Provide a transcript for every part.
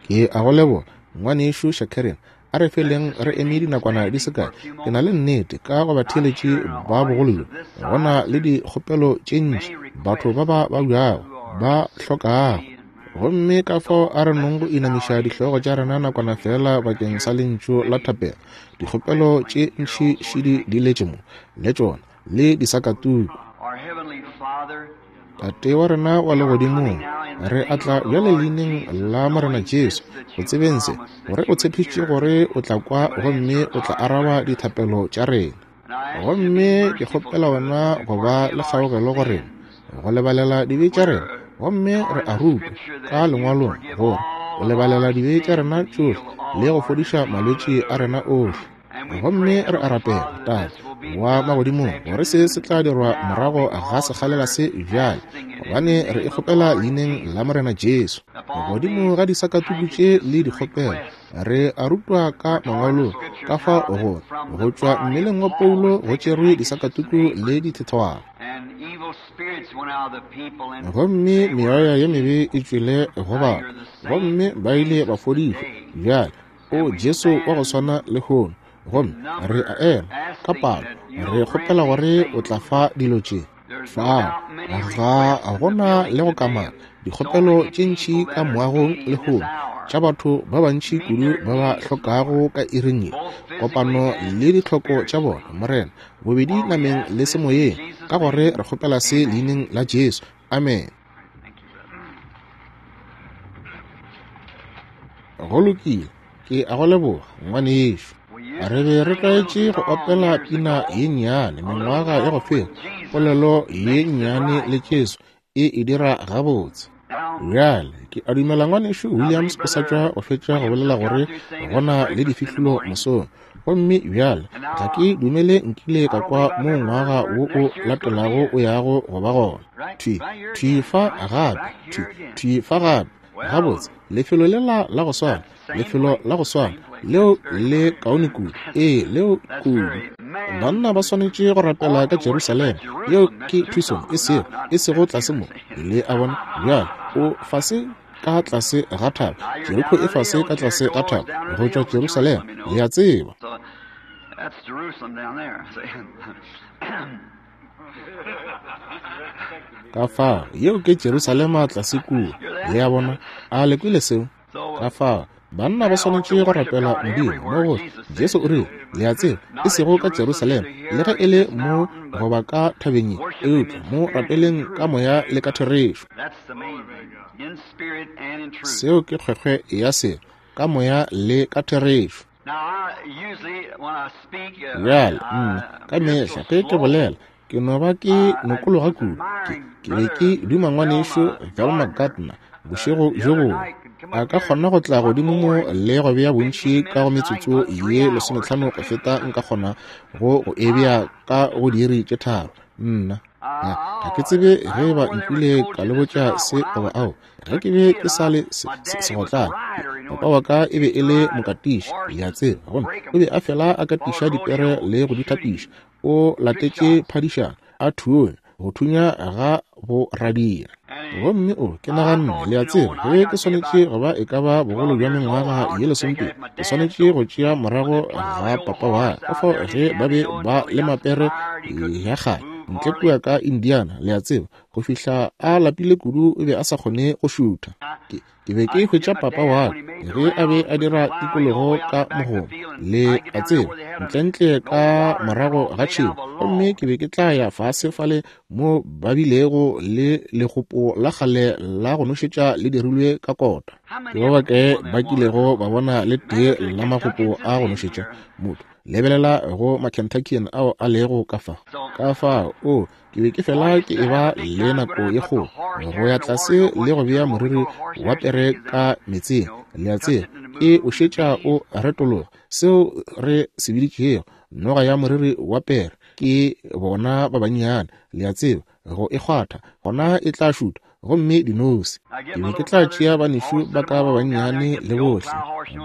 Ke a go leboga, Ngwanešu Shakarian. A re feleng re eme dinakwana di se kae. Ke na le nnete ka go batheeletši ba bogolo bjo, go na le dikgopelo tše ntši, batho ba ba babjago, ba hlokago. Gomme ka fao a re nong go inamiša dihlogo tša rena nakwana feela bakeng sa lentšu la thapelo. Dikgopelo tše ntši šidi di letše mo, le tšona, le disakatuku. Tate wa rena wa legodimong, re atla bjale leineng la Morena Jesu, go tsebeng se, gore o tshepišitše gore o tla kwa gomme o tla araba dithapelo tša rena. Gomme ke kgopela wena go ba le kgaogelo go rena, go lebalela dibe tša rena. Gomme re a rutwa ka Lengwalong gore o lebalela dibe tša rena tšohle le go fodiša malwetši a rena ohle. Gomme re a rapela, Tate wa Magodimong, gore se se tla dirwa morago ga sekgalela se bjale, gobane re e kgopela Leineng la Morena Jesu. Godimo ga disakatuku tše le dikgopelo, re a rutwa ka Mangwalong ka fa gore go tšwa mmeleng wa Paulo go tšerwe disakatuku le dithethwana. Gomme meoya ye mebe e tšwele go batho, gomme ba ile ba fodišwa. Bjale, O Jesu wa go swana lehono, gomme re a ema ka palo, re kgopela gore o tla fa dilo tše. Fao ga gona le go kamaka dikgopelo tše ntši ka moagong lehono tša batho ba bantši kudu ba ba hlokago ka iring ye kopano le ditlhoko tša bona, Morena, bobedi nameng le semoyeng, ka gore re kgopela se leineng la Jesu. Amen. Go lokile, ke a go leboga, ngwanešu. Re be re tlwaetše go opela pina ye nnyane mengwaga ya go feta, polelo ye nnyane le Jesu e e dira gabotse. Bjale, ke a dumela ngwanešu Williams o sa tšwa go fetša go bolela gore go na le difihlolo mosong. Gomme bjale, ga ke dumele nkile ka kwa mo ngwaga wo o latelago o yago go ba gona. Thwi, thwi fa gape, thwi, thwi fa gape. Gabotse, lefelo lela la go swana, lefelo la go swana, leo le kaone kudu. Ee, leo kudu. Banna ba swanetše go rapela ka Jerusalema. Yeo ke Tucson, e sego, e sego tlase mo. Le a bona? Bjale, o fase ka tlase ga thaba. Jeriko e fase ka tlase ga thaba go tšwa Jerusalema, le a tseba. Ka fao, yeo ke Jerusalema tlase kua, le a bona. A le kwele seo? Ka fao, banna ba swanetše go rapela Modimo mo gohle. Jesu o rile, le a tseba, e sego ka Jerusalema, le ge e le mo goba ka thabeng ye, eupša mo rapeleng ka moya le ka therešo. Seo ke kgwekgwe ya selo, ka moya le ka therešo. Bjale, nna, ka mehla ge ke bolela, ke no ba ke nokologa kudu. Ke, ke be ke duma ngwanešu Velma Gardner bošego bjo bongwe a ka kgona go tla godimo mo le go bea bontši ka go metsotso ye lesometlhano go feta nka kgona go go e bea ka go diiri tše tharo. Nna, ga, ga ke tsebe ge e ba nkile ka le botša se goba ao. Ge ke be ke sa le se, se, segotlane, papa wa ka e be e le mokatiši, le a tseba, gomme o be a fela a katiša dipere le go di thapiša. O latetše phadišano, a thunya, go thunya ga boradia. Gomme o, ke naganne, le a tseba, ge ke swanetše go ba e ka ba bogolo bja mengwaga ye lesomepedi, ke swanetše go tšea morago ga papa wa ka. Ka fao ge ba be ba le mapere ya kgale ntle kua ka Indiana, le a tseba, go fihla a lapile kudu o be a sa kgone go šutha. Ke, ke be ke hwetša papa wa ka ge a be a dira tikologo ka mogomo, le a tseba, ntlentle ka morago ga tšhemo, gomme ke be ke tla ya fase fale mo ba bilego le legopo la kgale la go nošetša le dirilwe ka kota. Ke ba bakae ba kilego ba bona le tee la magopo a go nošetša? Motho, lebelela go Makentuckian ao a lego ka fa. Ka fao, o, Ke be ke fela ke eba le nako ye kgolo go ya tlase le go bea moriri wa pere ka meetseng, le a tseba, e o šetša o retologa, seo re se biditšego noga ya moriri wa pere, ke bona ba bannyane, le a tseba, go e kgwatha, gona e tla šutha, gomme dinose. Ke be ke tla tšea banešu ba ka ba bannyane le bohle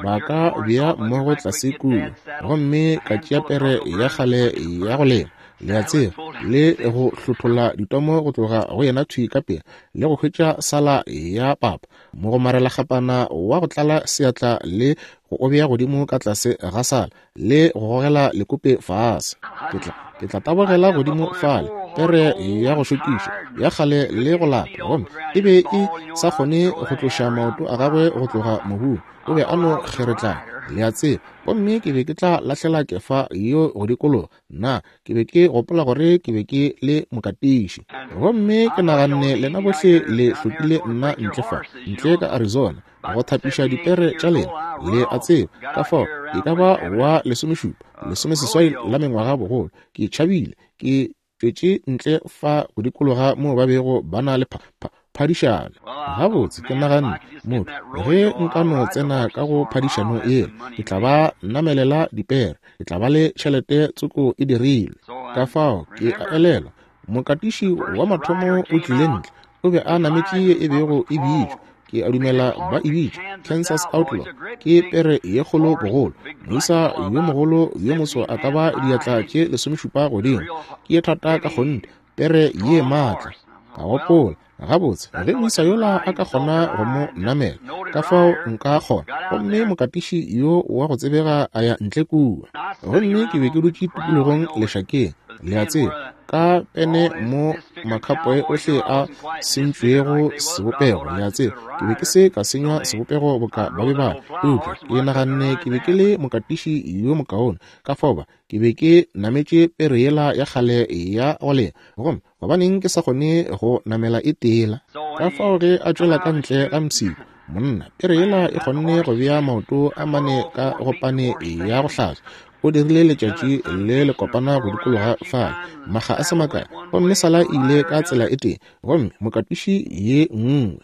ba ka bea mmogo tlase kua, gomme ka tšea pere ya kgale ya go lema. le a tseba, le go hlotholla ditomo go tloga go yena thwi ka pela, le go hwetša sala ya papa, mogomarelakgapana wa go tlala seatla le go o bea godimo ka tlase ga sala, le go gogela lekope fase. Ke tla, ke tla tabogela godimo fale, pere ya go šokiša, ya kgale le go lapa, gomme e be e sa kgone go tloša maoto a gagwe go tloga mobung, o be a no kgeretlana, le a tseba. Gomme ke be ke tla lahlela kefa yeo go dikologa. Nna, ke be ke gopola gore ke be ke le mokatiši. Gomme ke naganne lena bohle le hlokile nna ntle fa, ntle ka Arizona, go thapiša dipere tša lena, le a tseba. Ka fao, e ka ba wa lesomešupa, lesomeseswai la mengwaga bogolo, ke tšhabile, ke tšwetše ntle fa go dikologa moo ba bego ba na le pha, pha, phadišano. Gabotse, ke naganne, motho, ge nka no tsena ka go phadišano yela, ke tla ba namelela dipere, ke tla ba le tšhelete tsoko e dirilwe. Ka fao, ke a elelwa, mokatiši wa mathomo o tlile ntle, o be a nametše ye e bego e bitšwa, ke a dumela ba e bitša Kansas Outlaw, ke pere ye kgolo bogolo, moisa yo mogolo yo moso a ka ba diatla tše lesomešupa godimo, ke ye thata ka kgonthe, pere ye maatla. Ka gopola, gabotse, ge moisa yola a ka kgona go mo namela, ka fao nka kgona. Gomme mokatiši yo wa go tsebega a ya ntle kua. Gomme ke be ke dutše tikologong lešakeng, le a tseba, ka pene mo makhapoe ohle a sentšwego sebopego, le a tseba. Ke be ke se ka senywa sebopego boka ba be ba, eupša ke naganne ke be ke le mokatiši yo mokaone, ka fao ba, ke be ke nametše pere yela ya kgale ya go lema, gomme gobaneng ke sa kgone go namela e tela? Ka fao ge a tšwela ka ntle ga mpshiko, monna, pere yela e kgonne go bea maoto a mane ka go pane ya go hlatswa. O dirile letšatši le le kopana go dikologa fale, makga a se makae, gomme sala e ile ka tsela e tee, gomme mokatiši ye nngwe.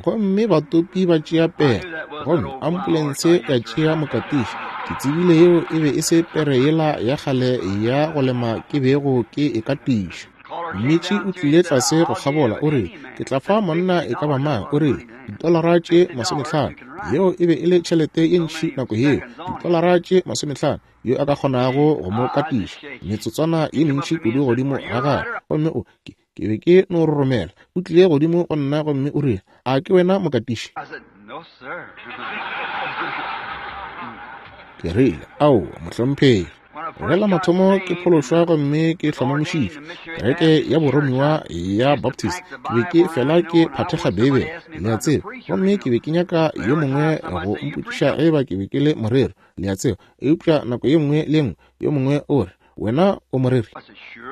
Gomme batopi ba tšea pere, gomme ambulense ya tšea mokatiši. Ke tsebile yeo e be e se pere yela ya kgale ya go lema ke bego ke e katiša. Mmitši o tlile tlase go kgabola, o rile, Ke tla fa monna e ka ba mang, o rile, ditolara tše masomehlano. Yeo e be e le tšhelete ye ntši nako yeo, ditolara tše masomehlano, yo a ka kgonago go mo katiša. Metsotswana ye mentši kudu godimo ga gagwe, gomme o, ke, Ke be ke no roromela. O tlile godimo go nna gomme o rile, A ke wena mokatiši? Ke rile, Aowa, mohlomphegi. Ge la mathomo ke phološwa gomme ke hlomamišitšwe kereke ya boromiwa ya Baptist, ke be ke fela ke phathekga Beibele, le a tseba, gomme ke be ke nyaka yo mongwe go mpotšiša ge eba ke be ke le moreri, le a tseba. Eupša nako ye nngwe le ye nngwe yo mongwe o re, Wena o moreri?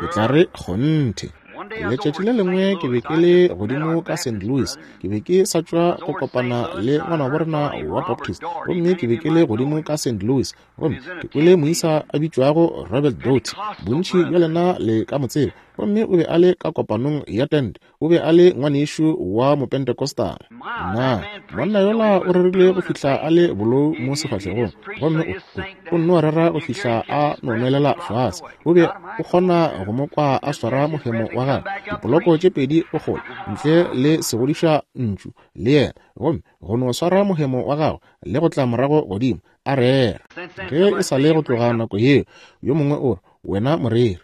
Ke tla re, Kgonthe. Letšatši le lengwe ke be ke le godimo ka St. Louis. Ke be ke sa tšwa go kopana le ngwanabo rena wa Baptist, gomme ke be ke le godimo ka St. Louis, gomme ke kwele moisa a bitšwago Robert Doty. Bontši bja lena le ka mo tseba. Gomme o be a le ka kopanong ya tente. O be a le ngwanešu wa Mopentecostal. Na monna yola o rerile go fihla a le bolou mo sefahlegong, gomme o, o nno rera go fihla a no nwelela fase. O be o kgona go mo kwa a swara mohemo wa gagwe, dipoloko tše pedi bokgole, ntle le segodiša ntšu le yena, gomme go no swara mohemo wa gagwe le go tla morago godimo a rera. Ge e sa le go tloga nako yeo, yo mongwe o re, Wena moreri.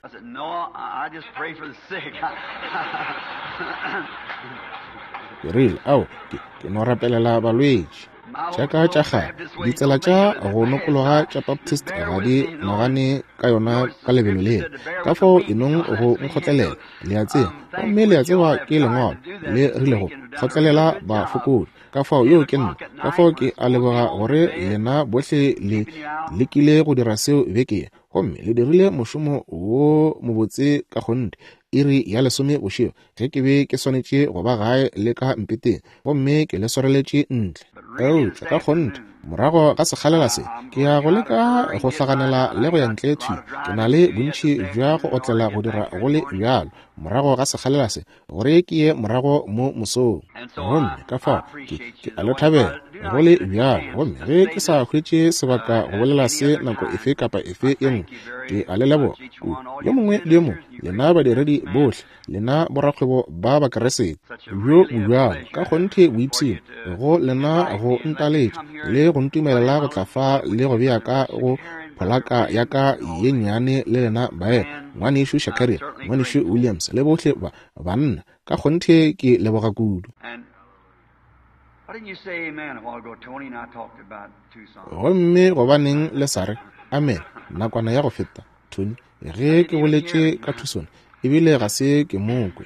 Ke rile, Ao, ke, ke no rapelela balwetši. Tša ka tša kgale, ditsela tša go nokologa tša Baptist ga di nagane ka yona ka lebelo lela. Ka fao e nong go nkgotlelela, le a tseba. Gomme le a tseba ke Lengwalo le rilego, kgotlelela bafokodi. Ka fao yeo ke nna. Ka fao ke a leboga gore lena bohle le lekile go dira seo beke ye. Gomme le dirile mošomo wo mobotse ka kgonthe, iri ya lesome bošego, ge ke be ke swanetše go ba gae le ka mpeteng, gomme ke le swareletše ntle. Eupša ka kgonthe, morago ga sekgalela se, ke ya go leka go hlaganela le go ya ntle thwi. Ke na le bontši bja go otlela go dira go le bjalo, morago ga sekgalela se, gore ke ye morago mo mosong. Gomme ka fao ke, ke a le thabela go le bjalo. Gomme ge ke sa hwetše sebaka go bolela se nako efe kapa efe ye nngwe, ke a le leboga kudu, yo mongwe le yo mongwe, lena badiredi bohle, lena borakgwebo ba Bakeresete, bjo bobjalo ka kgonthe boipshino go lena go ntaletša le go ntumelela go tla fa le go bea ka go Pholaka ya ka ye nnyane le lena baena, Ngwanešu Shakarian, Ngwanešu Williams, le bohle ba banna. Ka kgonthe ke leboga kudu. Gomme gobaneng le sa re amen nakwana ya go feta, Tony, ge ke boletše ka Tucson, ebile ga se ke mo kwe.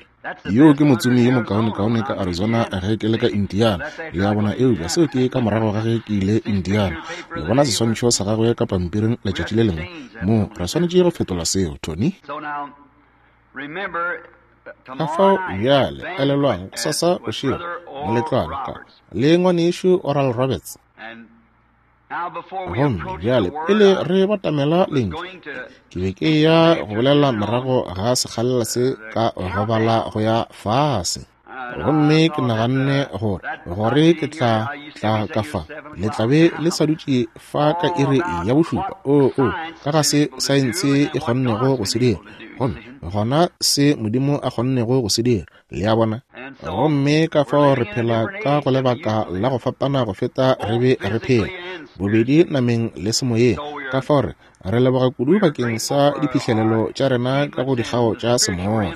Yoo ke motsomi yo mokaonekaone ka Arizona ge ke le ka Indiana. Le a bona, eupša seo ke ka morago ga ge ke ile Indiana. Le bona seswantšho sa gagwe ka pampiring letšatši le lengwe. Mo, re swanetše go fetola seo, Tony. Ka fao bjale, elelwang, gosasa bošego, moletlwana ka le Ngwanešu Oral Roberts. Gomme bjale pele re batamela Lentšu, ke be ke ya go bolela morago ga sekgalela se ka go bala go ya fase. Gomme ke naganne gore, gore ke tla tla ka fa, le tla be le sa dutše fa ka iri ya bošupa. Oo, oo, ka ga se saense e kgonnego go se dira, gomme gona se Modimo a kgonnego go se dira. Le a bona? Gomme ka fao re phela ka go lebaka la go fapana go feta re be re phela, bobedi nameng le semoyeng. Ka fao re, re leboga kudu bakeng sa diphihlelelo tša rena ka go dikgao tša semoya.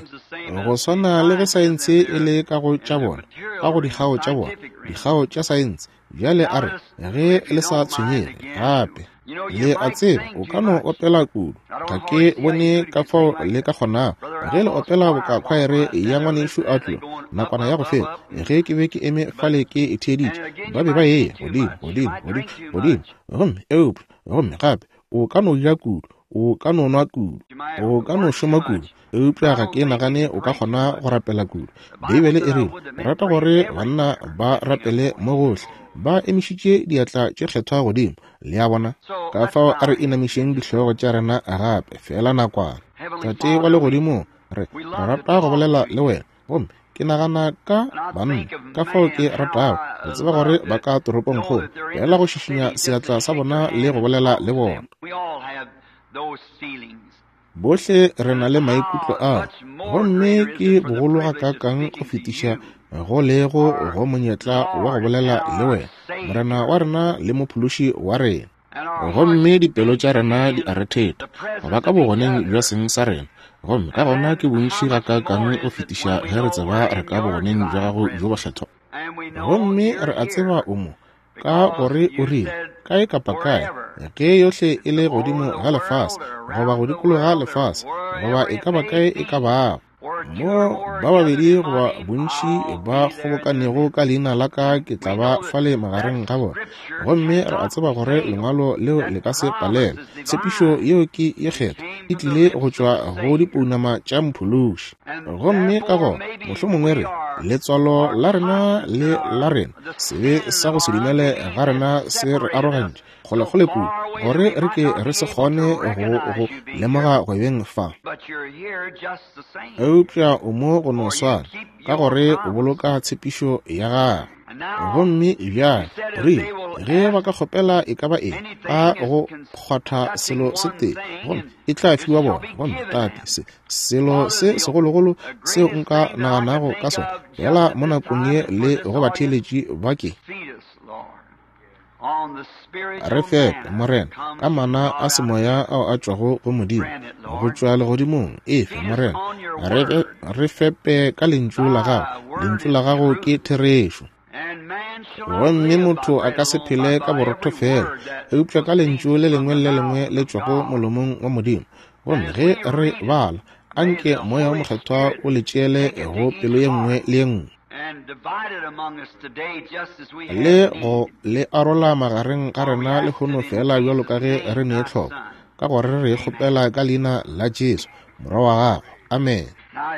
Go swana le ge saense e le ka go tša bona, ka go dikgao tša bona, dikgao tša saense. Bjale a re, ge le sa tshwenyege, gape. Le a tseba, o ka no opela kudu. Ga ke bone ka fao le ka kgonago. Ge le opela boka khwaere ya Ngwanešu Outlaw, nakwana ya go feta, ge ke be ke eme fale ke e theeditše, ba be ba eya godimo, godimo, godimo, godimo. Gomme, eupša, gomme gape, o ka no ja kudu, o ka no nwa kudu, o ka no šoma kudu, eupša ga ke nagane o ka kgona go rapela kudu. Beibele e rile, rata gore banna ba rapele mo gohle, ba emišitše diatla tše kgethwa godimo. Le a bona? Ka fao a re inamišeng dihlogo tša rena gape, feela nakwana. Tate wa Legodimong, re, re rata go bolela le wena. Gomme ke nagana ka banna, ka fao ke ratago go tseba gore ba ka toropongkgolo, feela go šišinya seatla sa bona le go bolela le bona. Bohle re na le maikutlo ao, gomme ke bogolo gakaakang go fetiša go lego go monyetla wa go bolela le wena, Morena wa rena le Mophološi wa rena. Gomme dipelo tša rena di a rethetha go ba ka bogoneng bja seng sa rena, gomme ka gona ke bontši gakaakang go fetiša ge re tseba re ka bogoneng bja gago bjo bokgethwa. Gomme re a tseba o mo, ka gore o rile, kae kapa kae, ge yohle e le godimo ga lefase, goba go dikologa lefase, goba e ka ba kae e ka bago, mo ba babedi goba bontši ba kgobokanego ka leina la ka, ke tla ba fale magareng ga bona. Gomme re a tseba gore lengwalo leo le ka se palelwe. Tshepišo yeo ke ye kgethwa, e tlile go tšwa go dipounama tša Mophološi. Gomme ka gona mohlomongwe re, letswalo la rena le la rena, sebe sa go se dumele ga rena se re arogantše kgolekgole kudu, gore re ke re se kgone go go lemoga go beng fa. Eupša o mo go no swana, ka gore o boloka tshepišo ya gago. Gomme bjale rile, ge ba ka kgopela e ka ba eng ka go kgwatha selo se tee, gomme e tla fiwa bona. Gomme Tate, se selo se segologolo seo nka naganago ka sona fela mo nakong ye le go batheeletši ba ke, re fepe, Morena, ka mana a semoya ao a tšwago go Modimo, go tšwa legodimong. Efe, Morena, re, re fepe ka Lentšu la Gago. Lentšu la Gago ke therešo. Gomme motho a ka se phele ka borotho fela, eupša ka Lentšu le lengwe le le lengwe le tšwago molomong wa Modimo. Gomme ge re bala, anke Moya wo Mokgethwa o le tšeele go pelo ye nngwe le ye nngwe. Le go le arola magareng ga rena lehono feela bjalo ka ge re ne tlhoko, ka gore re kgopela ka leina la Jesu, Morwa wa Gago. Amene.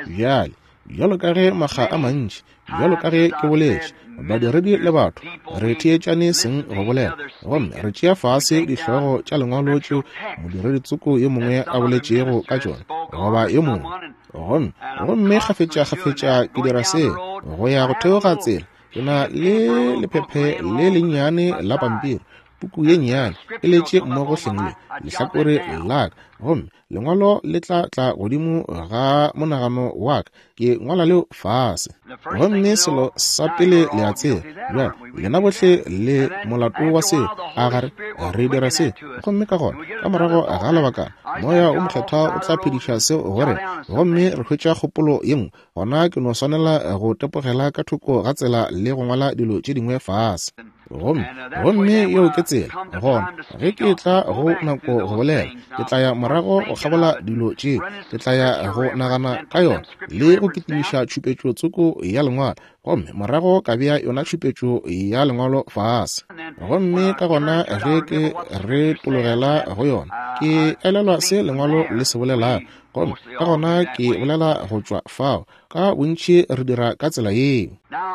Bjale, bjalo ka ge makga a mantši, bjalo ka ge ke boletše, badiredi le batho, re theetšane seng go bolela, gomme re tšea fase dihlogo tša lengwalo tšeo modiredi tsoko yo mongwe a boletšego ka tšona, goba yo mongwe. Gomme, gomme kgafetšakgafetša ke dira seo, go ya go theoga tsela, ke na le lephephe le lennyane la pampiri. Puku ye nnyane e letše mmogo hleng le lehlakore la ka, gomme lengwalo le tla tla godimo ga monagano wa ka. Ke ngwala leo fase. Gomme selo sa pele le a tseba, bjale lena bohle le molato wa seo, a ga re re dira se. Gomme ka gona ka morago ga lebakana Moya o Mokgethwa o tla phediša seo go rena, gomme re hwetša kgopolo ye nngwe. Gona ke no swanela go tepogela ka thoko ga tsela le go ngwala dilo tše dingwe fase. Gomme, gomme yeo ke tsela. Gona, ge ke tla go nako go bolela, ke tla ya morago go kgabola dilo tše. Ke tla ya go nagana ka yona le go kitimiša tšhupetšo tsoko ya Lengwalo, gomme morago ka bea yona tšhupetšo ya Lengwalo fase. Gomme ka gona ge ke retologela go yona, ke elelwa se Lengwalo le se bolelago, gomme ka gona ke bolela go tšwa fao. Ka bontši re dira ka tsela yeo.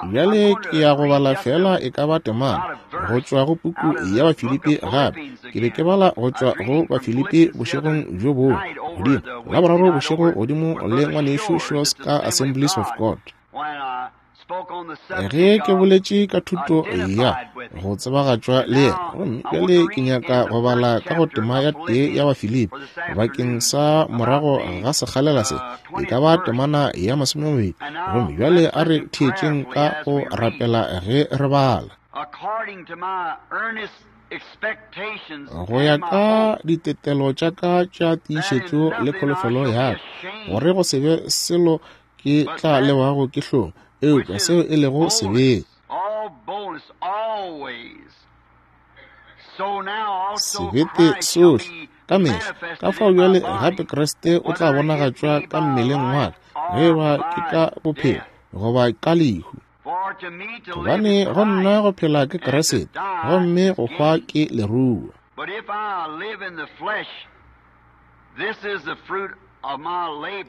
Bjale ke ya go bala feela e ka ba temana go tšwa go puku ya Bafilipi gape. Ke be ke bala go tšwa go Bafilipi bošegong bjo bongwe, godimo Laboraro bošego godimo le ngwanešu Shores ka Assemblies of God. Ge ke boletše ka thuto ya go tsebagatšwa le yena, gomme bjale ke nyaka go bala ka go tema ya tee ya Bafilipi bakeng sa morago ga sekgalela se, e ka ba temana ya 20. Gomme bjale a re theetšeng ka go rapela ge re bala. Go ya ka ditetelo tša ka tša tiišetšo le kholofelo ya ka, gore go se be selo ke tla lewago ke hlong, eupša seo e lego sebete. Sebete sohle ka mehla. Ka fao bjale gape Kriste o tla bonagatšwa ka mmeleng wa ka, ge e ba ke ka bophelo goba ka lehu. Gobane go nna go phela ke Kriste, gomme go hwa ke leruo.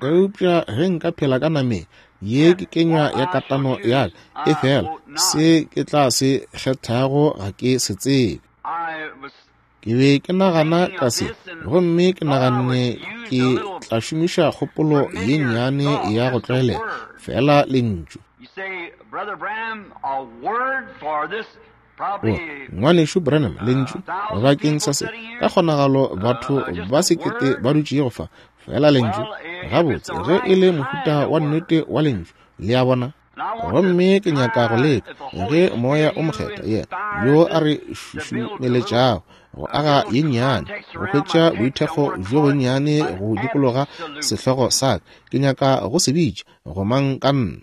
Eupša ge nka phela ka nameng, ye ke kenywa ya katano ya ka, efela se ke tla se kgethago ga ke se tsebe. Ke be ke nagana ka se, gomme ke naganne ke tla šomiša kgopolo ye nnyane ya go tlwaelega, feela lentšu. O, Ngwanešu Branham, lentšu bakeng sa se, ka kgonagalo batho ba sekete ba dutšego fa, feela lentšu, gabotse, ge e le mohuta wa nnete wa lentšu, le a bona. Gomme ke nyaka go leka ge Moya o Mokgethwa, yena yo a re šušumeletšago go aga ye nnyane, go hwetša boithekgo bjo bonnyane go dikologa sehlogo sa ka, ke nyaka go se bitša gomang ka nna.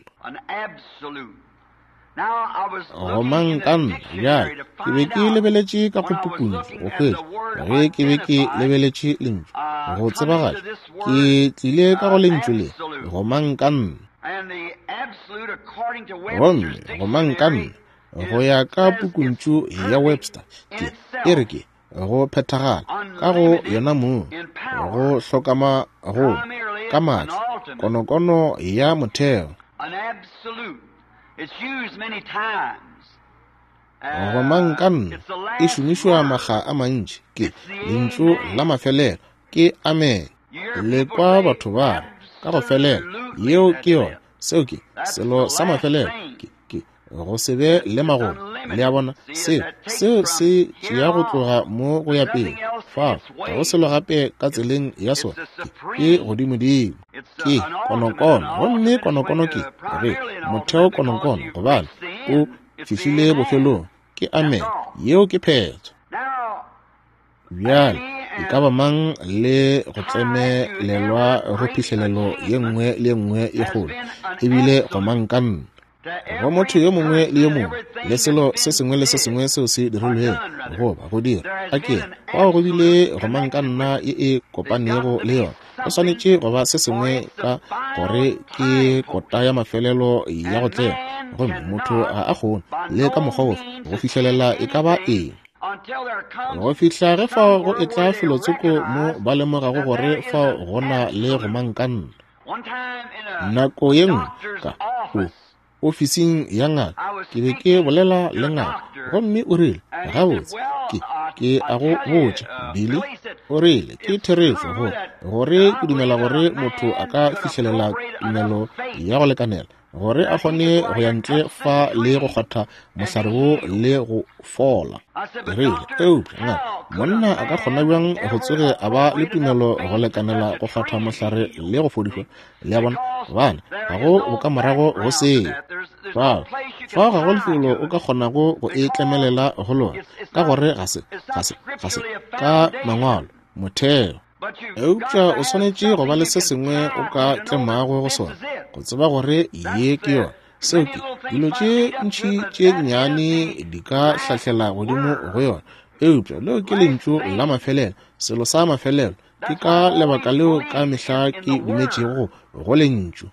Gomang ka nna. Bjale, ke be ke lebeletše ka go pukuntšu go hwetša, ge ke be ke lebeletše lentšu go tsebagatša, ke tlile ka go lentšu le, gomang ka nna. Gomme gomang ka nna, go ya ka pukuntšu ya Webster, ke, e re ke, go phethagala ka go yona mong, go hlokama go ka maatla, konokono ya motheo. Gomang ka nna e šomišwa makga a mantši, ke lentšu la mafelelo, ke amen. Le kwa batho ba re, ka go felela, yeo ke yona, seo ke selo sa mafelelo, ke, ke go se be le magomo. Le a bona, seo, seo se tšea go tloga mo go ya pele. Fao ga go selo gape ka tseleng ya sona, ke, ke godimodimo. Ke konokono, gomme konokono ke re motheo konokono, gobane o fihlile bofelong. Ke amen, yeo ke phetho. Bjale, e ka ba mang le go tlemelelwa go phihlelelo ye nngwe le ye nngwe ye kgolo, ebile gomang ka nna. Go motho yo mongwe le yo mongwe le selo se sengwe le se sengwe seo se dirilwego goba go dira, a ke re, fao go bile gomang ka nna ye e kopanego le yona. Go swanetše go ba se sengwe ka gore ke kota ya mafelelo ya go tlema, gomme motho ga a kgone le ka mokgwa ofe go fihlelela e ka ba eng. Go fihla ge fao go etla felotsoko mo ba lemogago gore fao go na le gomang ka nna. Nako ye nngwe ka o ofising ya ngaka, ke be ke bolela le ngaka, gomme o rile, Gabotse, ke, ke a go botša, Billy, o rile, ke therešo gore, gore ke dumela gore motho a ka fihlelela tumelo ya go lekanela. gore a kgone go ya ntle fa le go kgwatha mohlare wo le go fola. Ke rile, Eupša, ngaka, monna a ka kgona bjang go tsoge a ba le tumelo go lekanela go kgwatha mohlare le go fodišwa? Le a bona? Gobane ga go bokamorago go seo. Fao, fao ga go lefelo o ka kgonago go e tlemelela go lona, ka gore ga se, ga se, ga se, ka mangwalo, motheo. Eupša o swanetše go ba le se sengwe o ka tlemago go sona, go tseba gore ye ke yona. Seo ke, dilo tše ntši tše nnyane di ka hlahlela godimo go yona, eupša leo ke lentšu la mafelelo, selo sa mafelelo. Ke ka lebaka leo ka mehla ke dumetšego go lentšu.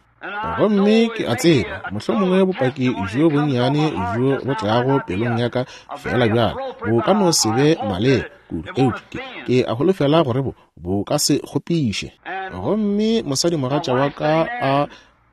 Gomme ke a tseba, mohlomongwe bopaki bjo bonnyane bjo bo tlago pelong ya ka feela bjale bo ka no se be maleba kudu, eupša ke, ke a holofela gore bo, bo ka se kgopiše. Gomme mosadimogatša wa ka a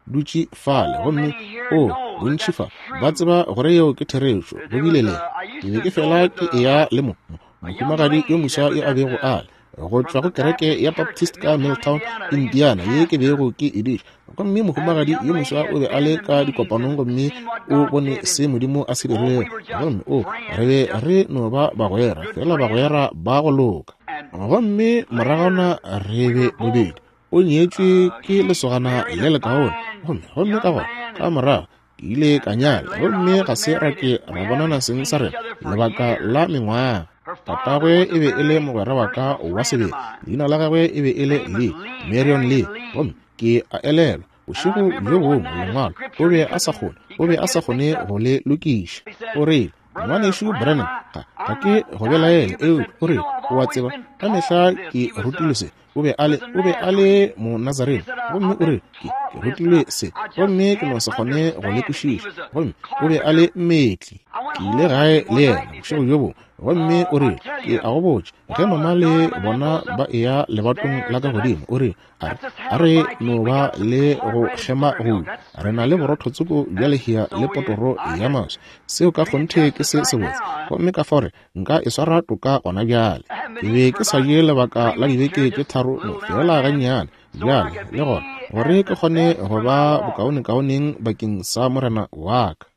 dutše fale, gomme o, bontši fa ba tseba gore yeo ke therešo. Go bile le, ke be ke fela ke eya le mo, mo, mohumagadi yo moswa yo a bego a le go tšwa go kereke ya Baptist ka Milltown, Indiana, ye ke bego ke e diša. Gomme mohumagadi yo moswa o be a le ka dikopanong gomme o bone se Modimo a se dirilego. Gomme o, re be re no ba bagwera, feela bagwera ba go loka. Gomme moragwana re be bobedi. O nyetšwe ke lesogana le lekaone. Gomme, gomme ka gona, ka morago, ke ile ka nyala gomme ga se ra ke ra bonana seng sa rena lebaka la mengwaga. Tatagwe e be e le mogwera wa ka wa sebele, leina la gagwe e be e le Lee, Marion Lee. Gomme ke a elelwa bošego bjo bongwe lengwalo o be a sa kgone, o be a sa kgone go le lokiša. O rile, Ngwanešu Branham, ga, ga ke go belaele, eupša o rile, o a tseba, ka mehla ke rutilwe se. O be a le, o be a le Monazarene. Gomme o rile, Ke, ke rutilwe se, gomme ke no se kgone go le kwešiša. Gomme o be a le mmetli. Ke ile gae le yena bošego bjo bongwe, gomme o rile, Ke a go botša, ge mama le bona ba eya lebatong la ka godimo, o rile, a re, a re no ba le go kgema go, re na le borotho tsoko bja lehea le potoro ya maswi. Seo ka kgonthe ke se sebotse. Gomme ka fao re, nka e swara toka gona bjale. Ke be ke sa je lebaka la dibeke tše tharo no feela gannyane bjale, le gona, gore ke kgone go ba bokaonekaoneng bakeng sa Morena wa ka.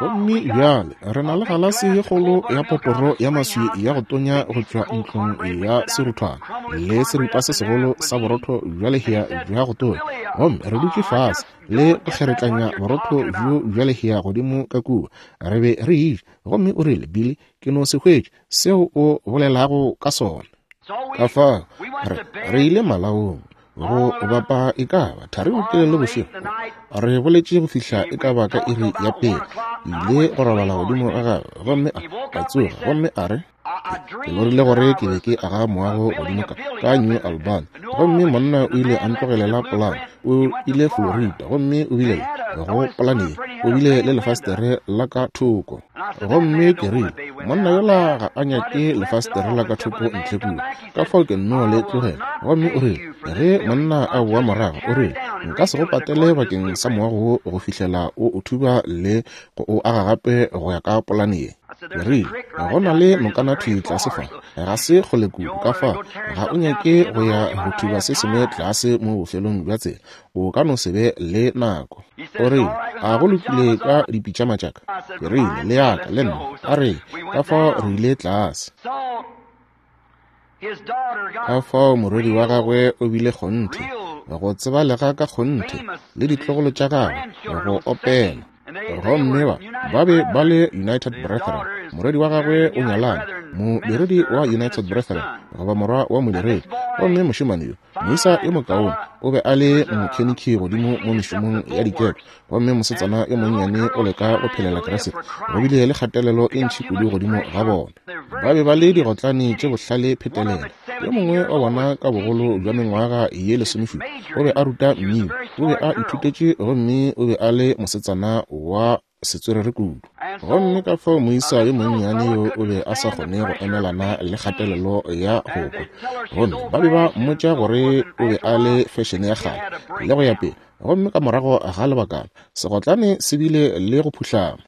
Gomme bjale re na le galase ye kgolo ya poporo ya maswi ya go tonya go tšwa ntlong ya seruthwana le seripa se segolo sa borotho bja lehea bja go tonya. Gomme re dutše fase le go kgeretlanya borotho bjo bja lehea godimo ka kua. Re be re eja. Gomme o rile, Billy, ke no se hwetše seo o bolelago ka sona. Ka fao re, re ile malaong go bapa e ka ba thari botelele bošego. Re boletše go fihla e ka ba ka iri ya pele. Ke ile go robala godimo ga gagwe, gomme a, a tsoga gomme a re, Ke lorile gore ke be ke aga moago godimo ka, ka New Albany. Gomme monna o ile a ntlogelela polane. O ile Florida gomme o bile le, go polane ye, o bile le lefastere la ka thoko. Gomme ke rile, Monna yola ga a nyake lefastere la ka thoko ntle kua, ka fao ke nno le tlogela. Gomme o rile, Ge monna a boa morago, o rile, Nka se go patele bakeng sa moago wo go fihlela o o thuba le go o aga gape go ya ka polane ye. Ke rile, Go na le nokana thwi tlase fa, ga se kgole kudu, ka fao ga o nyake go ya go thuba se sengwe tlase mo bofelong bja tsela, o ka no se be le nako. O rile, A go lokile ka dipitšama tša ka? Ke rile, Le ya ka, le nna. A re, Ka fao re ile tlase. Ka fao morwedi wa gagwe o bile kgonthe, go tsebalega ka kgonthe, le ditlogolo tša gagwe, go opela. Gomme ba, ba be ba le United Brethren. Morwedi wa gagwe o nyalane, modiredi wa United Brethren, goba morwa wa modiredi. Gomme mošemane yo, moisa yo mokaone, o be a le mokhenikhi godimo mo mešomong ya dikepe. Gomme mosetsana yo monnyane o leka go phelela Kriste. Go bile le kgatelelo e ntši kudu godimo ga bona. Ba be ba le digotlane tše bohlale phetelela. Yo mongwe wa bona ka bogolo bja mengwaga ye lesomešupa o be a ruta mmino, o be a ithutetše gomme o be a le mosetsana wa setswerere kudu. Gomme ka fao moisa yo monnyane yo o be a sa kgone go emelana le kgatelelo ya go kwa. Gomme ba be ba mmotša gore o be a le fešene ya kgale le go ya pele. Gomme ka morago ga lebakana segotlane se bile le go phuhlama.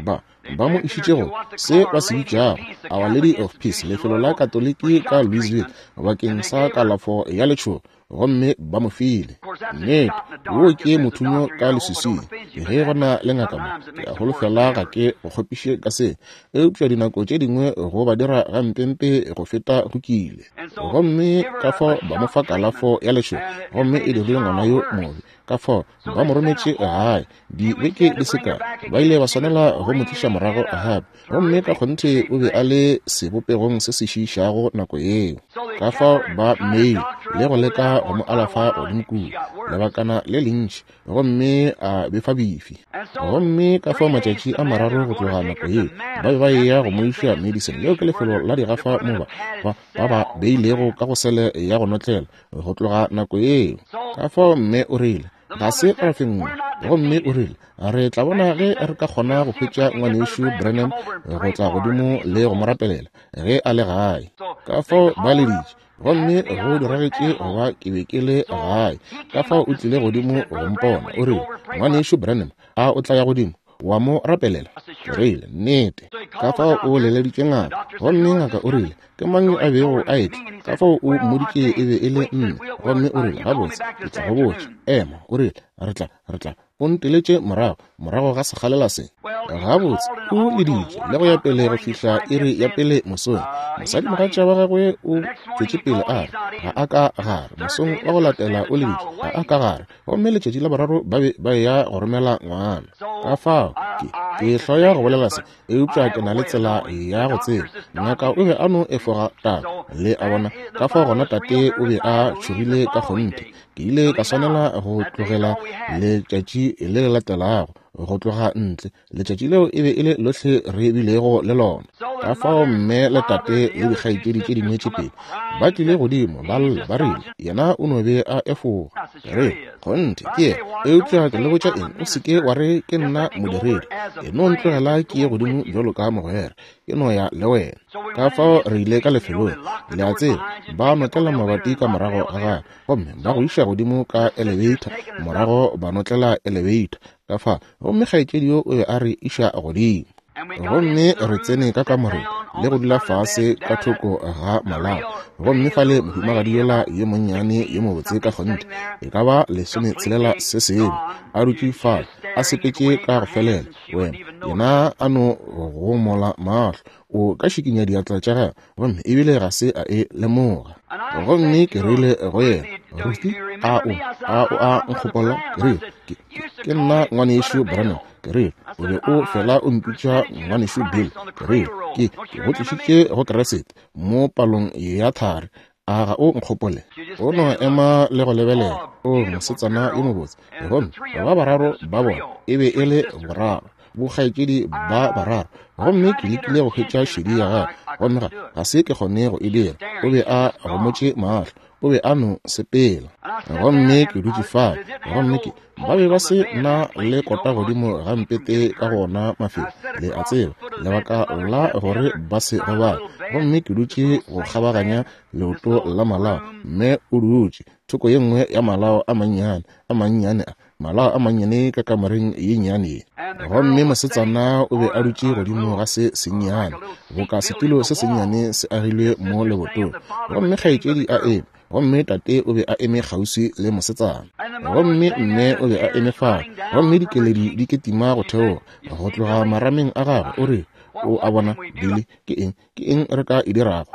Ba ba mo išitše go se ba se bitšago Our Lady of Peace, lefelo la Katoliki ka Louisville, bakeng sa kalafo ya letšhogo. Gomme ba mo file. Nnete, wo ke mothunyo ka leswiswing. Ge go na le ngaka mo, ke a holofela ga ke go kgopiše ka se, eupša dinako tše dingwe go ba dira gampempe go feta go kile. Gomme ka fao ba mo fa kalafo ya lešoba, gomme e dirile ngwana yo mobe. Ka fao ba mo rometše gae dibeke di se kae, ba ile ba swanela go mo tliša morago gape. Gomme ka kgonthe o be a le sebopegong se se šiišago nako yeo. Ka fao ba mmeile le go leka go mo alafa godimo kua lebakana le lentši, gomme a befa bifi. Gomme ka fao matšatši a mararo go tloga nako yeo, ba be ba eya go mo iša Madison. Leo ke lefelo la digafa mo ba ba beilego ka go sele ya go notlela go tloga nako yeo. Ka fao mme o rile, Ga se ra fenngwa. Gomme o rile, Re tla bona ge re ka kgona go hwetša Ngwanešu Branham go tla godimo le go mo rapelela ge a le gae. Ka fao ba leditše, gomme go diragetše go ba ke be ke le gae. Ka fao o tlile godimo go mpona. O rile, Ngwanešu Branham, a o tla ya godimo wa mo rapelela? Ke rile, Nnete. Ka fao o leleditše ngaka, gomme ngaka o rile, Ke mang yo a bego a etla? Ka fao o mmoditše e be e le nna. Gomme o rile, Gabotse, ke tla go botša. Ema, o rile, re tla, re tla. O nteletše morago, morago ga sekgalela se. Gabotse, o leditše le go ya pele go fihla iri ya pele mosong. Mosadimogatša wa gagwe o tšwetše pele a re, Ga a ka gare. Mosong wa go latela o leditše, ga a ka gare. Gomme letšatši la boraro ba be ba eya go romela ngwana. Ka fao, ke, ke hloya go bolela se, eupša ke na le tsela ya go tseba. Ngaka o be a no efoga taba, le a bona. Ka fao gona tate o be a tšhogile ka kgonthe. Ke ile ka swanela go tlogela letšatši le le latelago, go tloga ntle. Letšatši leo e be e le lohle re bilego le lona. Ka fao mme le tate le dikgaetšedi tše dingwe tše pedi ba tlile godimo, ba lla, ba rile, Yena o no be a efoga. Re, kgonthe, ke yena. Eupša ke le botša eng, o se ke wa re ke nna modiredi. E no ntlogela ke ye godimo bjalo ka mogwera. Ke no ya le wena. Ka fao re ile ka lefelong, le a tseba, ba notlela mabati ka morago ga gagwe, gomme ba go iša godimo ka elevator, morago ba notlela elevator ka fa, gomme kgaetšedi yo o be a re iša godimo. Gomme re tsene ka kamoreng le go dula fase ka thoko ga malao, gomme fale mohumagadi yola yo monnyane yo mobotse ka kgonthe, e ka ba 16 se sengwe, a dutše fale, a sepetše ka go felela, wena, yena a no gomola mahlo, o ka šikinya diatla tša gagwe, gomme ebile ga se a e lemoga. Gomme ke rile go yena, Ruthie, a o, a o a nkgopola? Ke rile, ke, ke, ke nna Ngwanešu Branham. Ke rile, o be o fela o mpitša Ngwanešu Bill. Ke rile, ke, ke go tlišitše go Kriste mo palong ya thari. A ga o nkgopole? O no ema le go lebelela. O mosetsana yo mobotse. Gomme ba bararo ba bona e be e le boraro, bokgaetšedi ba bararo. Gomme ke lekile go hwetša šedi ya gagwe, gomme ga, ga se ke kgone go e dira. O be a gomotše mahlo. O be a no sepela. Gomme ke dutše fale, gomme ke, ba be ba se na le kota godimo ga mpete ka go ona mafelo, le a tseba, lebaka la gore ba se gobale. Gomme ke dutše go kgabaganya leoto la malao, mme o dutše thoko ye nngwe ya malao a mannyane, a mannyane a, malao a mannyane ka kamoreng ye nnyane ye. Gomme mosetsana o be a dutše godimo ga se sennyane, boka setulo se sennyane se agilwe mo lebotong. Gomme kgaetšedi a eme, gomme tate o be a eme kgauswi le mosetsana. Gomme mme o be a eme fale, gomme dikeledi di ketima go theoga go tloga marameng a gagwe. O rile, O a bona, Billy, ke eng, ke eng re ka e dirago?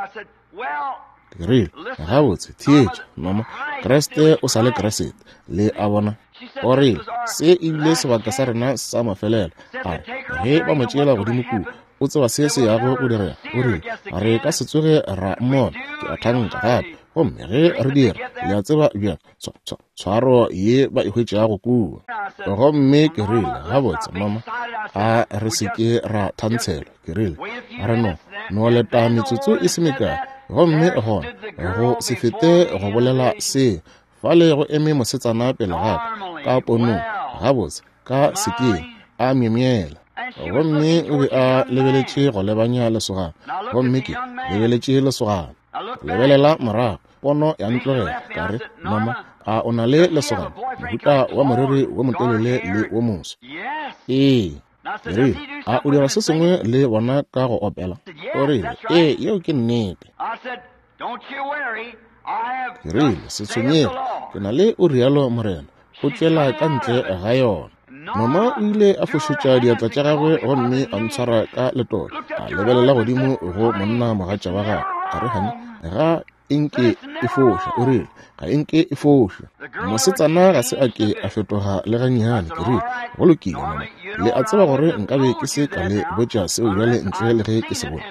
Ke rile, Gabotse, theetša, mama, Kriste o sa le Kriste. Le a bona? O rile, Se e bile sebaka sa rena sa mafelelo. A re, ge ba mo tšeela godimo kua, o tseba se se yago go direga. O rile, Re ka se tsoge ra mmona, ke a thanka, gape. Gomme ge re dira, le a tseba bjang, tshwaro ye ba e hwetšago kua. Gomme ke rile, Gabotse, mama, a re se ke ra thantshelwa. Ke rile, re no, no leta metsotso e se mekae. Gomme gona, go se fete go bolela se, fale go eme mosetsana pele ga ka, ka ponong, gabotse, ka sekeng, a myemyela. Gomme o be a lebeletše go lebanya lesogana, gomme ke lebeletše lesogana. Lebelela morago, pono ya ntlogela. Ka re, Mama, a o na le lesogana, mohuta wa moriri wo motelele le wo moso? Ee. Ke rile, A o dira se sengwe le bona ka go opela? O rile, Ee, yeo ke nnete. Ke rile, Se tshwenyege, ke na le o rialo Morena, o tšwela ka ntle ga yona. Mama o ile a fošetša diatla tša gagwe gomme a ntshwara ka letolo, a lebelela godimo go monna mogatša wa gagwe. A re, Honey, ga e nke e foša. O rile, Ga e nke e foša. Mosetsana ga se a ke a fetoga le gannyane. Ke rile, Go lokile, mama. Le a tseba gore nkabe ke se ka le botša seo bjale ntle le ge ke se bone.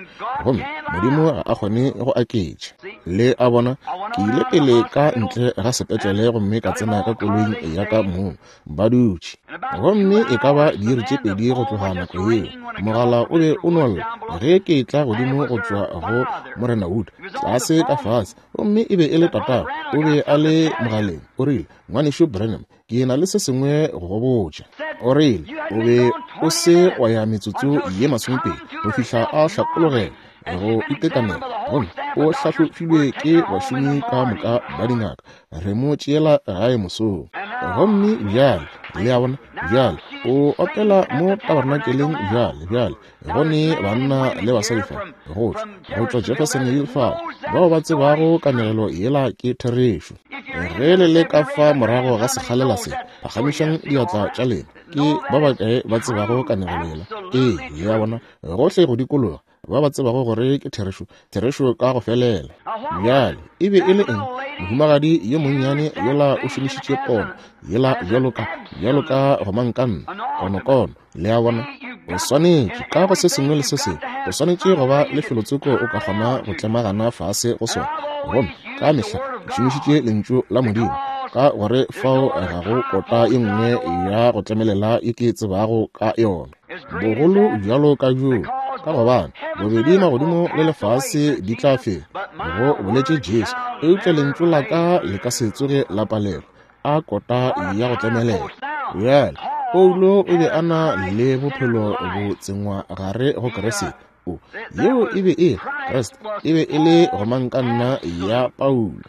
Gomme Modimo ga a kgone go aketša. Le a bona, ke ile pele ka ntle ga sepetlele gomme ka tsena ka koloing ya ka mong. Ba dutše. Gomme e ka ba diiri tše pedi go tloga nako yeo, mogala o be o no lla ge ke etla godimo go tšwa go Morena Wood, tlase ka fase. Gomme e be e le tatago, o be a le mogaleng. O rile, Ngwanešu Branham, ke na le se sengwe go go botša. O rile, O be o se wa ya metsotso ye masomepedi go fihla a hlakologela go itekanela, gomme o hlahlofilwe ke bašomi ka moka ba dingaka. Re mo tšeela gae mosong. Gomme bjale, le a bona, bjale o opela mo tabernakeleng bjale, bjale go ne banna le basadi fa go tšwa, go tšwa Jeffersonville fa, bao ba tsebago kanegelo yela ke therešo. Ge le le ka fa morago ga sekgalela se, phagamišang diatla tša lena. Ke ba bakae ba tsebago kanegelo yela? Ee, le a bona, gohle go dikologa, ba ba tsebago gore ke therešo, therešo ka go felela. Bjale, e be e le eng? Mohumagadi yo monnyane yola o šomišitše pono yela bjalo ka, bjalo ka gomangkanna, konokono. Le a bona? O swanetše, ka go se sengwe le se sengwe, o swanetše go ba le felotsoko o ka kgona go tlemagana fase go sona. Gomme ka mehla ke šomišitše Lentšu la Modimo, ka gore fao ga go kota ye nngwe ya go tlemelela ye ke tsebago ka yona. Bogolo bjalo ka bjoo, ka gobane bobedi magodimo le lefase di tla fela, go boletše Jesu, eupša Lentšu la ka le ka se tsoge la palelwa. A kota ya go tlemelela. Bjale, Paulo o be a na le bophelo bo tsengwa gare go Kriste. O, yeo e be e, Kriste e be e le gomangkanna ya Paulo.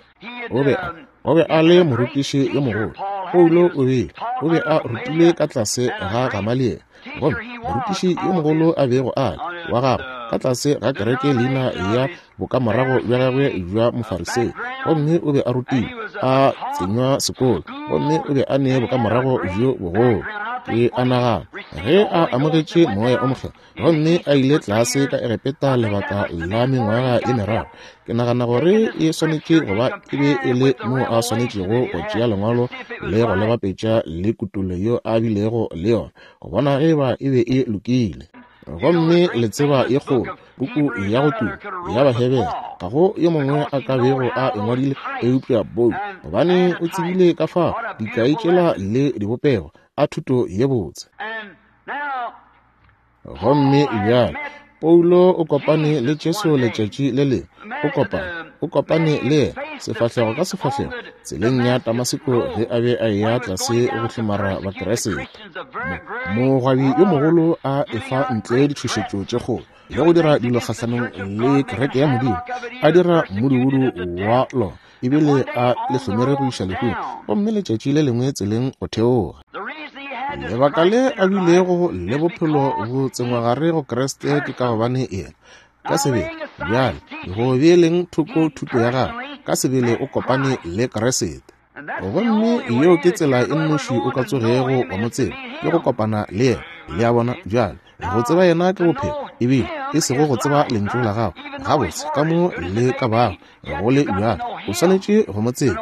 O be a, o be a le morutiši yo mogolo. Paulo o be, o be a rutilwe ka tlase ga Gamaliele. Gomme morutiši yo mogolo a bego a le, wa gagwe, ka tlase ga kereke leina ya bokamorago bja gagwe bja Mofarisei, gomme o be a rutilwe, a tsenywa sekolo, gomme o be a ne bokamorago bjo bogolo. Ke a nagana ge a amogetše Moya o Mokgethwa gomme a ile tlase ka Egepeta lebaka la mengwaga ye meraro, ke nagana gore e swanetše go ba e be e le moo a swanetšego go tšea Lengwalo le go le bapetša le kutollo yeo a bilego le yona, go bona ge eba e be e lokile. Gomme le tseba ye kgolo, puku ya go tuma ya Bahebere, ga go yo mongwe a ka bego a e ngwadile eupša Paulo, gobane o tsebile ka fao dikai tšela le dibopego a thuto ye botse. Gomme bjale Paulo o kopane le Jesu letšatši le lengwe, o kopane, o kopane le yena sefahlego ka sefahlego tseleng ya Damaseko ge a be a eya tlase go hlomara Bakeresete. Mogwabi yo mogolo a efa ntle ditšhošetšo tše kgolo le go dira dilo kgahlanong le kereke ya Modimo, a dira mmudubudu wa lona, ebile a le hlomere go iša lehung, gomme letšatši le lengwe tseleng go theoga. Lebaka le a bilego le bophelo bo tsengwagare go Kriste ke ka gobane yena ka sebele bjale go beeleng thoko thuto ya gagwe, ka sebele o kopane le Kriste. Gomme yeo ke tsela e nnoši o ka tsogego wa mo tseba, ke go kopana le yena. Le a bona? Bjale, go tseba yena ke bophelo, ebile e sego go tseba lentšu la gago gabotse ka mo le ka bago go le bjalo. O swanetše go mo tseba.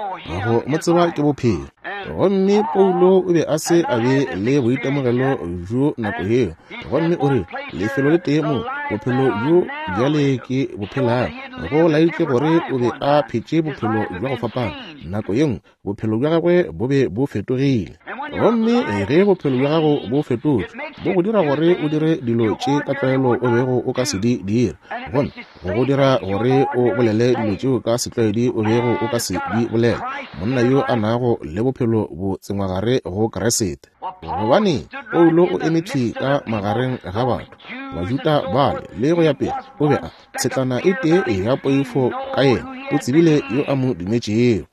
Go mo tseba ke bophelo. Gomme Paulo o be a se a be le boitemogelo bjo nako yeo. Gomme o re, lefelo le tee moo bophelo bjo bjale ke bo phelago, go laetše gore o be a phetše bophelo bja go fapana. Nako ye nngwe bophelo bja gagwe bo be bo fetogile. Gomme ge bophelo bja gago bo fetotšwe, bo go dira gore o dire dilo tše ka tlwaelo o bego o ka se di dire, gomme go go dira gore o bolele dilo tšeo ka setlwaedi o bego o ka se di bolela. Monna yo a nago le bophelo bo tsengwagare go Kriste. Gobane Paulo o eme thwi ka magareng ga batho, Bajuda bale le go ya pele, o be a tshetlana e tee ya poifo ka yena, o tsebile yo a mo dumetšego.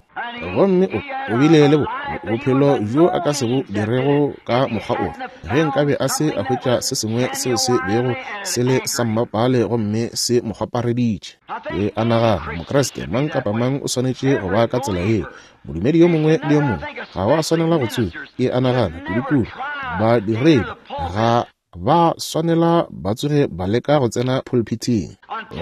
Gomme o, o bile le bo, bophelo bjo a ka se bo dirego ka mokgwa ofe, ge nkabe a se a hwetša se sengwe seo se bego se le sa mmapale gomme se mo kgwapareditše. Ke a nagana, Mokriste mang kapa mang o swanetše go ba ka tsela yeo. Modumedi yo mongwe le yo mongwe ga wa swanela go tsuba. Ke a nagana, kudukudu badiredi ga ba swanela ba tsoge ba leka go tsena pulpithing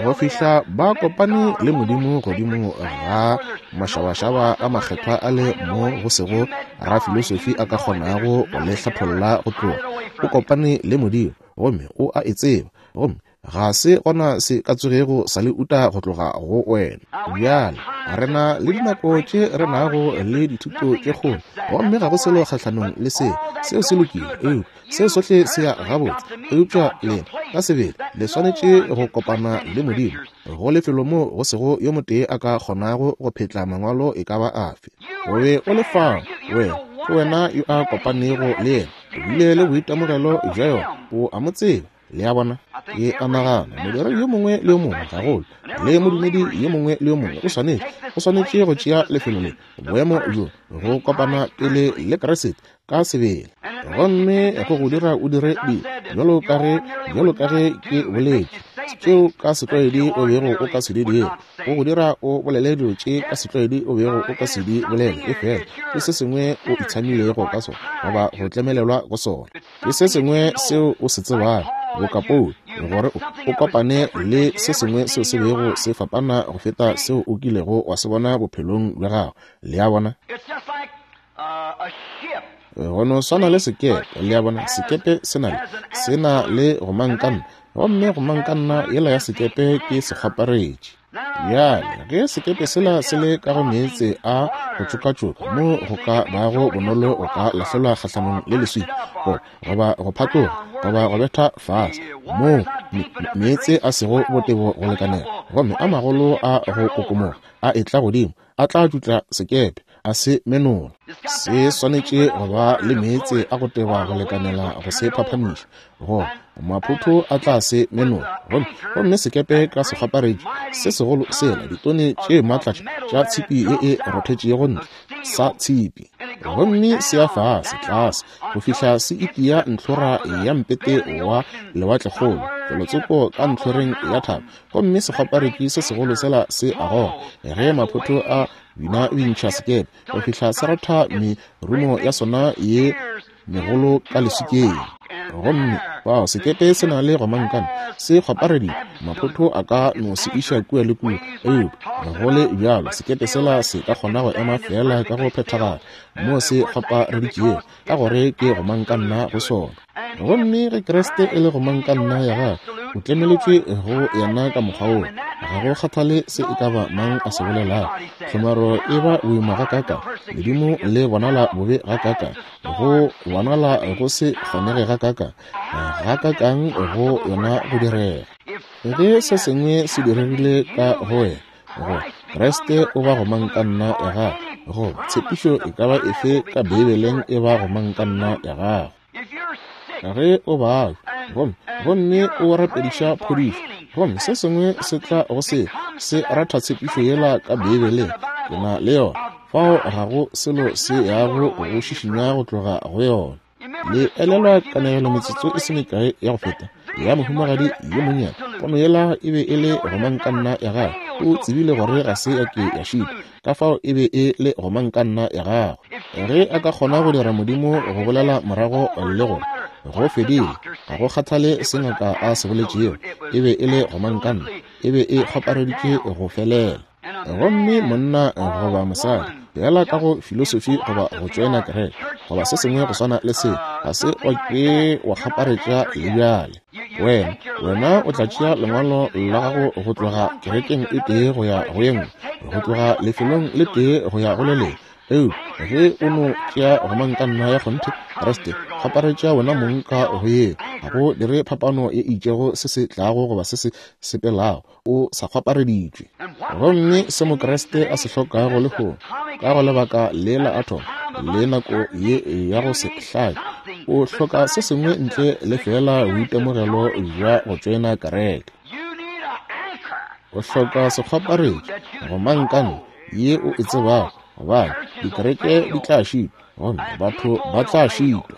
go fihla ba kopane le Modimo godimo ga mašabašaba a makgethwa a le mo go sego rafilosofi a ka kgonago go le hlapholla go tloga. O kopane le Modimo gomme o a e tseba, gomme ga se gona se ka tsogego sa le uta go tloga go wena. Bjale re na le dinako tše re nago le dithuto tše kgolo, gomme ga go selo kgahlanong le seo. Seo se lokile, eupša seo sohle se ya gabotse. Eupša lena ka sebele le swanetše go kopana le Modimo go lefelo moo go sego yo motee a ka kgonago go phetla mangwalo e ka ba afe. O be o le fao, wena ke wena yo a kopanego le yena, o bile le boitemogelo bja yona, o a mo tseba. Le a bona? Ke a nagana modiredi yo mongwe le yo mongwe, gagolo le modumedi yo mongwe le yo mongwe, o swanetše, o swanetše go tšea lefelo le, boemo bjo, go kopana pele le Kriste ka sebele, gomme go go dira o dire dilo bjalo ka ge, bjalo ka ge ke boletše, tšeo ka setlwaedi o bego o ka se di dire, go go dira o bolele dilo tše ka setlwaedi o bego o ka se di bolele, efela ke se sengwe o itshamilego ka sona goba go tlemelelwa go sona. Ke se sengwe seo o se tsebago, boka Paulo, gore o, o kopane le se sengwe seo se bego se fapana go feta seo o kilego wa se bona bophelong bja gago. Le a bona? Go no swana le sekepe, le a bona, sekepe se na le, se na le gomangkanna, gomme gomangkanna yela ya sekepe ke sekgwaparetši. Bjale, ge sekepe sela se le ka go meetse a go tšokatšoka mo go ka bago bonolo go ka lahlelwa kgahlanong le leswika, goba go phatloga, goba go betha fase, moo meetse a sego botebo go lekanela, gomme a magolo a go kokomoga a etla godimo, a tla tšutla sekepe, a se menola. Se swanetše go ba le meetse a go teba go lekanela go se phaphamiša, goba maphotho a tla se menola. Gomme, gomme sekepe ka sekgwaparetši se segolo sela, ditone tše maatla tša tshipi ye e rothetšego ntle, sa tshipi, gomme se ya fase tlase go fihla se itia ntlhora ya mpete wa lewatlekgolo, felotsoko ka ntlhoreng ya thaba, gomme sekgwaparetši se segolo sela se a goga ge maphotho a bina bintšha sekepe go fihla se ratha merumo ya sona ye megolo ka leswikeng. Gomme fao sekepe se na le gomangkana, se kgwapareditšwe, maphotho a ka no se iša kua le kua, eupša go le bjalo sekepe sela se ka kgona go ema feela ka go phethagala mo se kgwapareditšego, ka gore ke gomangkanna go sona. Gomme ge Kriste e le gomangkanna ya gago, o tlemeletšwe go yena ka mokgwa woo. Ga go kgathale se e ka ba mang a se bolelago, tlhomaro e ba boima gakaakang, ledimo le bonala bobe gakaakang, go bonala go se kgonege gakaakang, gakaakang go yona go direga. Ge se sengwe se diregile ka go wena, go Kriste o ba gomangkanna ya gago, goba tshepišo e ka ba efe ka Beibeleng e ba gomangkanna ya gago. Ge o babja gomme, gomme o rapediša phodišo, gomme se sengwe se tla go se, se ratha tshepišo yela ka Beibeleng, ke na le yona. Fao ga go selo se yago go šišinya go tloga go yona. Le elelwa kanegelo metsotso e se mekae ya go feta ya mohumagadi yo monnyane? Pono yela e be e le gomangkanna ya gagwe. O tsebile gore ga se ya ke ya šitwa, ka fao e be e le gomangkanna ya gagwe. Ge a ka kgona go dira Modimo go bolela morago le gore go fedile, ga go kgathale se ngaka a se boletšego, e be e le gomangkanna, e be e kgwapareditše go felela. Gomme monna goba mosadi, feela ka go filosofi goba go tšoena kereke goba se sengwe go swana le se, ga se wa ke wa kgaparetša le bjale. Wena, wena o tla tšea lengwalo la gago go tloga kerekeng e tee go ya go ye nngwe, go tloga lefelong le tee go ya go le lengwe. Eupša ge o no tšea gomangkanna ya kgonthe, Kriste, kgaparetša wena mong ka go yeo, ga go dire phapano ye e itšego se se tlago goba se se sepelago, o sa kgwapareditšwe. Gomme se Mokriste a se hlokago lehono, ka go lebaka le la athomo le nako ye ya go se hlake, o hloka se sengwe ntle le feela boitemogelo bja go tšoena kereke. O hloka sekgwaparetši, gomangkanna ye o e tsebago. Gobane dikereke di tla šitwa, gomme batho ba tla šitwa.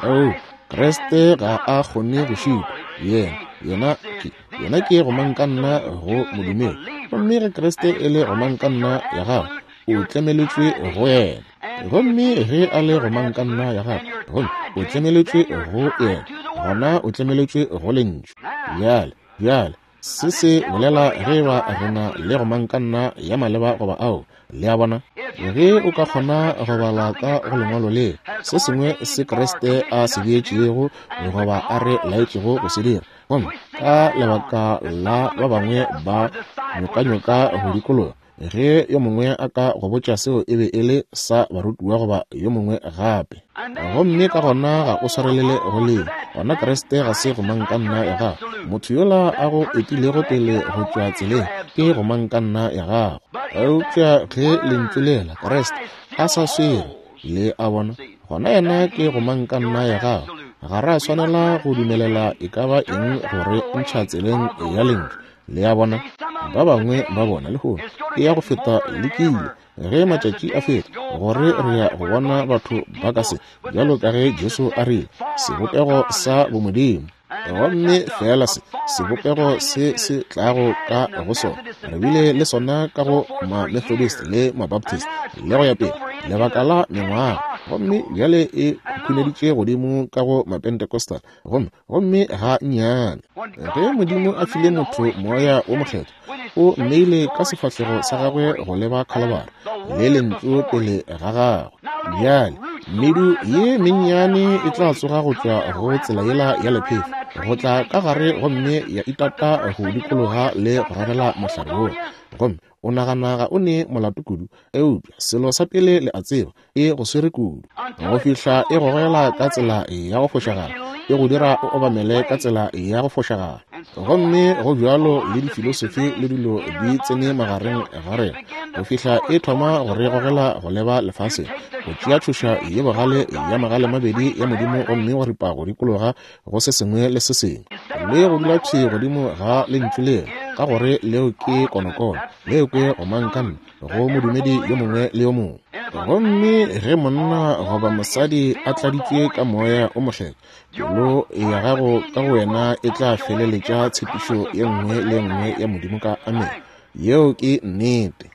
Oo, Kriste ga a kgone go šitwa. Yena, Yena ke, Yena ke gomangkanna go modumedi. Gomme ge Kriste e le gomangkanna ya gago, o tlemeletšwe go Yena. Gomme ge a le gomangkanna ya gago, gomme o tlemeletšwe go Yena, gona o tlemeletšwe go Lentšu. Bjale, bjale, Se se bolela ge e ba re na le gomangkanna ya maleba goba ao. Le a bona? Ge o ka kgona go bala ka go Lengwalo le se sengwe se Kriste a se beetšego goba a re laetšego go se dira, gomme ka lebaka la ba bangwe ba nyokanyoka go dikologa, Ge yo mongwe a ka go botša seo e be e le sa barutiwa goba yo mongwe gape, gomme ka gona ga o swarelele go leo, gona Kriste ga se gomangkanna ya gago. Motho yola a go etilego pele go tšwa tseleng ke gomangkanna ya gago. Eupša ge Lentšu lela, Kriste, a sa swere, le a bona, gona yena ke gomangkanna ya gago. Ga ra swanela go dumelela e ka ba eng go re ntšha tseleng ya Lentšu. Le a bona, ba bangwe ba bona lehono e ya go feta lekile ge matšatši a feta, gore re ya go bona batho ba ka se, bjalo ka ge Jesu a rile, sebopego sa bomodimo, gomme feela se sebopego se se tlago ka go sona. Re bile le sona ka go ma-Methodist le ma-Baptist le go ya pele, lebaka la mengwaga, gomme bjale e khukhuneditše godimo ka go ma-Pentecostal, gomme gomme ga nnyane. Ge Modimo a file motho Moya wo Mokgethwa, o mmeile ka sefahlego sa gagwe go leba Khalabara, le Lentšu pele ga gagwe. Bjale, medu ye mennyane e tla tsoga go tšwa go tsela yela ya lephefo, go tla ka gare gomme ya itata go dikologa le go rarela mohlare wola. Gomme o nagana ga o ne molato kudu, eupša selo sa pele le a tseba, e go swere kudu go fihla e gogela ka tsela ya go fošagala, e go dira o obamele ka tsela ya go fošagala. Gomme go bjalo le difilosofi le dilo di tsene magareng ga rena go fihla e thoma go re gogela go leba lefaseng, go tšea tšhoša ye bogale ya magale mabedi ya Modimo gomme wa ripa go dikologa go se sengwe le se sengwe, le go dula thwi godimo ga Lentšu lela, ka gore leo ke konokono, leo ke gomangkanna go modumedi yo mongwe le yo mongwe. Gomme ge monna goba mosadi a tladitšwe ka Moya o Mokgethwa, pelo ya gago ka go wena e tla feleletša tshepišo ye nngwe le ye nngwe ya Modimo ka amene. Yeo ke nnete.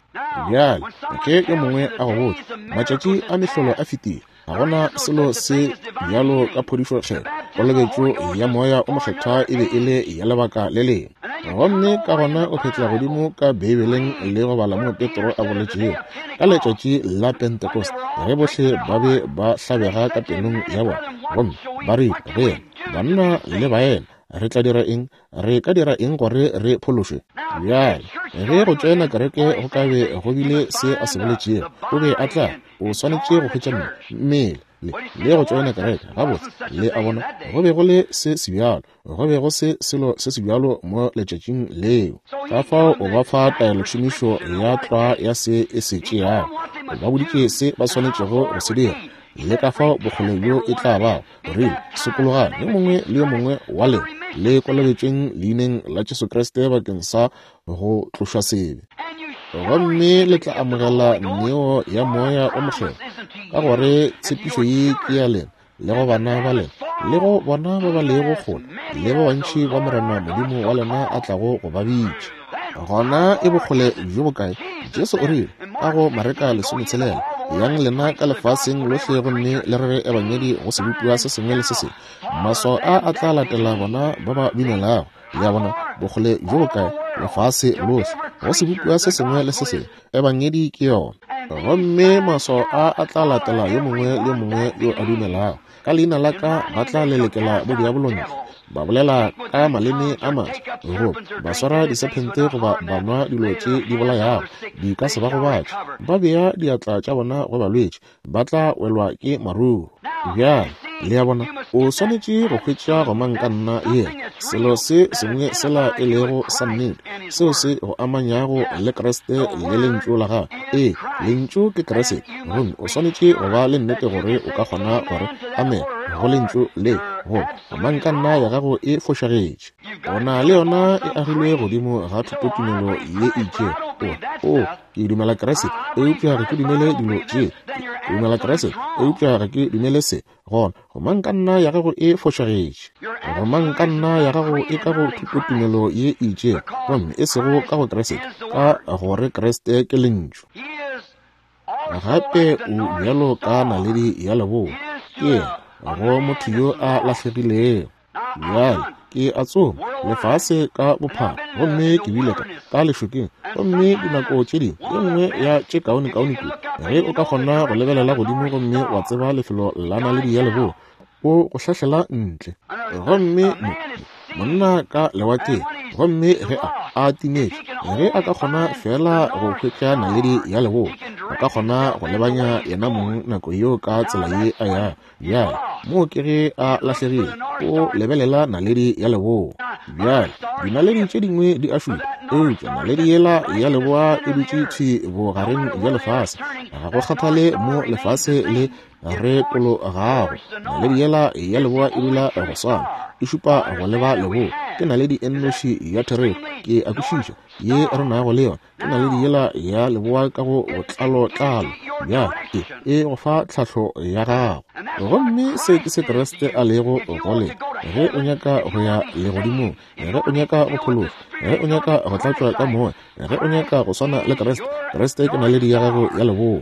Bjale, ge yo mongwe a go botša, matšatši a mehlolo a fetile, ga gona selo se bjalo ka phodišo kgethwa, kolobetšo ya Moya o Mokgethwa e be e le ya lebaka le lengwe. Gomme ka gona o phetla godimo ka Beibeleng le go bala moo Petro a boletšego ka letšatši la Pentecost, ge bohle ba be ba hlabega ka pelong ya bona, gomme ba rile go yena, Banna le baena, re tla dira eng? Re ka dira eng gore re phološwe? Bjale, ge go tšoena kereke go ka be go bile se a se boletšego, o be a tla, o swanetše go hwetša mmele le, le go tšoena kereke. Gabotse, le a bona, go be go le se sebjalo, go be go se selo se sebjalo mo letšatšing leo. Ka fao o ba fa taelotšhomišo ya tlwa ya se e se tšeago. O ba boditše se ba swanetšego go se dira, le ka fao bokgole bjo e tla bago. O rile, Sokologang, yo mongwe le yo mongwe wa lena, le kolobetšweng leineng la Jesu Kriste bakeng sa go tlošwa sebe, gomme le tla amogela neo ya Moya o Mokgethwa, ka gore tshepišo ye ke ya lena le go bana ba lena le go bona ba ba lego kgole le ba bantši ba Morena Modimo wa lena a tlago go ba bitša. Gona e bokgole bjo bokae? Jesu o rile ka go Mareka 16, Yang lena ka lefaseng lohle gomme le rere ebangedi go sebopiwa se sengwe le se sengwe. Maswao a a tla latela bona ba ba dumelago. Le a bona, bokgole bjo bokae? Lefase lohle, go sebopiwa se sengwe le se sengwe. Ebangedi ke yona. Gomme maswao a a tla latela yo mongwe le yo mongwe yo a dumelago. Ka leina la ka ba tla lelekela bodiabolo ntle, ba bolela ka maleme a maswa, goba ba swara disephente goba ba nwa dilo tše di bolayago, di ka se ba gobatše. Ba bea diatla tša bona go balwetši, ba tla welwa ke maruru. Bjale, le a bona, o swanetše go hwetša gomangkanna yela, selo se sengwe sela e lego sa nnete, seo se go amanyago le Kriste le Lentšu la Gagwe. Ee, Lentšu ke Kriste, gomme o swanetše go ba le nnete gore o ka kgona gore amen go Lentšu le, goba gomangkanna ya gago e fošagetše. O na le yona e agilwe godimo ga thutotumelo ye e itšego. O, o, ke dumela Kriste, eupša ga ke dumele dilo tše. Ke dumela Kriste, eupša ga ke dumele se. Gona, gomangkanna ya gago e fošagetše. Gomangkanna ya gago e ka go thutotumelo ye e itšego, gomme e sego ka go Kriste, ka gore Kriste ke Lentšu. Gape o bjalo ka naledi ya leboa, ke yena go motho yo a lahlegilego. Bjale ke a tsoma lefase ka bophara, gomme ke bile ka ka lešokeng, gomme dinako tše dingwe ye nngwe ya tše kaonekaone kudu ge o ka kgona go lebelela godimo gomme wa tseba lefelo la naledi ya leboa, o go hlahlela ntle. Gomme monna ka lewatleng, gomme ge a a timetše, ge a ka kgona feela go hwetša naledi ya leboa, a ka kgona go lebanya yena mong nako yeo ka tsela ye a yago. Bjale, moo ke ge a lahlegile, o lebelela naledi ya leboa. Bjale, dinaledi tše dingwe di a šupa, eupša naledi yela ya leboa e dutše thwi bogareng bja lefase. Ga go kgathale mo lefase le retologago, naledi yela ya leboa e dula go swana, e šupa go leba leboa. Ke naledi e nnoši ya therešo, ke a kwešiša, ye re nago le yona. Ke naledi yela ya leboa ka go botlalotlalo. Bjale, e, e go fa tlhahlo ya gago. Gomme se ke se Kriste a lego go lena. Ge o nyaka go ya legodimong, ge o nyaka go phološwa, ge o nyaka go tlatšwa ka Moya, ge o nyaka go swana le Kriste, Kriste ke naledi ya gago ya leboa.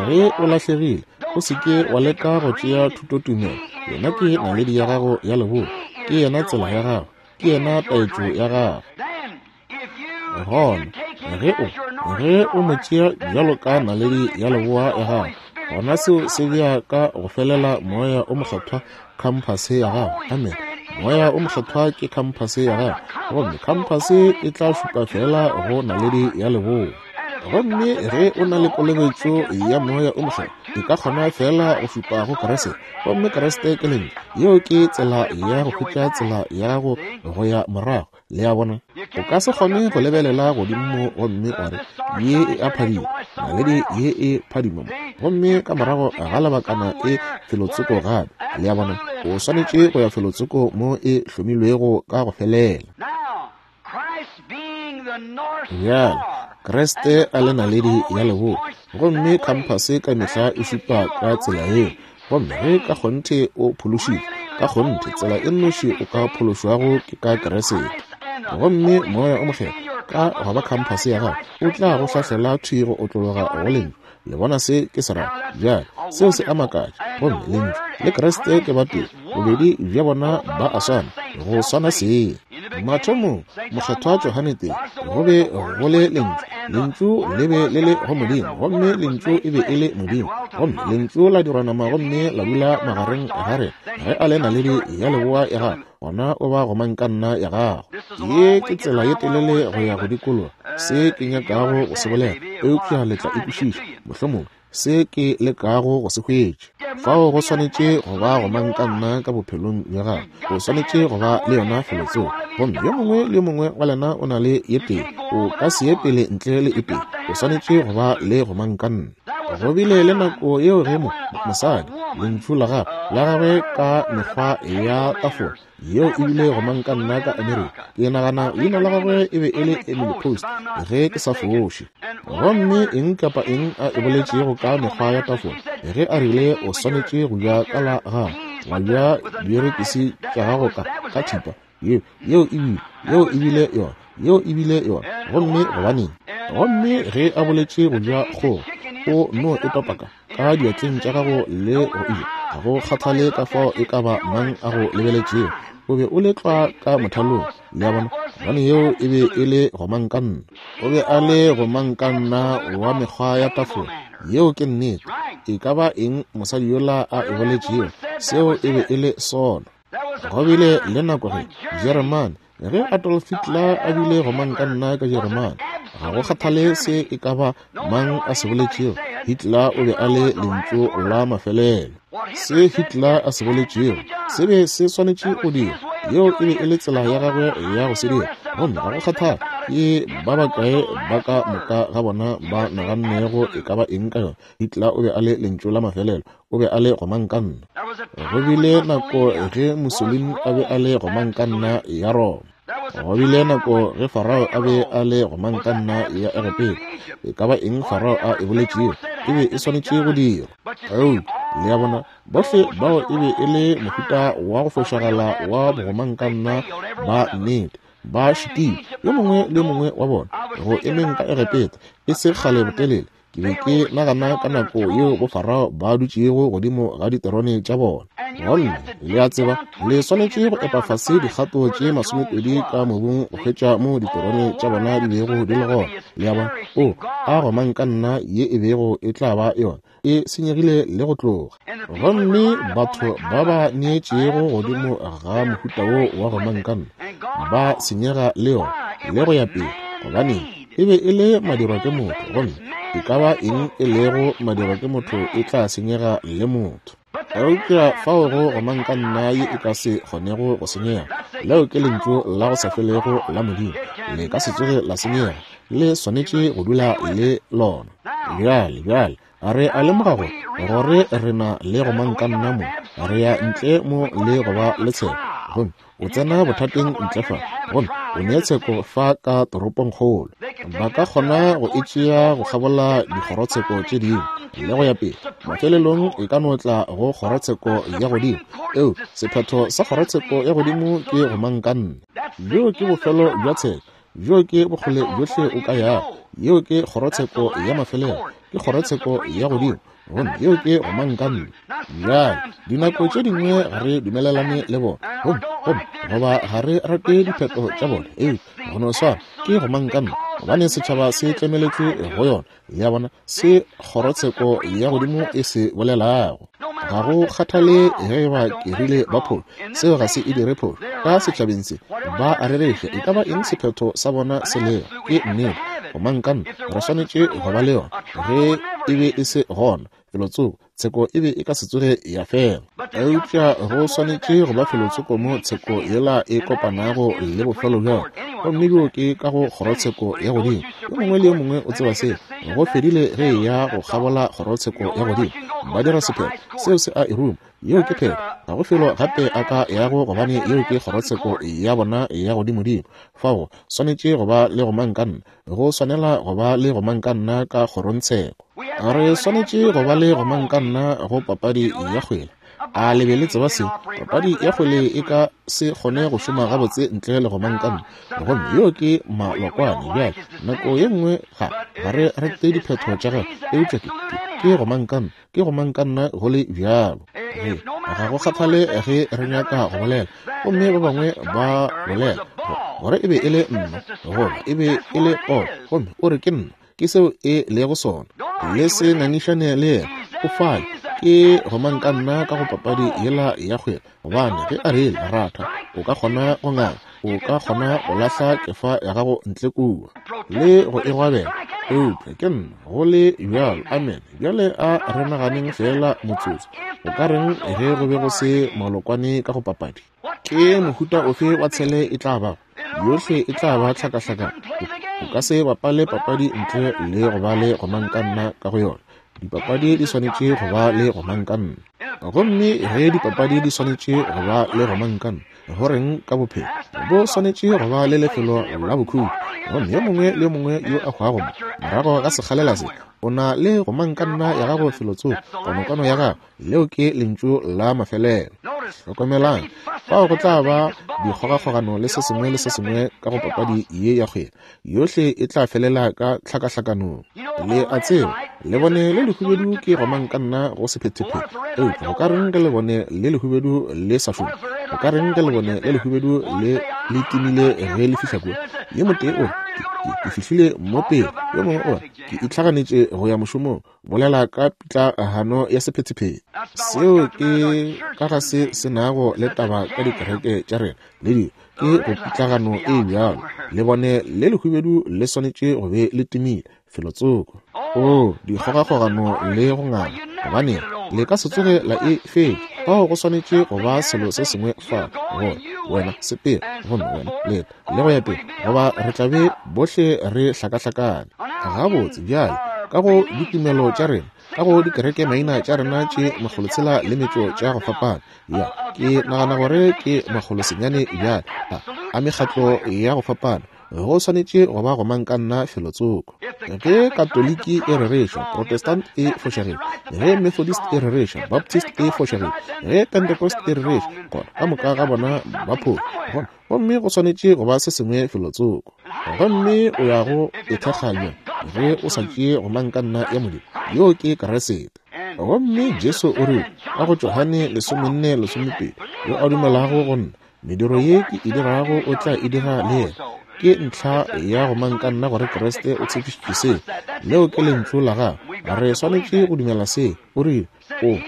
Ge o lahlegile, o se ke wa leka go tšea thutotumelo. Yena ke naledi ya gago ya leboa. Ke yena tsela ya gago. Ke yena taetšo ya gago. Gona ge o ge o mo tšea bjalo ka naledi ya leboa ya gago, gona seo se bea ka go felela Moya o Mokgethwa khamphase ya gago. Amen. Moya o Mokgethwa ke khamphase ya gago, gomme khamphase e tla šupa feela go naledi ya leboa. Gomme ge o na le kolobetšo ya Moya o Mokgethwa, e ka kgona feela go šupa go Kriste, gomme Kriste ke Lentšu. Yeo ke tsela ya go hwetša tsela ya gago go ya morago. Le a bona? O ka se kgone go lebelela godimo mo gomme wa re, Ye e a phadima, naledi ye e phadima mo, gomme ka morago ga lebakana e felotsoko gape. Le a bona? O swanetše go ya felotsoko mo e hlomilwego ka go felela. Bjale, Kriste a le naledi ya leboa, gomme khamphase ka mehla e šupa ka tsela yeo. Gomme ge ka kgonthe o phološitšwe, ka kgonthe tsela e nnoši o ka phološwago ke ka Keresete. Gomme Moya o Mokgethwa, ka go ba khamphase ya gago, o tla go hlahlela thwi go otlologa go Lentšu. Le bona se ke se rago? Bjale, seo se a makatša. Gomme Lentšu le Kriste ke batee, bobedi bja bona ba a swana, go swana seng. Mathomong, Mokgethwa Johane tee, go be go le Lentšu, Lentšu le be le le go Modimo, gomme Lentšu e be e le Modimo, gomme Lentšu la dirwa nama gomme la dula magareng ga rena. Ge a le naledi ya leboa ya gago, gona o ba gomangkanna ya gago. Ye ke tsela ye telele go ya go dikologa se ke nyakago go se bolela, eupša le tla e kwešiša, mohlomongwe, se ke lekago go se hwetša. Fao go swanetše go ba gomangkanna ka bophelong bja gago. O swanetše go ba le yona felotsoko. Gomme yo mongwe le yo mongwe wa lena o na le ye tee. O ka se ye pele ntle le e tee. O swanetše go ba le gomangkanna. Go bile le nako yeo ge mo, mosadi, lentšu la gagwe, la gagwe ka mekgwa ya tafola, yeo e bile gomangkanna ka Amerika. Ke nagana leina la gagwe e be e le Emily Post, ge ke sa foše. Gomme eng kapa eng a e boletšego ka mekgwa ya tafola, ge a rile o swanetše go ja ka la gago, wa ja dierekisi tša gago ka, ka thipa, yeo, yeo e bile, yeo e bile yona, yeo e bile yona. Gomme gobaneng? Gomme ge a boletše go ja kgogo, o no e topa ka, ka diatleng tša gago le go e ja, ga go kgathale ka fao e ka ba mang a go lebeletšego, o be o le tlwa ka mothalong. Le a bona? Gobane yeo e be e le gomangkanna. O be a le gomangkanna wa mekgwa ya tafola. Yeo ke nnete. E ka ba eng mosadi yola a e boletšego, seo e be e le sona. Go bile le nako ge Jeremane, ge Adolf Hitler a bile gomangkanna ka Jeremane, Ga go kgathale se e ka ba mang a se boletšego, Hitler o be a le lentšu la mafelelo. Se Hitler a se boletšego se be se swanetše go dirwa. Yeo e be e le tsela ya gagwe ya go se dira. Gomme ga go kgathale ke ba bakae ba ka moka ga bona ba nagannego e ka ba eng ka yona, Hitler o be a le lentšu la mafelelo. O be a le gomangkanna. Go bile nako ge Mussolini a be a le gomangkanna ya Roma. Go bile nako ge Farao a be a le gomangkanna ya Egepeta. E ka ba eng Farao a e boletšego, e be e swanetše go dirwa. Eupša, le a bona, bohle bao e be e le mohuta wa go fošagala wa bogomangkanna ba nnete. Ba šitile, yo mongwe le yo mongwe wa bona, go emeng ka Egepeta, e se kgale botelele. Ke be ke nagana ka nako yeo bofarao ba dutšego godimo ga diterone tša bona. Gomme le a tseba, le swanetše go epa fase dikgato tše 20 ka mobung go hwetša moo diterone tša bona di bego di le gona. Le a bona? O, a gomangkanna ye e bego e tla ba yona, e senyegile le go tloga. Gomme batho ba ba neetšego godimo ga mohuta wo wa gomangkanna ba senyega le yona, le go ya pele. Gobaneng? E be e le madirwa ke motho, gomme e ka ba eng e lego madirwa ke motho e tla senyega le motho. Eupša fao go gomangkanna ye e ka se kgonego go senyega, leo ke Lentšu la go sa felego la Modimo. Le ka se tsoge la senyega. Le swanetše go dula le lona. Bjale, bjale, re a lemoga gore, gore re na le gomangkanna mo. Re ya ntle mo le go ba le tsheko. Gomme o tsena bothateng ntle fa, gomme o ne tsheko fa ka toropongkgolo. Ba ka kgona go e tšea go kgabola dikgorotsheko tše dingwe le go ya pele. Mafelelong e ka no tla go kgorotsheko ya godimo. Eo, sephetho sa kgorotsheko ya godimo ke gomangkanna. Bjo ke bofelo bja tsheko. Bjo ke bokgole bjohle o ka yago. Yeo ke kgorotsheko ya mafelelo. Ke kgorotsheko ya godimo. Gomme yeo ke gomangkanna. Bjale, dinako tše dingwe ga re dumelelane le bona, gomme, gomme, goba ga re rate diphetho tša bona, eupša go no swana ke gomangkanna, gobane setšhaba se tlemeletšwe go yona. Le a bona, se kgorotsheko ya godimo e se bolelago. Ga go kgathale ge e ba ke rile ba phošo, seo ga se e dire phošo. Ka setšhabeng se, ba a rereša, e ka ba eng sephetho sa bona se lego, ke nnete. Gomangkanna, re swanetše go ba le yona. Ge e be e se gona, felotsoko, tsheko e be e ka se tsoge ya fela. Eupša go swanetše go ba felotsoko mo tsheko yela e kopanago le bofelo bja yona, gomme bjoo ke ka go kgorotsheko ya godimo. Yo mongwe le yo mongwe o tseba seo. Go fedile ge e ya go kgabola kgorotsheko ya godimo. Ba dira sephetho, seo se a e ruma. Yeo ke phetho. Ga go felo gape a ka yago gobane yeo ke kgorotsheko ya bona ya godimodimo. Fao go swanetše go ba le gomangkanna. Go swanela go ba le gomangkanna ka kgorongtsheko. Re swanetše go ba le gomangkanna go papadi ya kgwele. A le be le tseba seo? Papadi ya kgwele e ka se kgone go šoma gabotse ntle le gomangkanna. Gomme yeo ke malokwane. Bjale, nako ye nngwe ga, ga re rate diphetho tša gagwe, eupša ke, ke, ke gomangkanna. Ke gomangkanna go le bjalo. Ge, ga go kgathale ge re nyaka go bolela, gomme ba bangwe ba bolela gore e be e le nna, goba e be e le Paul, gomme o re ke nna, ke seo e lego sona. Le se ngangišane le yena, o fale. Ke gomangkanna ka go papadi yela ya kgwele, gobane ge a rile ratha, o ka kgona go nganga, o ka kgona go lahla kefa ya gago ntle kua le go e gwabela, eupša ke nna go le bjalo. Amen. Bjale a re naganeng feela motsotso. O ka reng ge go be go se malokwane ka go papadi? Ke mohuta ofe wa tshele e tla bago? Yohle e tla ba tlhakahlakano. O ka se bapale papadi ntle le go ba le gomangkanna ka go yona. Dipapadi di swanetše go ba le gomangkanna. Gomme ge dipapadi di swanetše go ba le gomangkanna, go reng ka bophelo? Bo swanetše go ba le lefelo la bokhutšo. Gomme yo mongwe le yo mongwe yo a hwago mo, morago ga sekgalela se, o na le gomangkanna ya gago felotsoko, konokono ya gago. Leo ke lentšu la mafelelo. Hlokomelang, fao go tla ba dikgogakgogano le se sengwe le se sengwe ka go papadi ye ya kgwele. Yohle e tla felela ka tlhakahlakanong. Le a tseba, lebone le lehubedu ke gomangkanna go sephethephethe. Eupša go ka reng ge lebone le lehubedu le sa šome? Go ka reng ge lebone le lehubedu le le timile ge le fihla kua? Yo motee o re, Ke, ke, ke fihlile mo pele. Yo mongwe o re, Ke itlhaganetše go ya mošomong. Bolela ka pitlagano ya sephethephethe. Seo ke ka ga se se nago le taba ka dikereke tša rena le dilo. Ke go pitlagano e bjalo. Lebone le lehubedu le swanetše go be le timile felotsoko. Oo, dikgogakgogano le go nganga. Gobaneng, le ka se tsoge la e fetša. Fao go swanetše go ba selo se sengwe fa, gore wena sepela, gomme wena leta, le go ya pele, goba re tla be bohle re hlakahlakane. Gabotse, bjale, ka go ditumelo tša rena, ka go dikereke maina tša rena tše makgolotshela le metšo tša go fapana, ya, ke nagana gore ke makgolosenyane bjale, a, a mekgatlo ya go fapana, go swanetše go ba gomangkanna felotsoko. Ge Katoliki e rereša, Protestant e fošagetše. Ge Methodist e rereša, Baptist e fošagetše. Ge Pentecost e rereša, gona ka moka ga bona ba phošo. Gona, gomme go swanetše go ba se sengwe felotsoko. Gomme o ya go e thekga bjang ge o sa tšee gomangkanna ya Modimo? Yoo ke Keresete. Gomme Jesu o rile, ka go Johane 14:12, Yo a dumelago go nna, Mediro ye ke e dirago o tla e dira le yena. Ke ntlha ya go mankanna gore Kriste o tshepišitše se. Leo ke Lentšu la Gagwe. Re swanetše go dumela se. O rile, O,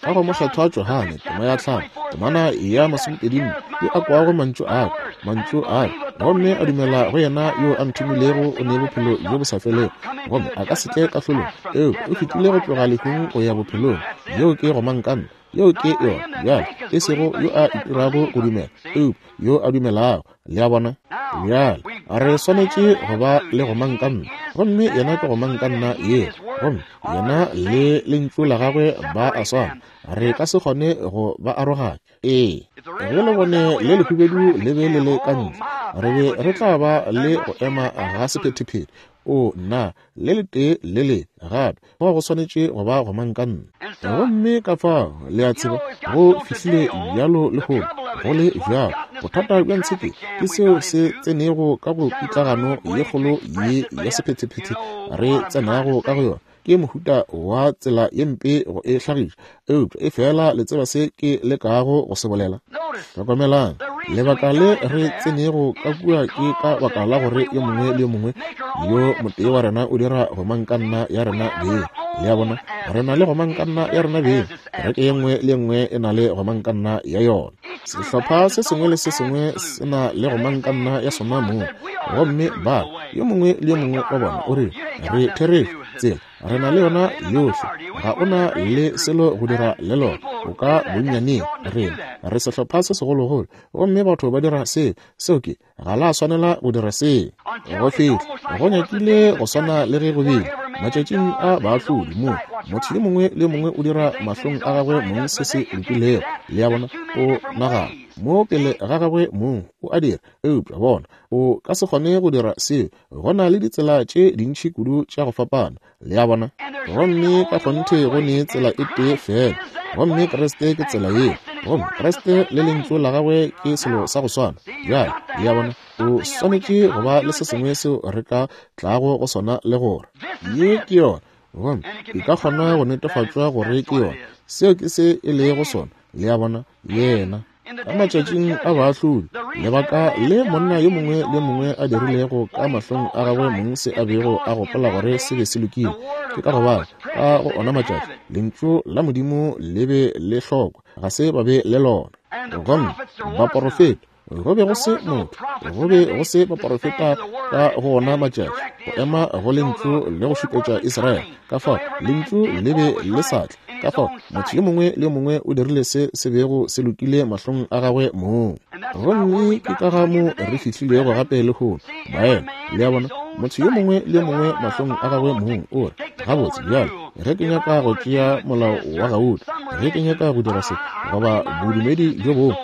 ka go Mokgethwa Johane, tema ya tlhamo, temana ya masomepedinne, yo a kwago mantšu a ka, mantšu a ka, gomme a dumela go yena yo a nthomilego, o ne bophelo bjo bo sa felego, gomme a ka se tle kahlolong, eupša o fetile go tloga lehung go ya bophelong. Yeo ke gomangkanna. Yeo ke yona. Bjale, e sego yo a itirago go dumela, eupša yo a dumelago. Le a bona? Bjale, re swanetše go ba le gomangkanna, gomme yena ke gomangkanna yeo. Gomme yena le Lentšu la gagwe ba a swana. Re ka se kgone go ba aroganya. Ee, ge lebone le lehubedu le be le le ka ntle, re be re tla ba le go ema ga sephethephethe. Oo, nna, le letee le le gape fao go swanetše go ba gomangkanna. Gomme ka fao, le a tseba, go fihlile bjalo lehono, go le bjalo. Bothata bja ntshepe ke seo se tsenego ka go pitlagano ye kgolo ye ya sephethephethe re tsenago ka go yona. Ke mohuta wa tsela ye mpe go e hlagiša, eupša efela le tseba se ke lekago go se bolela. Hlokomelang, lebaka le re tsenego ka kua ke ka baka la gore yo mongwe le yo mongwe yo motee wa rena o dira gomangkanna ya rena beng. Le a bona, re na le gomangkanna ya rena beng. Kereke ye nngwe le ye nngwe e na le gomangkanna ya yona. Sehlopha se sengwe le se sengwe se na le gomangkanna ya sona mong. Gomme ba, yo mongwe le yo mongwe wa bona o re, Re therešo, tsela, re na le yona yohle. Ga o na le selo go dira le lona. O ka bonnyaneng. Rena, re sehlopha se segologolo. Gomme batho ba dira seo. Seo ke, ga la swanela go dira seo. Go fihla, go nyakile go swana le ge go bile matšatšing a baahlodi, moo motho yo mongwe le yo mongwe o dira mahlong a gagwe mong se se lokilego. Le a bona, o nagana mo pele ga gagwe mong, o a dira. Eupša bona, o ka se kgone go dira seo. Go na le ditsela tše dintši kudu tša go fapana. Le a bona? Gomme ka kgonthe go ne tsela e tee feela, gomme Kriste ke tsela yeo. Gomme Kriste le Lentšu la Gagwe ke selo sa go swana. Bjale, le a bona, o swanetše go ba le se sengwe seo re ka tlago go sona le gore ye ke yona, gomme e ka kgona go netefatšwa gore ke yona. Seo ke se e lego sona. Le a bona? Yena. Ka matšatšing a baahlodi, lebaka le monna yo mongwe le yo mongwe a dirilego ka mahlong a gagwe mong se a bego a gopola gore se be se lokile, ke ka gobane ka go ona matšatši Lentšu la Modimo le be le hlokwa, ga se ba be le lona. Gomme baporofeta, go be go se motho, go be go se baporofeta ka go ona matšatši go ema go Lentšu le go šupetša Israele. Ka fao Lentšu le be le sa tle. Ka fao motho yo mongwe le yo mongwe o dirile se se bego se lokile mahlong a gagwe mong. Gomme ke ka ga mo re fihlilego gape lehono, baena. Le a bona, motho yo mongwe le yo mongwe mahlong a gagwe mong o re, Gabotse, bjale, ge ke nyaka go tšea molao wa gauta, ge ke nyaka go dira se, goba bodumedi bjo bongwe,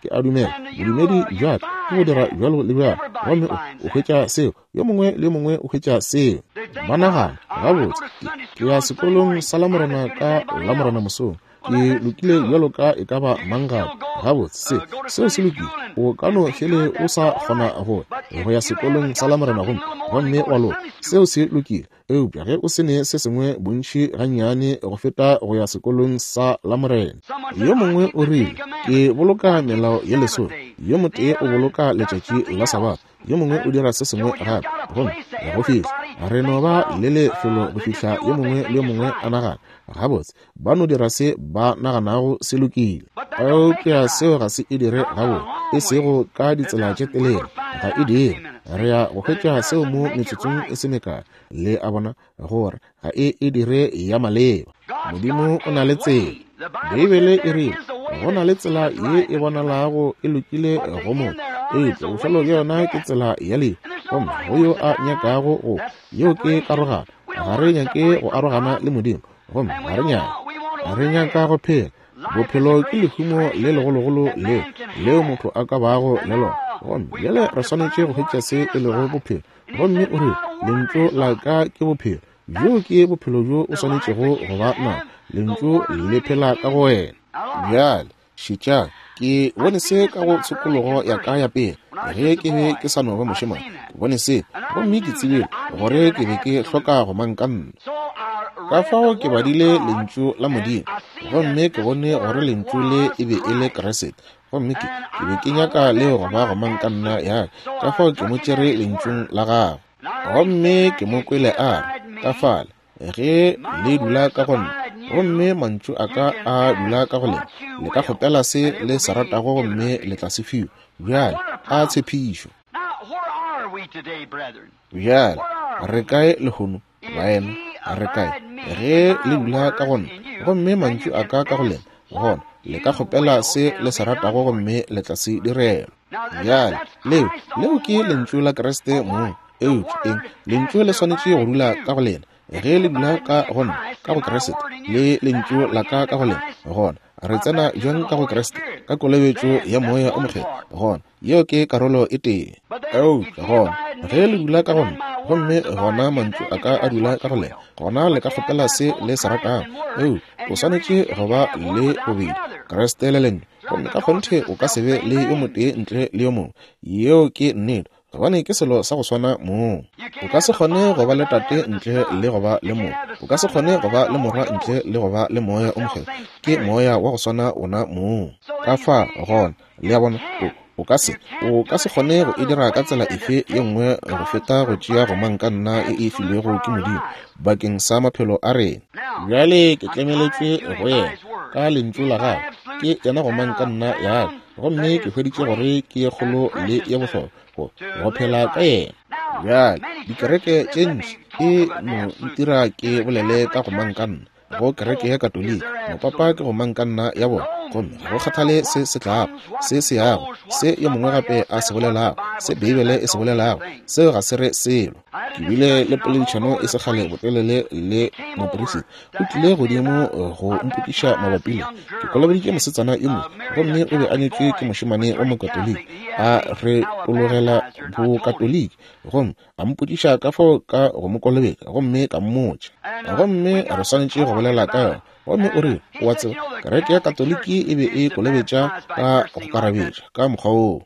ke a dumela bodumedi bja ka ke go dira bjalo le bjalo. Gomme o, o hwetša seo. Yo mongwe le yo mongwe o hwetša seo. Ba nagana, Gabotse, ke, ke ya sekolong sa Lamorena ka Lamorena mosong. Ke lokile bjalo ka e ka ba mang gape. Gabotse, se, seo se lokile. O ka no fele o sa kgona go, go ya sekolong sa Lamorena gomme, gomme wa loka. Seo se lokile. Eupša ge o se ne se sengwe bontši gannyane go feta go ya sekolong sa Lamorena. Yo mongwe o rile, Ke boloka melao ye lesome. Yo motee o boloka letšatši la Sabatha, yo mongwe o dira se sengwe gape. Gomme go fihla re no ba le lefelo go fihla yo mongwe le yo mongwe a nagana, Gabotse, ba no dira se ba naganago se lokile. Eupša seo ga se e dire gabotse, e sego ka ditsela tše telele, ga e dire. Re ya go hwetša seo mo metsotsong e se mekae, le a bona, gore ga e e dire ya maleba. Modimo o na le tsela. Beibele e rile, Go na le tsela ye e bonalago e lokile go motho, eupša bofelo bja yona ke tsela ya lehu. Gomme go yo a nyakago go, yeo ke karogano. Ga re nyake go arogana le Modimo, gomme ga re nyake. Re nyaka go phela. Bophelo ke lehumo le legologolo leo, leo motho a ka bago le lona. Gomme bjale re swanetše go hwetša se e lego bophelo. Gomme o rile, Lentšu la ka ke bophelo. Bjoo ke bophelo bjo o swanetšego go ba nabo. Lentšu le phela ka go wena. Bjale, šetšang. Ke bone se ka go tshokologo ya ka ya pele, ge ke be ke sa no ba mošemane. Ke bone se, gomme ke tsebile gore ke be ke hloka go mang ka nna. Ka fao ke badile Lentšu la Modimo, gomme ke bone gore Lentšu le e be e le Kriste. Gomme ke, ke be ke nyaka leo go ba go mang ka nna ya ka, ka fao ke mo tšere Lentšung la Gagwe. Gomme ke mo kwele a re, Ka fale, ge le dula ka go nna, gomme mantšu a ka a dula ka go lena, le ka kgopela se le se ratago gomme le tla se fiwa. Bjale, a tshepišo! Bjale, re kae lehono, baena? Re kae? Ge le dula ka go nna, gomme mantšu a ka ka go lena, gona le ka kgopela se le se ratago gomme le tla se direlwa. Bjale, leo, leo ke Lentšu la Kriste mong. Eupša, eng, Lentšu le swanetše go dula ka go lena. Ge le dula ka go nna, ka go Kriste, le Lentšu la ka ka go lena, gona re tsena bjang ka go Kriste? Ka kolobetšo ya Moya o Mokgethwa. Gona, yeo ke karolo e tee. Eupša gona, ge le dula ka go nna, gomme gona mantšu a ka a dula ka go lena, gona le ka kgopela se le se ratago. Eupša o swanetše go ba le bobedi, Kriste le Lentšu. Gomme ka kgonthe o ka se be le yo motee ntle le yo mongwe. Yeo ke nnete, gobane ke selo sa go swana mong. O ka se kgone go ba le Tate ntle le go ba le Morwa. O ka se kgone go ba le Morwa ntle le go ba le Moya o Mokgethwa. Ke Moya wa go swana wona mong. Ka fa gona, le a bona, o, o ka se, o ka se kgone go e dira ka tsela efe ye nngwe go feta go tšea gomangkanna e e filwego ke Modimo bakeng sa maphelo a rena. Bjale ke tlemeletšwe go yena ka Lentšu la Gagwe. Ke yena gomangkanna ya ka, gomme ke hweditše gore ke ye kgolo le ye bohlokwa go, go phela ka yena. Bjale, dikereke tše ntši e no ntira ke bolele ka gomangkanna go kereke ya Katoliki. Mopapa ke gomangkanna ya bona, gomme ga go kgathale se se tlago, se se yago, se yo mongwe gape a se bolelago, se Beibele e se bolelago, seo ga se re selo. Ke bile le poledišano e se kgale botelele le moperisita. O tlile godimo go mpotšiša mabapi le. Ke kolobeditše mosetsana yo mongwe, gomme o be a nyetšwe ke mošemane wa Mokatoliki, a retologela Bokatoliki, gomme a mpotšiša ka fao ka go mo kolobetša, gomme ka mmotša. Gomme re swanetše go bolela ka yona. Gomme o rile, O a tseba, kereke ya Katoliki e be e kolobetša ka go karabetša, ka mokgwa woo.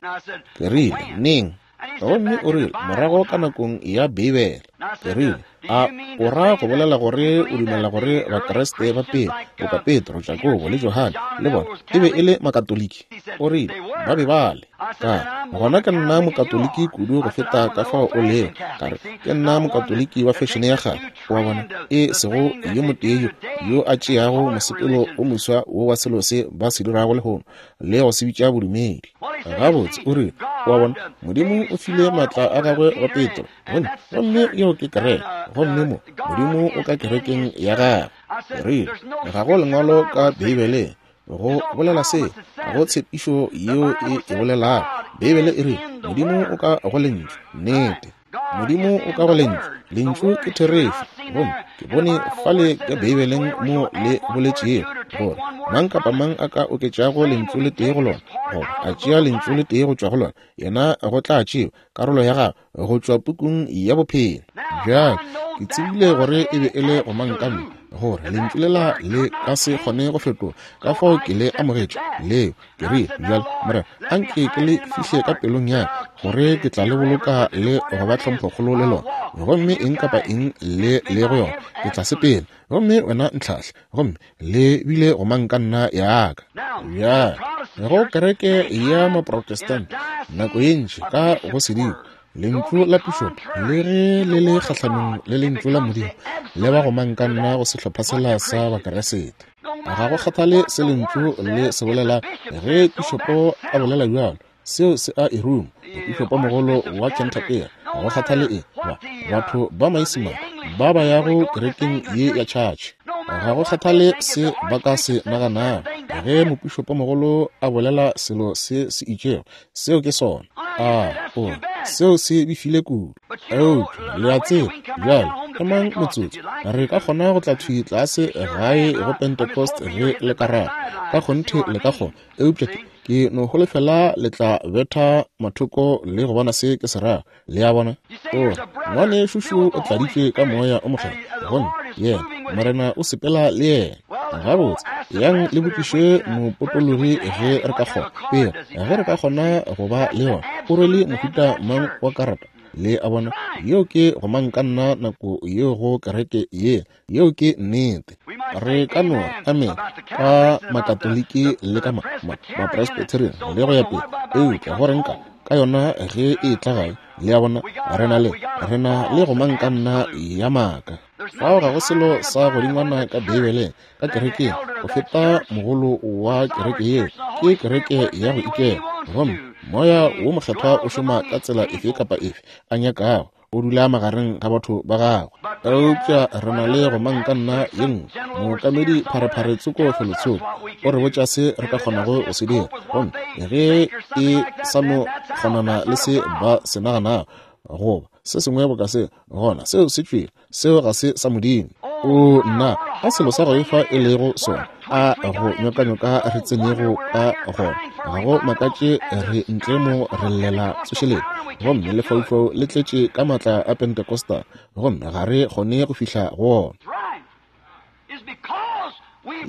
Ke rile, Neng? Gomme o rile, Morago ka nakong ya Beibele. Ke rile, A o ra go bolela gore o dumela gore Bakriste ba pele, boka Petro, Jakobo, le Johane, le bona, e be e le Makatoliki? O rile, Ba be ba le. Ka re, Gona ke nna Mokatoliki kudu go feta ka fao o lego. Ka re, Ke nna Mokatoliki wa fešene ya kgale, o a bona, e sego yo motee yo, yo a tšeago mosepelo o moswa wo wa selo se ba se dirago lehono, le go se bitša bodumedi. Gabotse, o rile, o a bona, Modimo o file maatla a gagwe go Petro, gomme, gomme yeo ke kereke, gomme mo, Modimo o ka kerekeng ya gagwe. Ke rile, Ga go lengwalo ka Beibeleng go bolela se, ga go tshepišo yeo e e bolelago. Beibele e rile, Modimo o ka go Lentšu. Nnete. Modimo o ka go Lentšu. Lentšu ke therešo. Gomme ke bone fale ka Beibeleng mo le boletšego gore mang kapa mang a ka oketšago lentšu le tee go lona, goba a tšea lentšu le tee go tšwa go lona, yena go tla tšewa karolo ya gagwe go tšwa pukung ya bophelo. Bjale ke tsebile gore e be e le gomangkanna, gore lentšu lela le ka se kgone go fetoga, ka fao ke le amogetše leo. Ke rile, Bjale, Morena, a nke ke le fihle ka pelong ya ka, gore ke tla le boloka le go ba tlhomphokgolo le lona. Gomme eng kapa eng le le go yona, ke tla sepela. Gomme wena ntlhahle. Gomme le bile gomangkanna ya ka. Bjale. Go kereke ya Maprotestant, nako ye ntši ka go sedimo, lentšu la pišopo le ge le le kgahlanong le lentšu la Modimo, le ba go mankanna go sehlopha sela sa Bakeresete. Ga go kgathale se lentšu le se bolela, ge pišopo a bolela bjalo, seo se a e ruma. Mopišopomogolo wa Canterbury, ga go kgathale eng, ba, batho ba Maisemane ba ba yago kerekeng ye ya tšhatšhe, ga go kgathale se ba ka se naganago, ge mopišopomogolo a bolela selo se se itšego, seo ke sona. A o, seo se befile kudu. Eupša le a tseba, bjale, emang motsotso, re ka kgona go tla thwi tlase gae go Pentecost ge le ka rata. Ka kgonthe le ka kgona. Eupša ke, ke no holofela le tla betha mathoko le go bona se ke se rago. Le a bona? O re, Ngwanešu šo o tladitšwe ka Moya o Mokgethwa, gomme yena, Morena o sepela le yena. Gabotse, yang le botšiše mopotologi ge re ka kgona, pele ge re ka kgona go ba le yona, o rwele mohuta mang wa karata. Le a bona? Yeo ke gomangkanna nako yeo go kereke ye. Yeo ke nnete. Re ka no amene ka Makatoliki le ka Mapresbyterian le go ya pele, eupša go reng ka ka yona ge e etla gae? Le a bona, re na le, re na le gomangkanna ya maaka. Fao ga go selo sa godingwana ka Beibeleng, ka kerekeng, go feta mogolo wa kereke yeo. Ke kereke ya go ikela. Gomme Moya wo Mokgethwa o šoma ka tsela efe kapa efe a nyakago. O dula magareng ga batho ba gagwe. Eupša re na le gomangkanna ye nngwe, mookamedi pharephare tsoko felotsoko, o re botša se re ka kgonago go se dira. Gomme ge e sa no kgonana le se ba se naganago, goba se sengwe boka se, gona seo se tšwele. Seo ga se sa Modimo. O nna, a selo sa go efa e lego sona, a go nyokanyoka re tsenego ka gona. Ga go makatše re ntle mo re llela tsošeletšo, gomme lefaufau le tletše ka maatla a Pentecostal, gomme ga re kgone go fihla go ona.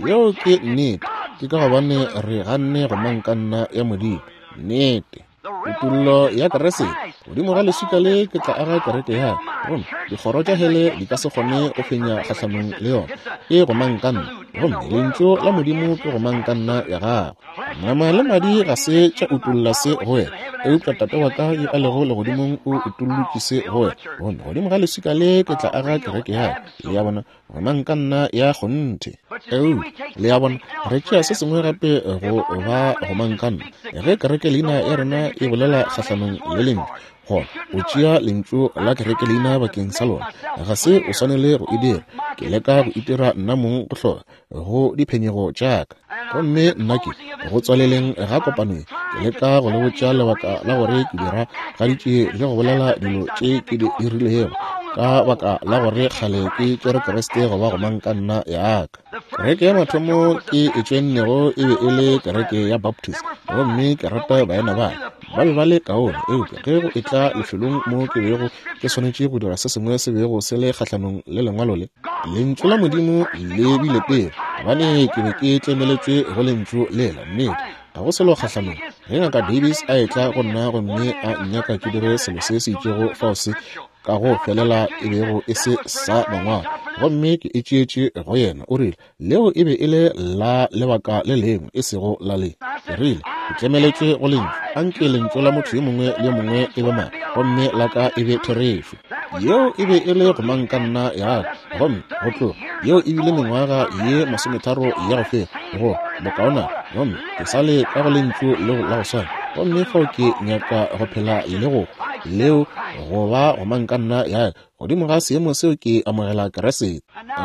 Yeo ke nnete. Ke ka gobane re ganne gomangkanna ya Modimo. Nnete. Kutollo ya Kriste, godimo ga leswika le ke tla aga kereke ya ka, gomme dikgoro tša hele di ka se kgone go fenya kgahlanong le yona. Ke gomangkanna, gomme Lentšu la Modimo ke gomangkanna ya gagwe. Nama le madi ga se tša utolla se go wena, eupša Tate wa ka yo a lego legodimong o utollotše se go wena. Gomme godimo ga leswika le ke tla aga kereke ya ka. Le a bona? Gomangkanna ya kgonthe. Eupša, le a bona, re tšea se sengwe gape go ba gomangkanna. Ge kereke leina ya rena e bolela kgahlanong le Lentšu, gona o tšea lentšu la kereke leina bakeng sa lona. Ga se o swanele go e dira. Ke leka go itira nna mong go hloka go diphenyego tša ka. Gomme nna ke, go tswaleleng ga kopano ye, ke leka go le botša lebaka la gore ke dira gaditše le go bolela dilo tše ke di dirilego, ka baka la gore kgale ke tšere Kriste go ba gomangkanna ya ka. Kereke ya mathomo ke e tšoennego e be e le kereke ya Baptist, gomme ke rata baena ba ka. Ba be ba le kaone, eupša ge go etla lefelong mo ke bego ke swanetše go dira se sengwe se bego se le kgahlanong le Lengwalo le, Lentšu la Modimo le bile pele, gobane ke be ke tlemeletšwe go Lentšu lela. Nnete, ga go selo kgahlanong. Ge Ngaka Davis a etla go nna gomme a nnyaka ke dire selo se se itšego fao se ka go felela e bego e se sa Mangwalo, gomme ke e tšeetše go yena, o rile, Leo e be e le la lebaka le lengwe, e sego la le. Ke rile, Ke tlemeletšwe go Lentšu. Anke lentšu la motho yo mongwe le yo mongwe e be maaka, gomme la ka e be therešo. Yeo e be e le gomangkanna ya ka. Gomme go tloga yeo e bile mengwaga ye masometharo ya go feta, go bokaonana, gomme ke sa le ka go Lentšu leo la go swana. Gomme fao ke nyaka go phela le go hwa, leo go ba gomangkanna ya ka. Godimo ga seemo seo ke amogela Kriste.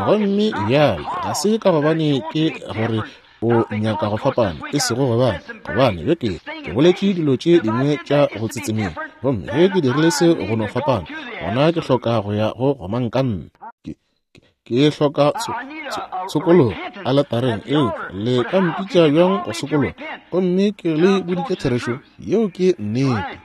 Gomme bjale ga se ka gobane ke gore o nyaka go fapana, e sego gobane, gobane ge ke, ke boletše dilo tše dingwe tša go tsetsemela, gomme ge ke dirile se go no fapana, gona ke hloka go ya go gomangkanna. Ke, ke hloka tshokologo aletareng, eupša le ka mpitša bjang go sokologa? Gomme ke le boditše therešo, yeo ke nnete.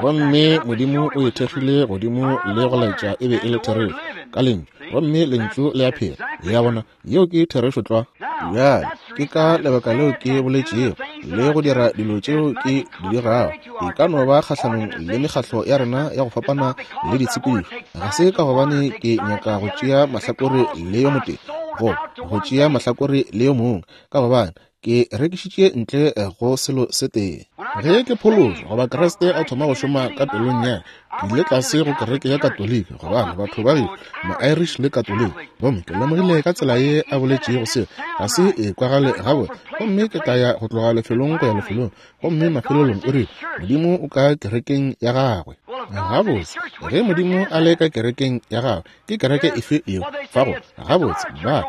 Gomme Modimo o e thekgile godimo le go laetša e be e le therešo ka Lentšu, gomme Lentšu le a phela. Le a bona, yeo ke therešo tlwa. Bjale, ke ka lebaka leo ke boletšego le go dira dilo tšeo ke di dirago. E ka no ba kgahlanong le mekgatlo ya rena ya go fapana le ditshepedišo. Ga se ka gobane ke nyaka go tšea mahlakore le yo motee, goba go tšea mahlakore le yo mongwe, ka gobane Ke rekišitše ntle go selo se tee. Ge ke phološwa, goba Kriste a thoma go šoma ka pelong ya ka, ke ile tlase go kereke ya Katoliki, gobane batho ba gešo, ma-Irish le Katoliki, gomme ke lemogile ka tsela ye a boletšego seo ga se e kwagale gabotse. Gomme ke tla ya go tloga lefelong go ya lefelong, gomme mafelelong o rile, Modimo o ka kerekeng ya gagwe. Gabotse, ge Modimo a le ka kerekeng ya gagwe, Ke kereke efe yeo fa go? Gabotse, ba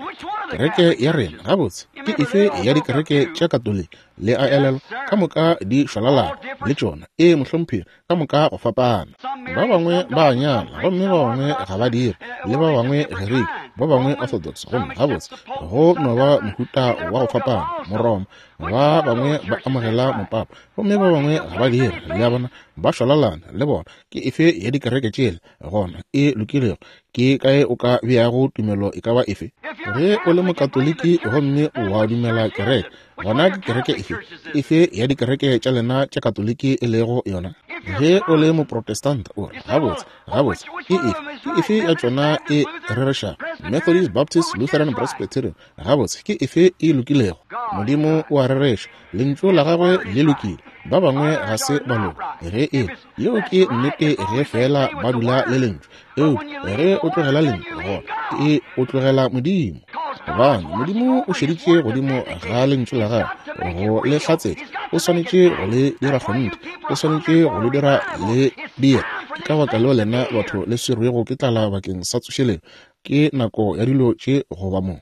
kereke ya rena. Gabotse, ke efe ya dikereke tša Katoliki? Le a elelwa, ka moka di šwalalana le tšona. Ee, mohlomphegi, ka moka go fapana. Ba bangwe ba a nyala, gomme ba bangwe ga ba dire, le ba bangwe Gerike, ba bangwe Orthodox, gomme gabotse, go no ba mohuta wa go fapana, Moroma. Ba bangwe ba amogela mopapa, gomme ba bangwe ga ba dire. Le a bona, ba šwalalana le bona. Ke efe ya dikereke tšela gona e lokilego? Ke kae o ka beago tumelo e ka ba efe? Ge o le Mokatoliki gomme wa dumela kereke, gona ke kereke efe efe ya dikereke tša lena tša Katoliki e lego yona? Ge o le Moprotestanta, o re, Gabotse, gabotse, ke efe, ke efe ya tšona e rerešago? Methodist, Baptist, Lutheran, Presbyterian, Gabotse, ke efe e lokilego? Modimo o a rereša, Lentšu la Gagwe le lokile, ba bangwe ga se ba loka. Ge e yeo ke nnete ge feela ba dula le Lentšu. Eupša ge o tlogela Lentšu, gona e o tlogela Modimo. Gobane Modimo o šeditše godimo ga Lentšu la Gagwe go le hlatsetša, o swanetše go le dira kgonthe, o swanetše go le dira le dire. Ke ka baka leo lena batho le swerwego ke tlala bakeng sa tsošeletšo. Ke nako ya dilo tše go ba mo.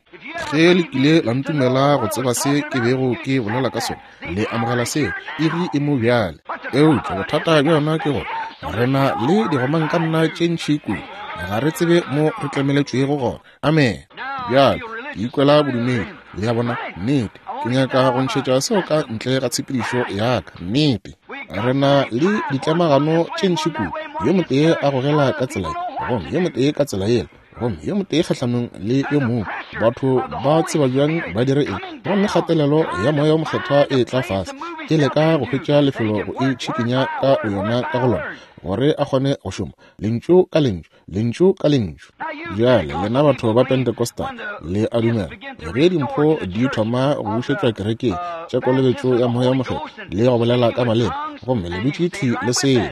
Ge le kile la ntumela go tseba se ke bego ke bolela ka sona, le amogela seo, iri e mo bjale. Eupša bothata bja yona ke gore re na le digomankanna tše ntši kudu, ga re tsebe mo re tlemeletšwego gona. Amene. Bjale, ke ikwela bodumedi, le a bona, nnete. Ke nyaka go ntšhetša seo ka ntle ga tshepedišo ya ka. Nnete. Re na le ditlemagano tše ntši kudu, yo motee a gogela ka tsela ye, gomme yo motee ka tsela yela, gomme yo motee kgahlanong le yo mongwe. Batho ba tseba bjang ba dire eng? Gomme kgatelelo ya Moya wo Mokgethwa e tla fase, e leka go hwetša lefelo go itšhikinya ka boyona ka go lona, gore a kgone go šoma, lentšu ka lentšu. Lentšu ka lentšu. Bjale, lena batho ba Pentecostal, le a dumela, ge dimpho di thoma go bušetšwa kerekeng, tša kolobetšo ya Moya wo Mokgethwa, le go bolela ka maleme, gomme le dutše thwi le seo.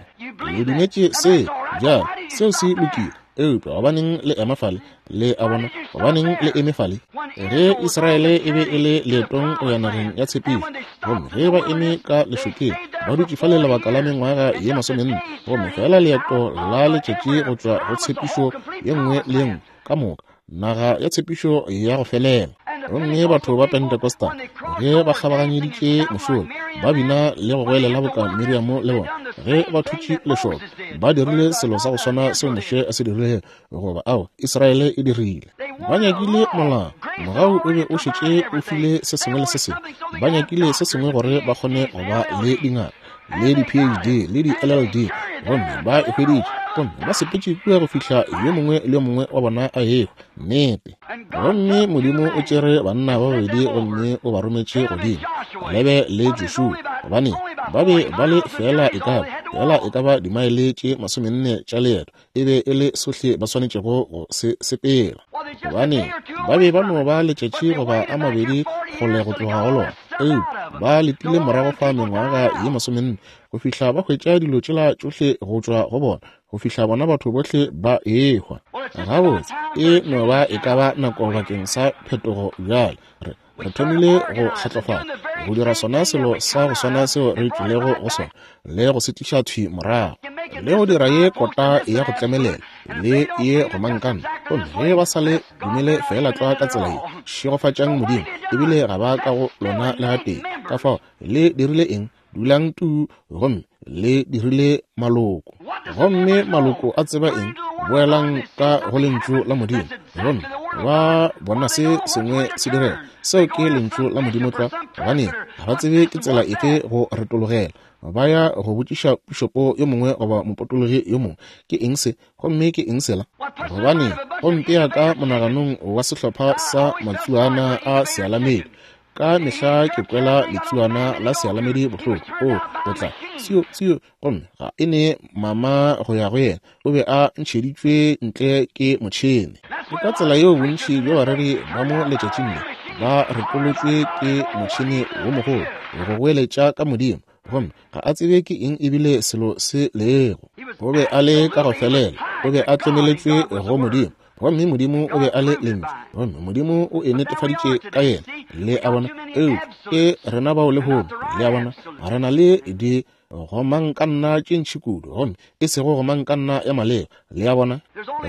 Le dumetše seo. Bjale, seo se lokile. Eupša gobaneng le ema fale? Le a bona? Gobaneng le eme fale? Ge Israele e be e le leetong go ya nageng ya tshepišo, gomme ge ba eme ka lešokeng, ba dutše fale lebaka la mengwaga ye masomenne, gomme fela leeto la letšatši go tšwa go tshepišo ye nngwe le ye nngwe, ka moka, naga ya tshepišo ya go felela. Gomme batho ba Pentecostal, ge ba kgabaganyeditše mošola, ba bina le go goelela boka Miriamo le bona, ge ba thutše lešoka, ba dirile selo sa go swana seo Moshe a se dirilego, goba ao Israele e dirile. Ba nyakile molao, mogau o be o šetše o file se sengwe le se sengwe. Ba nyakile se sengwe gore ba kgone go ba le dingaka le di-PhD le di-LLD, gomme ba e hweditše, gomme ba sepetše kua go fihla yo mongwe le yo mongwe wa bona a ehwa. Nnete. Gomme Modimo o tšere banna ba babedi gomme o ba rometše godimo, Kalebe le Joshua, gobane ba be ba le feela e ka ba, feela e ka ba dimaele tše masomenne tša leeto. E be e le sohle ba swanetšego go se sepela, gobane ba be ba no ba letšatši goba a mabedi kgole go tloga go lona. Eupša ba letile morago fa mengwaga ye masomenne go fihla ba hwetša dilo tšela tšohle go tšwa go bona, go fihla bona batho bohle ba ehwa. Gabotse, e no ba e ka ba nako bakeng sa phetogo bjale. Re, re thomile go kgatlofala, go dira sona selo sa go swana seo re tšwilego go sona, le go se tliša thwi morago, le go dira ye kota ya go tlemelela le ye gomankana. Gomme ge ba sa le dumele feela tlwa ka tsela ye, šegofatšang Modimo, ebile ga ba ka go lona le gatee. Ka fao le dirile eng? Dulang tuu, gomme le dirile maloko. Gomme maloko a tseba eng? Boelang ka go Lentšu la Modimo, gomme ba bona se sengwe se direga. Seo ke Lentšu la Modimo tlwa. Gobane ga ba tsebe ke tsela efe go retologela. Ba ya go botšiša pišopo yo mongwe goba mopotologi yo mongwe, ke eng se, gomme ke eng sela? Gobane go mpea ka monaganong wa sehlopha sa matsuana a sealamedi. Ka mehla ke kwela letsuana la sealamedi bohloko. O, o tla, sio, sio, gomme ga e ne mama go ya go yena. O be a ntšheditšwe ntle ke motšhene. Ke ka tsela yeo bontši bja bareri ba mo letšatšing le Ba retolotšwe ke motšhene wo mogolo go goeletša ka Modimo, gomme ga a tsebe ke eng ebile selo se lego. O be a le ka go felela, o be a tlemeletšwe go Modimo, gomme Modimo o be a le Lentšu, gomme Modimo o e netefaditše ka yena. Le a bona? Eupša ke rena bao lehono, le a bona, re na le di gomangkanna tše ntši kudu, gomme e sego gomangkanna ya maleba. Le a bona?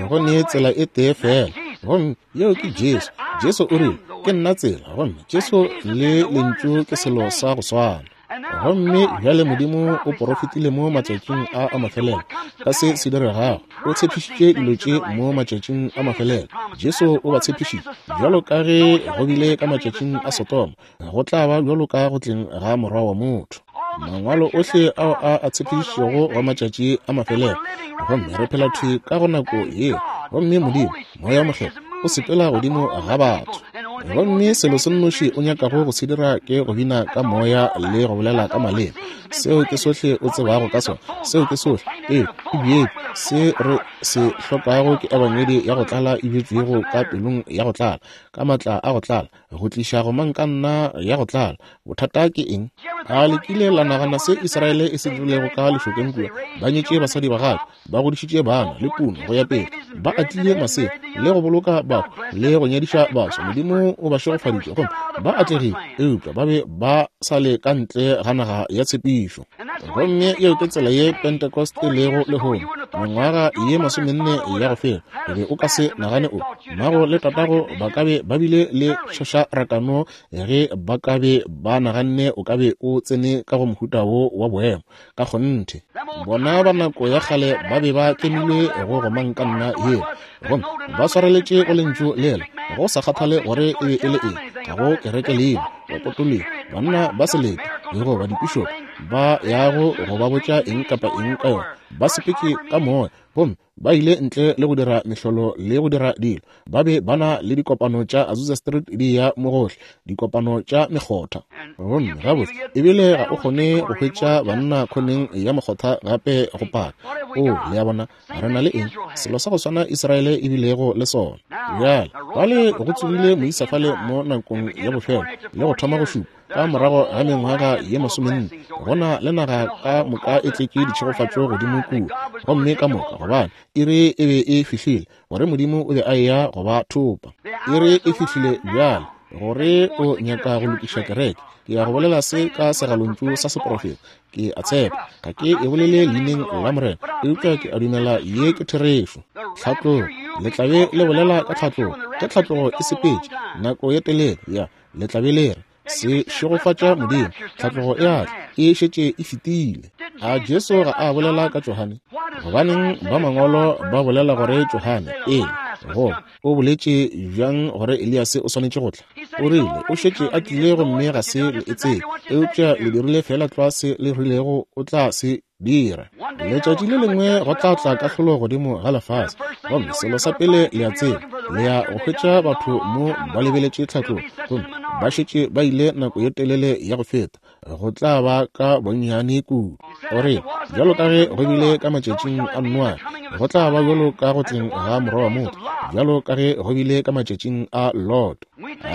Go ne tsela e tee feela, gomme yeo ke Jesu. Jesu o rile, Ke nna tsela, gomme Jesu le Lentšu ke selo sa go swana. Gomme bjale Modimo o porofetile mo matšatšing a a mafelelo ka se se diregago. O tshepišitše dilo tše mo matšatšing a mafelelo. Jesu o ba tshepišitše, bjalo ka ge go bile ka matšatšing a Sodoma, go tla ba bjalo ka go tleng ga Morwa wa motho. Mangwalo ohle ao a a tshepišitšego wa matšatši a mafelelo, gomme re phela thwi ka go nako yeo. Gomme Modimo, Moya Mokgethwa, o sepela godimo ga batho. Gomme selo se nnoši o nyakago go se dira ke go bina ka Moya le go bolela ka maleme. Seo ke sohle o tsebago ka sona. Seo ke sohle. Ee, e bjetšwe. Se re se hlokago ke Ebangedi ya go tlala e bjetšwego ka pelong ya go tlala, ka maatla a go tlala, go tliša gomangkanna ya go tlala. Bothata ke eng? A le kile la nagana se Israele e se dirilego ka lešokeng kua? Ba nyetše basadi ba gagwe, ba godišitše bana le puno go ya pele, ba atlile masea le go boloka batho le go nyadiša baswa. Modimo o ba šegofaditše gomme ba atlegile, eupša ba be ba sa le ka ntle ga naga ya tshepišo. Gomme yeo ke tsela ye Pentecost e lego lehono. Mengwaga ye masomenne ya go feta, o be o ka se nagane o mmago le tatago ba ka be ba bile le tšhošarakano ge ba ka be ba naganne o ka be o tsene ka go mohuta wo wa boemo. Ka kgonthe, bona ba nako ya kgale ba be ba tlemilwe go gomangkanna yeo, gomme ba swareletše go lentšu lela, go sa kgathale gore e be e le eng, ga go kereke leina, bapotologi, banna ba selete, le go ba dipišopo ba yago go ba botša eng kapa eng ka yona, ba sepetše ka moya, gomme ba ile ntle le go dira mehlolo le go dira dilo. Ba be ba na le dikopano tša Azusa Street di ya mo gohle, dikopano tša mekgotha. Gomme gabotse ebile ga o kgone go hwetša banna khoneng ya mokgotha gape go paka. O, le a bona, re na le eng? Selo sa go swana Israele e bilego le sona. Bjale, fale go tsogile moisa fale mo nakong ya bofelo le go thoma go šupa. Ka morago ga mengwaga ye masomenne, go na le naga ka moka e tletše ditšhegofatšo godimo kua, gomme ka moka gobane iri e be e fihlile gore Modimo o be a eya go ba thopa. Iri e fihlile bjale gore o nyaka go lokiša kereke. Ke ya go bolela se ka segalontšu sa seprofeta. Ke a tshepa ga ke e bolele leineng la Morena, eupša ke a dumela ye ke therešo. Tlhatlogo, le tla be le bolela ka tlhatlogo. Ge tlhatlogo e sepetše nako ye telele ya Le tla be le re, Se šegofatša Modimo, tlhatlogo e a tla, e šetše e fetile. A Jesu ga a bolela ka Johane? Gobaneng ba mangwalo ba bolela gore Johane, ee, goba o boletše bjang gore Eliase o swanetše go tla? O rile, o šetše a tlile gomme ga se le e tsebe, eupša le dirile feela tlwa se le rilego o tla se dira. Letšatši le lengwe go tla tla kahlolo godimo ga lefase, gomme selo sa pele le a tseba, le ya go hwetša batho mo ba lebeletše tlhatlogo, gomme ba šetše ba ile nako ye telele ya go feta, go tla ba ka bonnyane kudu. O re, bjalo ka ge go bile ka matšatšing a Noa, go tla ba bjalo ka go tleng ga Morwa wa motho, bjalo ka ge go bile ka matšatšing a Lot.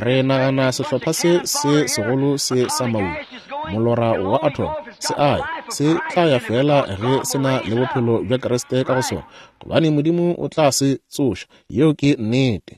Re nagana sehlopha se se segolo se sa maula, molora wa atom, se a ya, se tla ya feela ge se na le bophelo bja Kriste ka go sona, gobane Modimo o tla se tsoša. Yeo ke nnete.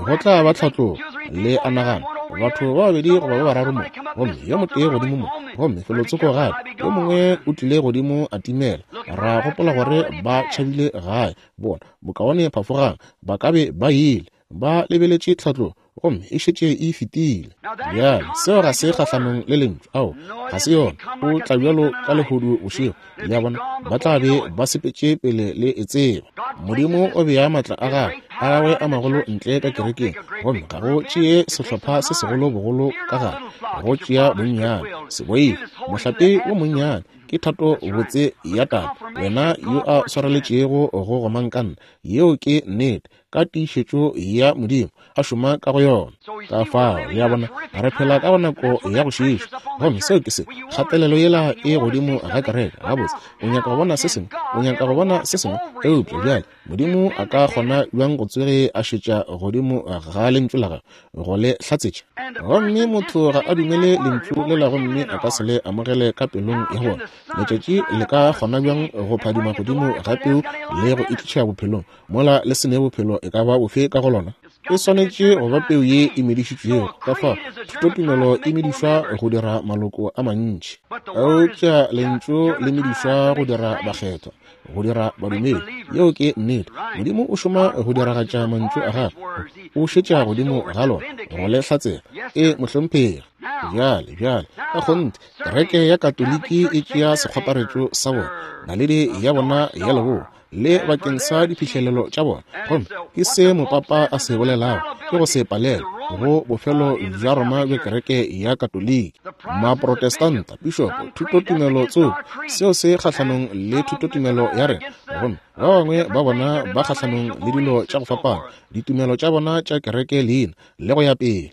Go tla ba tlhatlogo, le a nagana, batho ba babedi goba ba bararo mo, gomme yo motee godimo mo, gomme felotsoko gape, yo mongwe o tlile godimo a timela. Ra gopola gore ba tšhabile gae, bona, bokaone phafogang, ba ka be ba ile. Ba lebeletše tlhatlogo, gomme e šetše e fetile. Bjale, seo ga se kgahlanong le Lentšu. Ao, ga se yona. O tla bjalo ka lehodu bošego. Le a bona? Ba tla be ba sepetše pele le e tseba. Modimo o bea maatla a gagwe, a gagwe a magolo ntle ka kerekeng, gomme ga go tšee sehlopha se segolo bogolo ka gare, go tšea bonnyane. Se boife, mohlape wo monnyane. Ke thato botse ya Tate, wena yo a swareletšego go gomangkanna. Yeo ke nnete. ka tiišetšo ya Modimo a šoma ka go yona. Ka fao, le a bona, re phela ka go nako ya go šiiša. Gomme seo ke se, kgatelelo yela e godimo ga kereke. Gabotse, o nyaka go bona se sengwe, o nyaka go bona se sengwe, eupša bjale Modimo a ka kgona bjang go tsoge a šetša godimo ga Lentšu la Gagwe go le hlatsetša? Gomme motho ga a dumele Lentšu lela gomme a ka se le amogele ka pelong ya bona. Letšatši le ka kgona bjang go phadima godimo ga peu le go e tliša bophelong, mola le se ne bophelo e ka ba bofe ka go lona? E swanetše go ba peu ye e medišitšwego. Ka fao thutotumelo e medišwa go dira maloko a mantši, eupša Lentšu le medišwa go dira bakgethwa, go dira badumedi. Yeo ke nnete. Modimo o šoma go diragatša mantšu a gagwe, o šetša godimo ga lona go le hlatsela. E, mohlomphegi. Bjale, bjale, ka kgonthe, kereke ya Katoliki e tšea sekgwaparetšo sa bona, naledi ya bona ya leboa, le bakeng sa diphihlelelo tša bona. Gomme ke se mopapa a se bolelago, ke go se palelwe go bofelo bja Roma bja kereke ya Katoliki. Maprotestanta, pišopo, thutotumelo tsoko, seo se kgahlanong le thutotumelo ya rena. Gomme ba bangwe ba bona ba kgahlanong le dilo tša go fapana, ditumelo tša bona tša kereke leina, le go ya pele.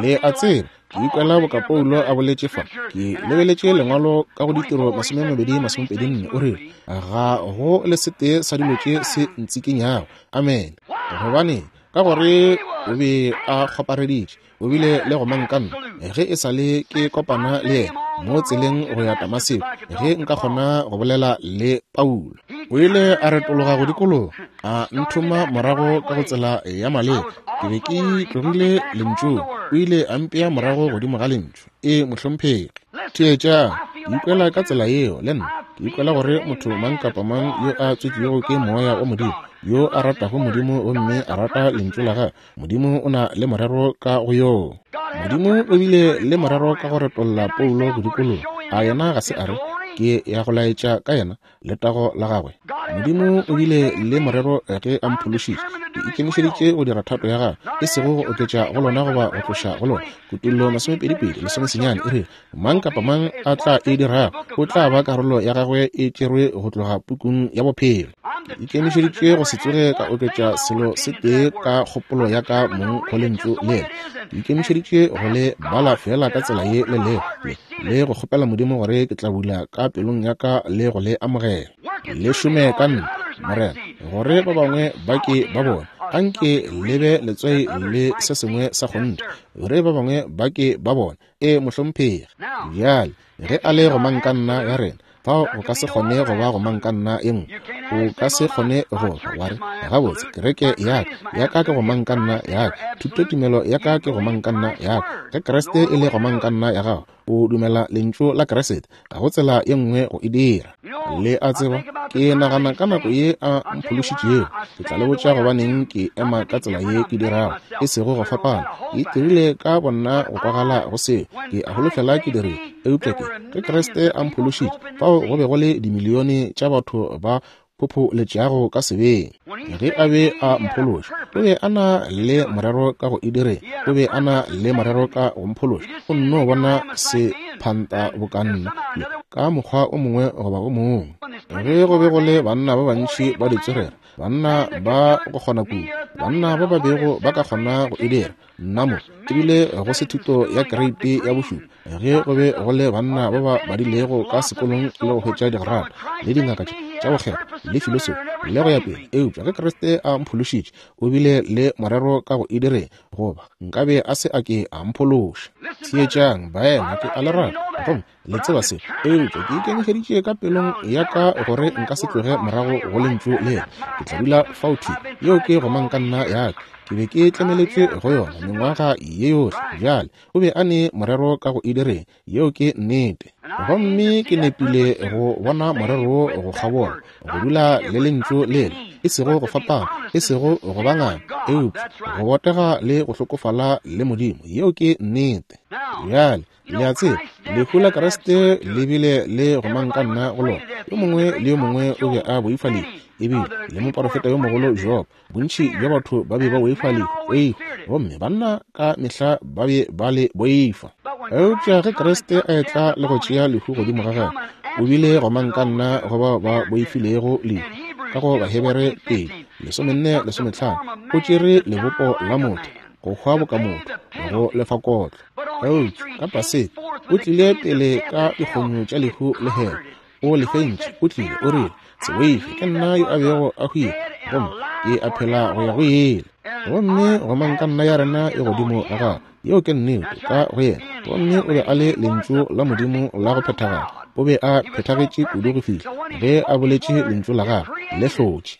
Le a tseba, ke ikwela boka Paulo a boletše fa. Ke lebeletše Lengwalo ka go Ditiro 22:24, o rile, Ga go le setee sa dilo tše se ntsikinyago. Amene. Gobaneng? Ka gore o be a kgwapareditše, o bile le gomangkanna ge e sa le ke kopana le yena mo tseleng go ya Damaseko, ge nka kgona go bolela le Paulo. O ile a retologa go dikologa, a nthoma morago ka go tsela ya maleba. Ke be ke tlogile Lentšung, o ile a mpea morago godimo ga Lentšu. Ee, mohlomphegi. Theetšang, ke ikwela ka tsela yeo le nna. Ke ikwela gore motho mang kapa mang yo a tswetšwego ke Moya wa Modimo, yo a ratago Modimo gomme a rata Lentšu la Gagwe, Modimo o na le morero ka go yoo. Modimo o bile le morero ka go retolla Paulo go dikologa. A yena ga se a re, Ke ya go laetša ka yena letago la gagwe? Modimo o bile le morero ge a mphološitše. Ke ikemišeditše go dira thato ya gagwe, e sego go oketša go lona goba go tloša go lona. Kutollo 22:19 e re, Mang kapa mang a tla e dirago o tla ba karolo ya gagwe e tšerwe go tloga pukung ya bophelo. Ke ikemišeditše go se tsoge ka oketša selo se tee ka kgopolo ya ka mong go Lentšu lela. Ke ikemišeditše go le bala feela ka tsela ye le lego, le, le go kgopela Modimo gore ke tla bula ka pelong ya ka le go le amogela. Le šome ka nna, Morena, gore ba bangwe ba ke ba bone. Anke le be letswai le se sengwe sa kgonthe, gore ba bangwe ba ke ba bone. Ee, mohlomphegi. Bjale, ge a le gomangkanna ya rena, fao go ka se kgone go ba gomangkanna e nngwe. O ka se kgone go tla wa re, Gabotse, kereke ya ka, ya ka ke gomangkanna ya ka. Thutotumelo ya ka ke gomangkanna ya ka. Ge Kriste e le gomangkanna ya gago, o dumela Lentšu la Kriste. Ga go tsela ye nngwe go e dira. Le a tseba, ke nagana ka nako ye a mphološitšego. Ke tla le botša gobaneng ke ema ka tsela ye ke dirago, e sego go fapana. Ke itirile ka bonna go kwagala go seo. Ke a holofela ke dirile. Eupša ke, ge Kriste a mphološitše, fao go be go le dimilione tša batho ba phopholetšago ka sebeng. Ge a be a mphološa, o be a na le morero ka go e direng. O be a na le morero ka go mphološa. O nno bona se phanta boka nna, le ka mokgwa o mongwe goba o mongwe. Ge go be go le banna ba bantši ba ditswerere, banna ba go kgona kudu, banna ba ba bego ba ka kgona go e dira, nna mo ebile go se thuto ya kreiti ya bošupa, ge go be go le banna ba ba badilego ka sekolong le go hwetša digrata le dingaka tša go kgethwa le filosofi le go ya pele, eupša ge Kriste a mphološitše, o bile le morero ka go e direng, goba nkabe a se a ke a mphološa. Theetšang, baena, ke a le rata, gomme le tseba se, eupša ke ikemišeditše ka pelong ya ka gore nka se tloge morago go Lentšu lela. Ke tla dula fao thwi. Yeo ke gomangkanna ya ka. Ke be ke tlemeletšwe go yona mengwaga ye yohle. Bjale, o be a ne morero ka go e direng. Yeo ke nnete. Gomme ke nepile go bona morero wo go kgabola, go dula le Lentšu lela, e sego go fapana, e sego go ba nganga, eupša go botega le go hlokofala le Modimo. Yeo ke nnete. Bjale, Le a tseba, lehu la Kriste le bile le gomangkanna go lona. Yo mongwe le yo mongwe o be a boifa lehu, ebile le moporofeta yo mogolo Job. Bontši bja batho ba be ba boifa lehu, ee, gomme banna ka mehla ba be ba le boifa. Eupša ge Kriste a etla le go tšea lehu godimo ga gagwe, o bile gomangkanna go bao ba boifilego lehu. Ka go Bahebere 2. 14, 15, o tšere lebopo la motho, go hwa boka motho, go lefa kotlo. Eupša ka Paseka, o tlile pele ka dikgonyo tša lehu le hele, o le fentše, o tlile, o rile, Se boife, ke nna yo a bego a hwile, gomme ke a phela go ya go ile. Gomme gomangkanna ya rena e godimo ga gagwe. Yeo ke nnete, ka go yena. Gomme o be a le Lentšu la Modimo la go phethagala. O be a phethagetše kudu go fihla ge a boletše Lentšu la gagwe, le hlotše,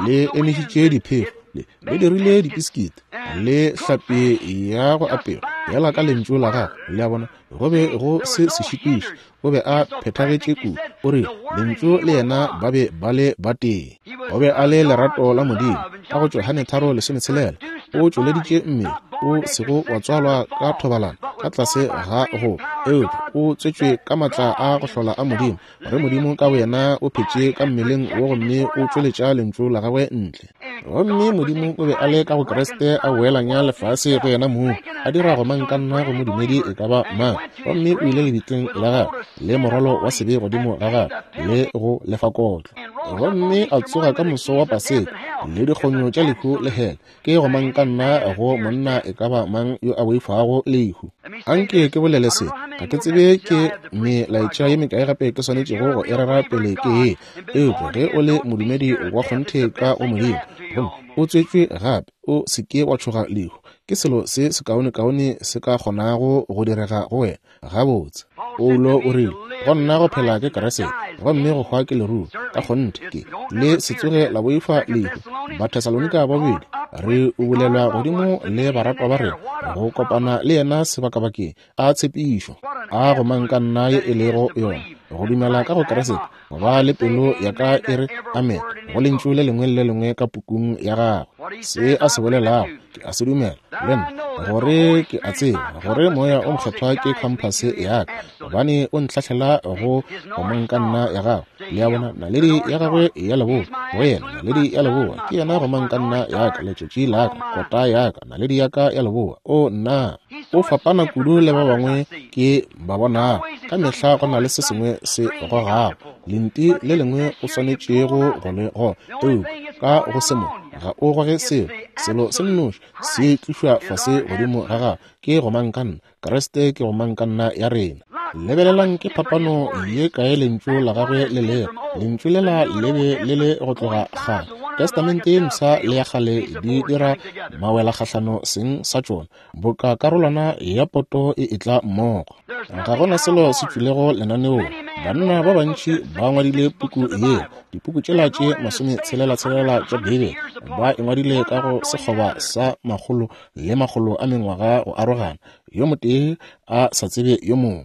le emišitše diphefo, le, le dirile dipisikiti, le hlapi ya go apewa, yela ka Lentšu la gagwe. Le a bona, go be go se sešitiši. O be a phethagetše kudu. O rile, Lentšu le yena ba be ba le batee. O be a le lerato la Modimo. Ka go Johane 3:16, o tšweleditše mmele o sego wa tswalwa ka thobalano ka tlase ga go, eupša o tswetšwe ka maatla a go hlola a Modimo, gore Modimo ka boyena o phetše ka mmeleng wo gomme o tšweletša Lentšu la gagwe ntle. Gomme Modimo o be a le ka go Kriste a boelanya lefase go yena mong, a dira gomangkanna go modumedi e ka ba mang. Gomme o ile lebitleng la gagwe le morwalo wa sebe godimo ga gagwe le go lefa kotlo. Gomme a tsoga ka moso wa Paseka le dikgonyo tša lehu le hele. Ke gomangkanna go monna e ka ba mang yo a boifago lehu. Anke ke bolele se, ga ke tsebe ke melaetša ye mekae gape ke swanetšego go e rera pele ke ye. Eupša ge o le modumedi wa kgonthe ka go Modimo, gomme o tswetšwe gape, o se ke wa tšhoga lehu. Ke selo se sekaonekaone se ka kgonago go direga go wena. Gabotse. Paulo o rile, Go nna go phela ke Kriste, gomme go hwa ke leruo. Ka kgonthe ke. Le se tsoge la boifa lehu. Bathesalonika ba bobedi, re ubulelwa godimo le baratwa ba rena, go kopana le yena sebakabakeng. A tshepišo, a gomangkanna ye e lego yona, go dumela ka go Kriste, go ba le pelo ya ka e re amen go lentšu le lengwe le le lengwe ka pukung ya gagwe. Se a se bolelago, ke a se dumela, le nna, gore ke a tseba gore Moya o Mokgethwa ke khamphase ya ka, gobane o ntlhahlela go gomangkanna ya gagwe. Le a bona, naledi ya gagwe ya leboa, go yena, naledi ya leboa, ke yena gomangkanna ya ka, letšatši la ka, kota ya ka, naledi ya ka ya leboa. O nna! O fapana kudu le ba bangwe ke ba bonago. Ka mehla go na le se sengwe se gogago, lenti le lengwe o swanetšego go le goga, eupša ka go se mo ga o goge selo. Selo se nnoši se tlišwa fase godimo ga gago ke gomangkanna. Kriste ke gomangkanna ya rena. Lebelelang ke phapano ye kae lentšu la gagwe le lego. Lentšu lela le be le le go tloga kgale. Testamente ye Mpsha le ya Kgale di dira mawelakgahlano seng sa tšona, boka karolwana ya poto e etla mmogo. Ga go na selo se tšwilego lenaneong. Banna ba bantši ba ngwadile puku ye, dipuku tšela tše masometshela-tshelela tša Beibele, ba e ngwadile ka go sekgoba sa makgolo le makgolo a mengwaga go arogana, yo motee a sa tsebe yo mongwe.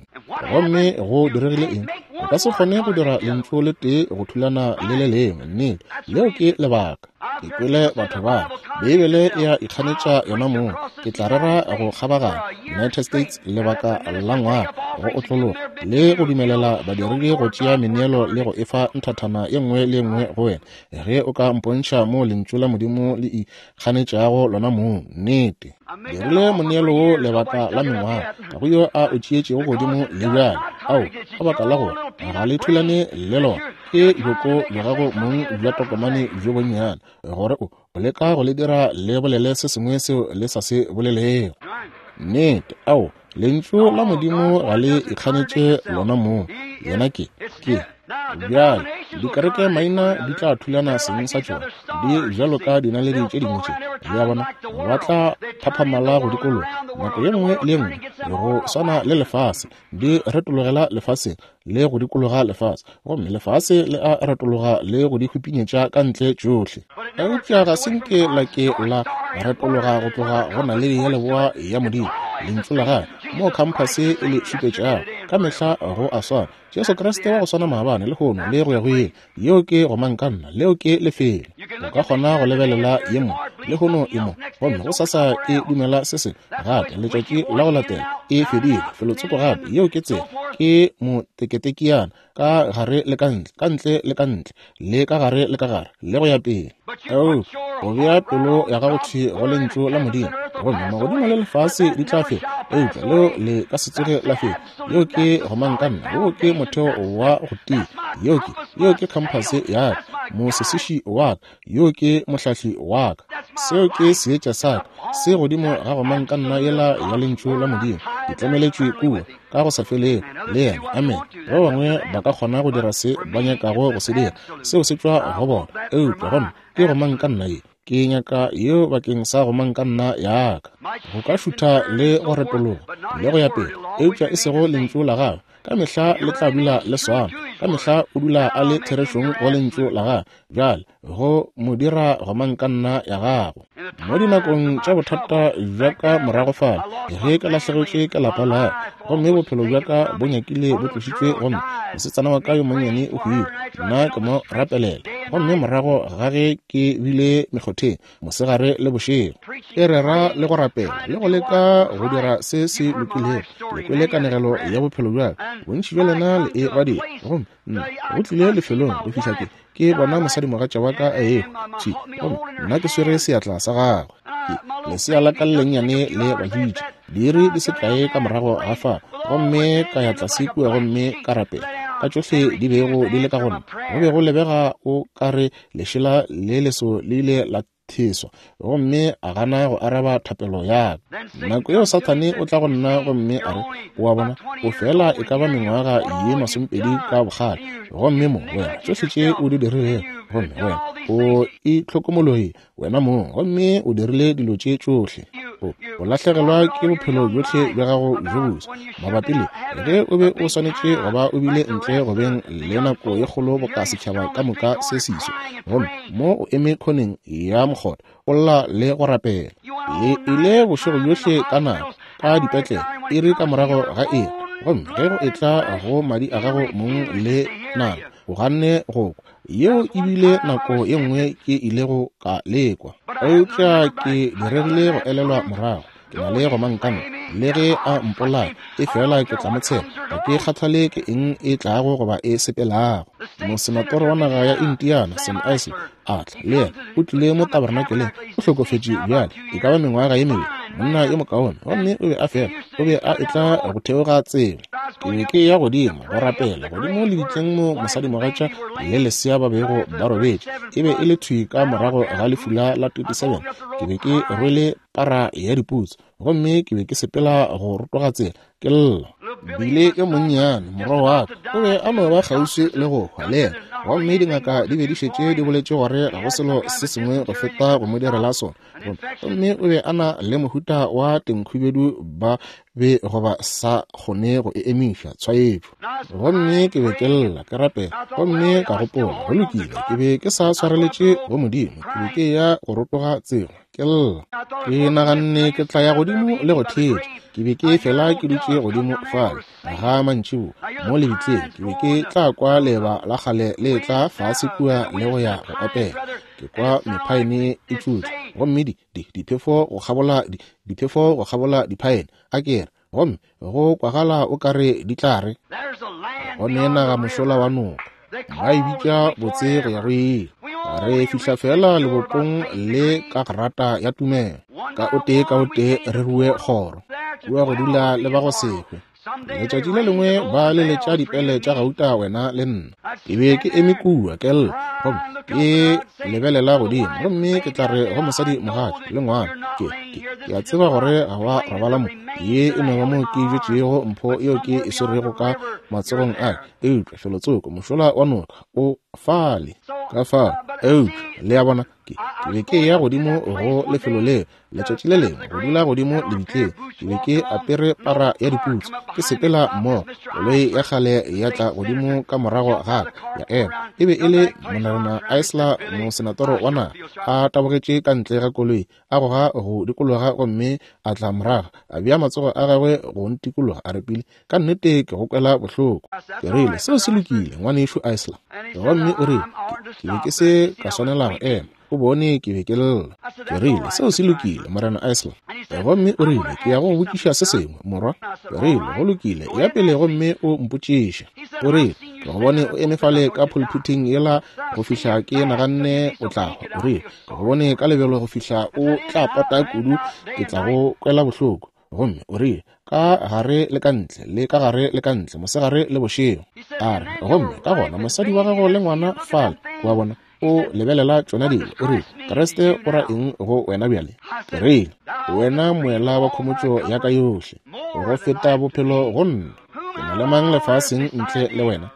Gomme go diregile eng? O ka se kgone go dira lentšu le tee go thulana le le lengwe. Nnete, leo ke lebaka. Ke kwele batho ba Beibele e a ikganetša yona mong. Ke tla rera go kgabaganya United States lebaka la ngwaga go otlologa le go dumelela badiredi go tšea meneelo le go efa nthathana ye nngwe le ye nngwe go wena ge o ka mpontšha moo lentšu la Modimo le ikganetšago lona mong. Nnete. Dirile moneelo wo lebaka la mengwaga, ga go yo a o tšeetšego godimo le bjale. Ao, ka baka la gore ga le thulane le lona, ke bjoko bja gago mong bja tokomane bjo bonnyane, gore o leka go le dira le bolele se sengwe seo le sa se bolelego. Nnete, ao, Lentšu la Modimo ga le ikganetše lona mong. Yena ke, ke. Bjale, dikereke maina di tla thulana seng sa tšona, di bjalo ka dinaledi tše dingwe tše. Le a bona, ba tla phaphamala go dikologa nako ye nngwe le ye nngwe, go swana le lefase, di retologela lefaseng le go dikologa lefase, gomme lefase le a retologa le go di hupinyetša ka ntle tšohle. Eupša ga se nke la ke la retologa go tloga go naledi ya leboa ya Modimo, Lentšu la Gagwe, moo khamphase e le šupetšago. Ka mehla go a swana. Jesu Kriste wa go swana maabane, lehono, le go ya go ile. Yeo ke gomangkanna, leo ke lefelo. O ka kgona go lebelela ye mo, lehono e mo, gomme gosasa e dumela se sengwe gape, letšatši la go latela e fedile, felotsoko gape. Yeo ke tsela, ke moteketekiana, ka gare le ka ntle, ka ntle le ka ntle, le ka gare le ka gare, le go ya pele. Eupša o bea pelo ya gago thwi go Lentšu la Modimo, gomme magodimo le lefase di tla feta, eupša leo le ka se tsoge la feta. Yeo ke gomangkanna, woo ke motheo wa go tia. Yeo ke, yeo ke khamphase ya ka. Mosesiši wa ka, yo ke Mohlahli wa ka. Seo ke Seetša sa ka, se godimo ga gomangkanna yela ya Lentšu la Modimo. Ke tlemeletšwe kua, ka go sa felego, le Yena. Amene. Ba bangwe ba ka kgona go dira se ba nyakago go se dira, seo se tšwa go bona. Eupša gomme ke gomangkanna ye. Ke nyaka yeo bakeng sa gomangkanna ya ka. Go ka šutha le go retologa, le go ya pele, eupša e sego Lentšu la Gagwe. Ka mehla le tla dula le swana. Ka mehla o dula a le therešong go Lentšu la Gagwe. Bjale, go mo dira gomangkanna ya gago. Mo dinakong tša bothata bja ka morago fale, ge ke lahlegetšwe ke lapa la ka, gomme bophelo bja ka bo nyakile bo tlošitšwe, gomme mosetsana wa ka yo monnyane o hwile, nna ke mo rapelela. Gomme morago ga ge ke bile mekgotheng, mosegare le bošego, ke rera le go rapela le go leka go dira se se lokilego, le kwele kanegelo ya bophelo bja ka, bontši bja lena le e badile. Gomme nna go tlile lefelong go fihla ke ke bona mosadimogatša wa ka a ehwa thwi, gomme nna ke swere seatla sa gagwe. Ke lesea la ka le lennyane le baditše diiri di se kae ka morago ga fao, gomme ka ya tlase kua gomme ka rapela ka tšohle di bego di le ka go nna. Go be go lebega o ka re lešela le leso le ile la theswa, gomme a gana go araba thapelo ya ka. Nako yeo Sathane o tla go nna gomme a re, O a bona, o fela e ka ba mengwaga ye masomepedi ka bokgale, gomme mo wena tšohle tše o di dirilego, gomme wena o itlhokomologile wena mong gomme o dirile dilo tše tšohle. O, o lahlegelwa ke bophelo bjohle bja gago bjo boswa mabapi le ge o be o swanetše go ba o bile ntle go beng le nako ye kgolo boka setšhaba ka moka se siswa, gomme mo o eme khoneng ya mokgotha o lla le go rapela. Le ile bošego bjohle ka nako, ka dipetlele, iri ka morago ga iri, gomme ge go etla go madi a gago mong le nama, o ganne go kwa. Yeo e bile nako ye nngwe ke ilego ka lekwa, eupša ke diregile go elelwa morago. Ke na le gomangkanna, le ge a mpolaya, efela ke tla mo tshepa. Ga ke kgathale ke eng e tlago goba e sepelago. Mosenatoro wa naga ya Indiana, Sam Isley, a tla, le yena. O tlile mo tabernakeleng. O hlokofetše bjale, e ka ba mengwaga ye mebedi. Monna yo mokaone. Gomme o be a fela, o be a etla go theoga tsela. Ke be ke eya godimo go rapela, godimo lebitleng mo mosadimogatša le lesea ba bego ba robetše. E be e le thwi ka morago ga lefula la 27. Ke be ke rwele para ya diputsu, gomme ke be ke sepela go rotoga tsela, ke lla. Bile yo monnyane, morwa wa ka, o be a no ba kgauswi le go hwa le yena, gomme dingaka di be di šetše di boletše gore ga go selo se sengwe go feta go mo direla sona. Gomme o be a na le mohuta wa tenkhubedu ba be goba sa kgone go e emiša tshwaetšo. Gomme ke be ke lla, ke rapela, gomme ka gopola, go lokile, ke be ke sa swareletše go Modimo, ke be ke eya go rotoga tsela, ke lla. Ke naganne ke tla ya godimo le go theetša. Ke be ke fela ke dutše godimo fale ga mantšiboa mo lebitleng, ke be ke tla kwa leeba la kgale le etla fase kua le go ya go opela. Ke kwa mephaene e tšutša, gomme di, di, diphefo go kgabola di, diphefo go kgabola diphaene, a ke re, gomme go kwagala o ka re di tla re, Go ne naga mošola wa noka, ba e bitša botse go ya go ile. Re fihla fela lebopong le ka grata ya tumelo, ka o tee ka o tee re rue kgoro, kua go dula le ba go se hwe. Letšatši le lengwe ba leletša dipele tša gauta wena le nna. Ke be ke eme kua ke lla, gomme ke lebelela godimo, gomme ke tla re go mosadi mogatša le ngwana, ke, ke, ke a tseba gore ga wa robala mo, ye e no ba mo ke bjetšego mpho yeo ke e swerego ka matsogong a ka, eupša felotsoko mošola wa noka o fale. Ka fao, eupša, le a bona, ke, ke be ke eya godimo go lefelo leo letšatši le lengwe, go dula godimo lebitleng. Ke be ke apere para ya diputsu, ke sepela mmogo. Koloi ya kgale ya tla godimo ka morago ga ka, ya ema. E be e le Morena Isler, mosenatoro wa naga, a tabogetše ka ntle ga koloi, a goga go dikologa gomme a tla morago, a bea matsogo a gagwe go ntikologa, a re, Billy, ka nnete ke go kwela bohloko. Ke rile, Seo se lokile, Ngwanešu Isler. Gomme o rile, Ke, ke be ke se ka swanela go ema. O bone ke be ke lla. Ke rile, Seo se lokile, Morena Isler. Gomme o rile, Ke ya go go botšiša se sengwe, morwa. Ke rile, Go lokile, ya pele gomme o mpotšiše. O rile, Ke go bone o eme fale ka phulphithing yela go fihla ke naganne o tla hwa. O rile, Ke go bone ka lebelo go fihla o tla pota kudu ke tla go kwela bohloko. Gomme o rile, Ka gare le ka ntle, le ka gare le ka ntle, mosegare le bošego. A re, Gomme ka gona mosadi wa gago le ngwana fale, o a bona. O lebelela tšona dilo. O rile, Kriste o ra eng go wena bjale? Ke rile, Wena moela wa khomotšo ya ka yohle, go feta bophelo go nna. Ke na le mang lefaseng ntle le wena,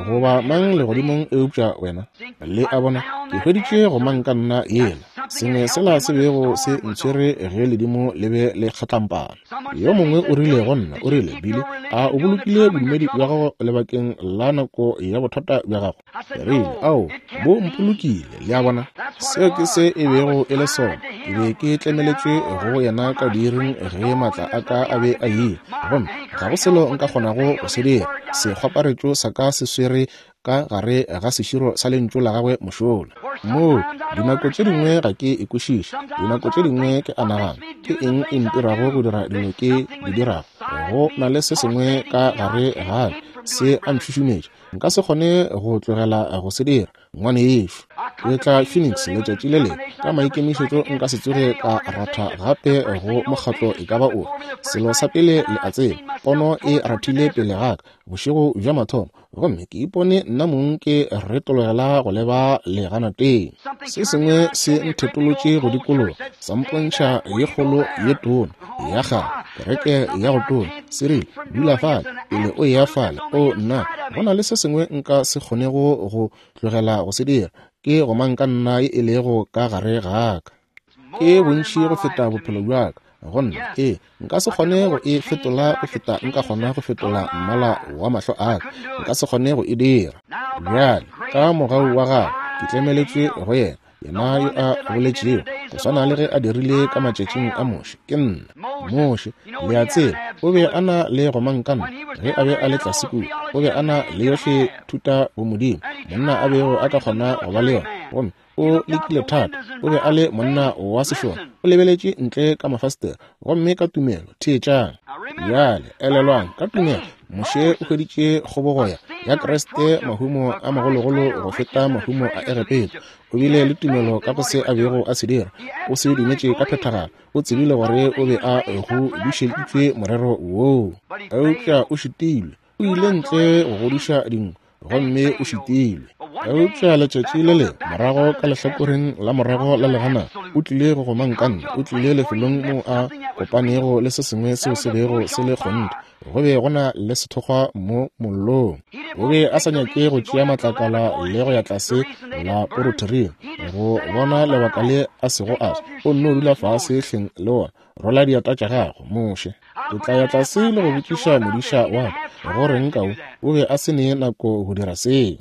goba mang legodimong eupša wena? Le a bona, ke hweditše go mang ka nna yela, sengwe sela se bego se ntshwere ge ledimo le be le kgatlampana. Yo mongwe o rile go nna, o rile, Billy, a o bolokile bodumedi bja gago lebakeng la nako ya bothata bja gago? Ke rile, Ao, bo mpolokile. Le a bona? Seo ke se e bego e le sona. Ke be ke tlemeletšwe go yena ka diiring ge maatla a ka a be a ile, gomme ga go selo nka kgonago go se dira. Sekgwaparetšo sa ka se swere ka gare ga seširo sa lentšu la gagwe mošola. Moo, dinako tše dingwe ga ke e kwešiše. Dinako tše dingwe ke a nagana, Ke eng e ntirago go dira dilo ke di dirago? Go na le se sengwe ka gare ga ka se a ntšhušumetša. Nka se kgone go tlogela go se dira, ngwanešu. Ke tla Phoenix letšatši le lengwe ka maikemišetšo nka se tsoge ka ratha gape go mokgatlo e ka ba ofe. Selo sa pele le a tseba, pono e rathile pele ga ka bošego bja mathomo, gomme ke ipone nna mong ke retologela go leba leganateng. Se sengwe se nthetolotše go dikologa, sa mpontšha ye kgolo ye tona ya kgale, kereke ya go tona. Se rile, Dula fale pele o eya fale. O nna, go na le se sengwe nka se kgonego go tlogela go se dira, ke gomang ka nna ye e lego ka gare ga ka. Ke bontši go feta bophelo bja ka go nna. Ee, nka se kgone go e fetola go feta nka kgona go fetola mmala wa mahlo a ka. Nka se kgone go e dira. Bjale, ka mogau wa gagwe, ke tlemeletšwe go yena, yena yo a boletšego go swana le ge a dirile ka matšatšing a Moshe. Ke nna Moshe, le a tseba, o be a na le gomangkanna ge a be a le tlase kua. O be a na le yohle thuta bomodimo monna a bego a ka kgona go ba le yona, gomme o lekile thata. O be a le monna wa sešole. O lebeletše ntle ka mafastere, gomme ka tumelo, theetšang bjale, elelwang, ka tumelo Moshe o hweditše kgobogo ya Kriste mahumo a magologolo go feta mahumo a Egepeta. O bile le tumelo ka go se a bego a se dira. O se dumetše ka phethagalo. O tsebile gore o be a godišeditšwe morero woo, eupša o šitilwe. O ile ntle go godiša dinku, gomme o šitilwe. Eupša letšatši le lengwe, morago ka lehlakoreng la morago la legana, o tlile go gomangkanna. O tlile lefelong moo a kopanego le se sengwe seo se bego se le kgonthe. Go be go na le sethokgwa mo mollong. O be a sa nyake go tšea matlakala le go ya tlase la porothering go bona lebaka le a sego a swa. O nno dula fase hleng le wona. Rola dieta tša gago, Moshe. Ke tla ya tlase le go botšiša modiša wa ka go reng ka o. O be a se ne nako go dira seo.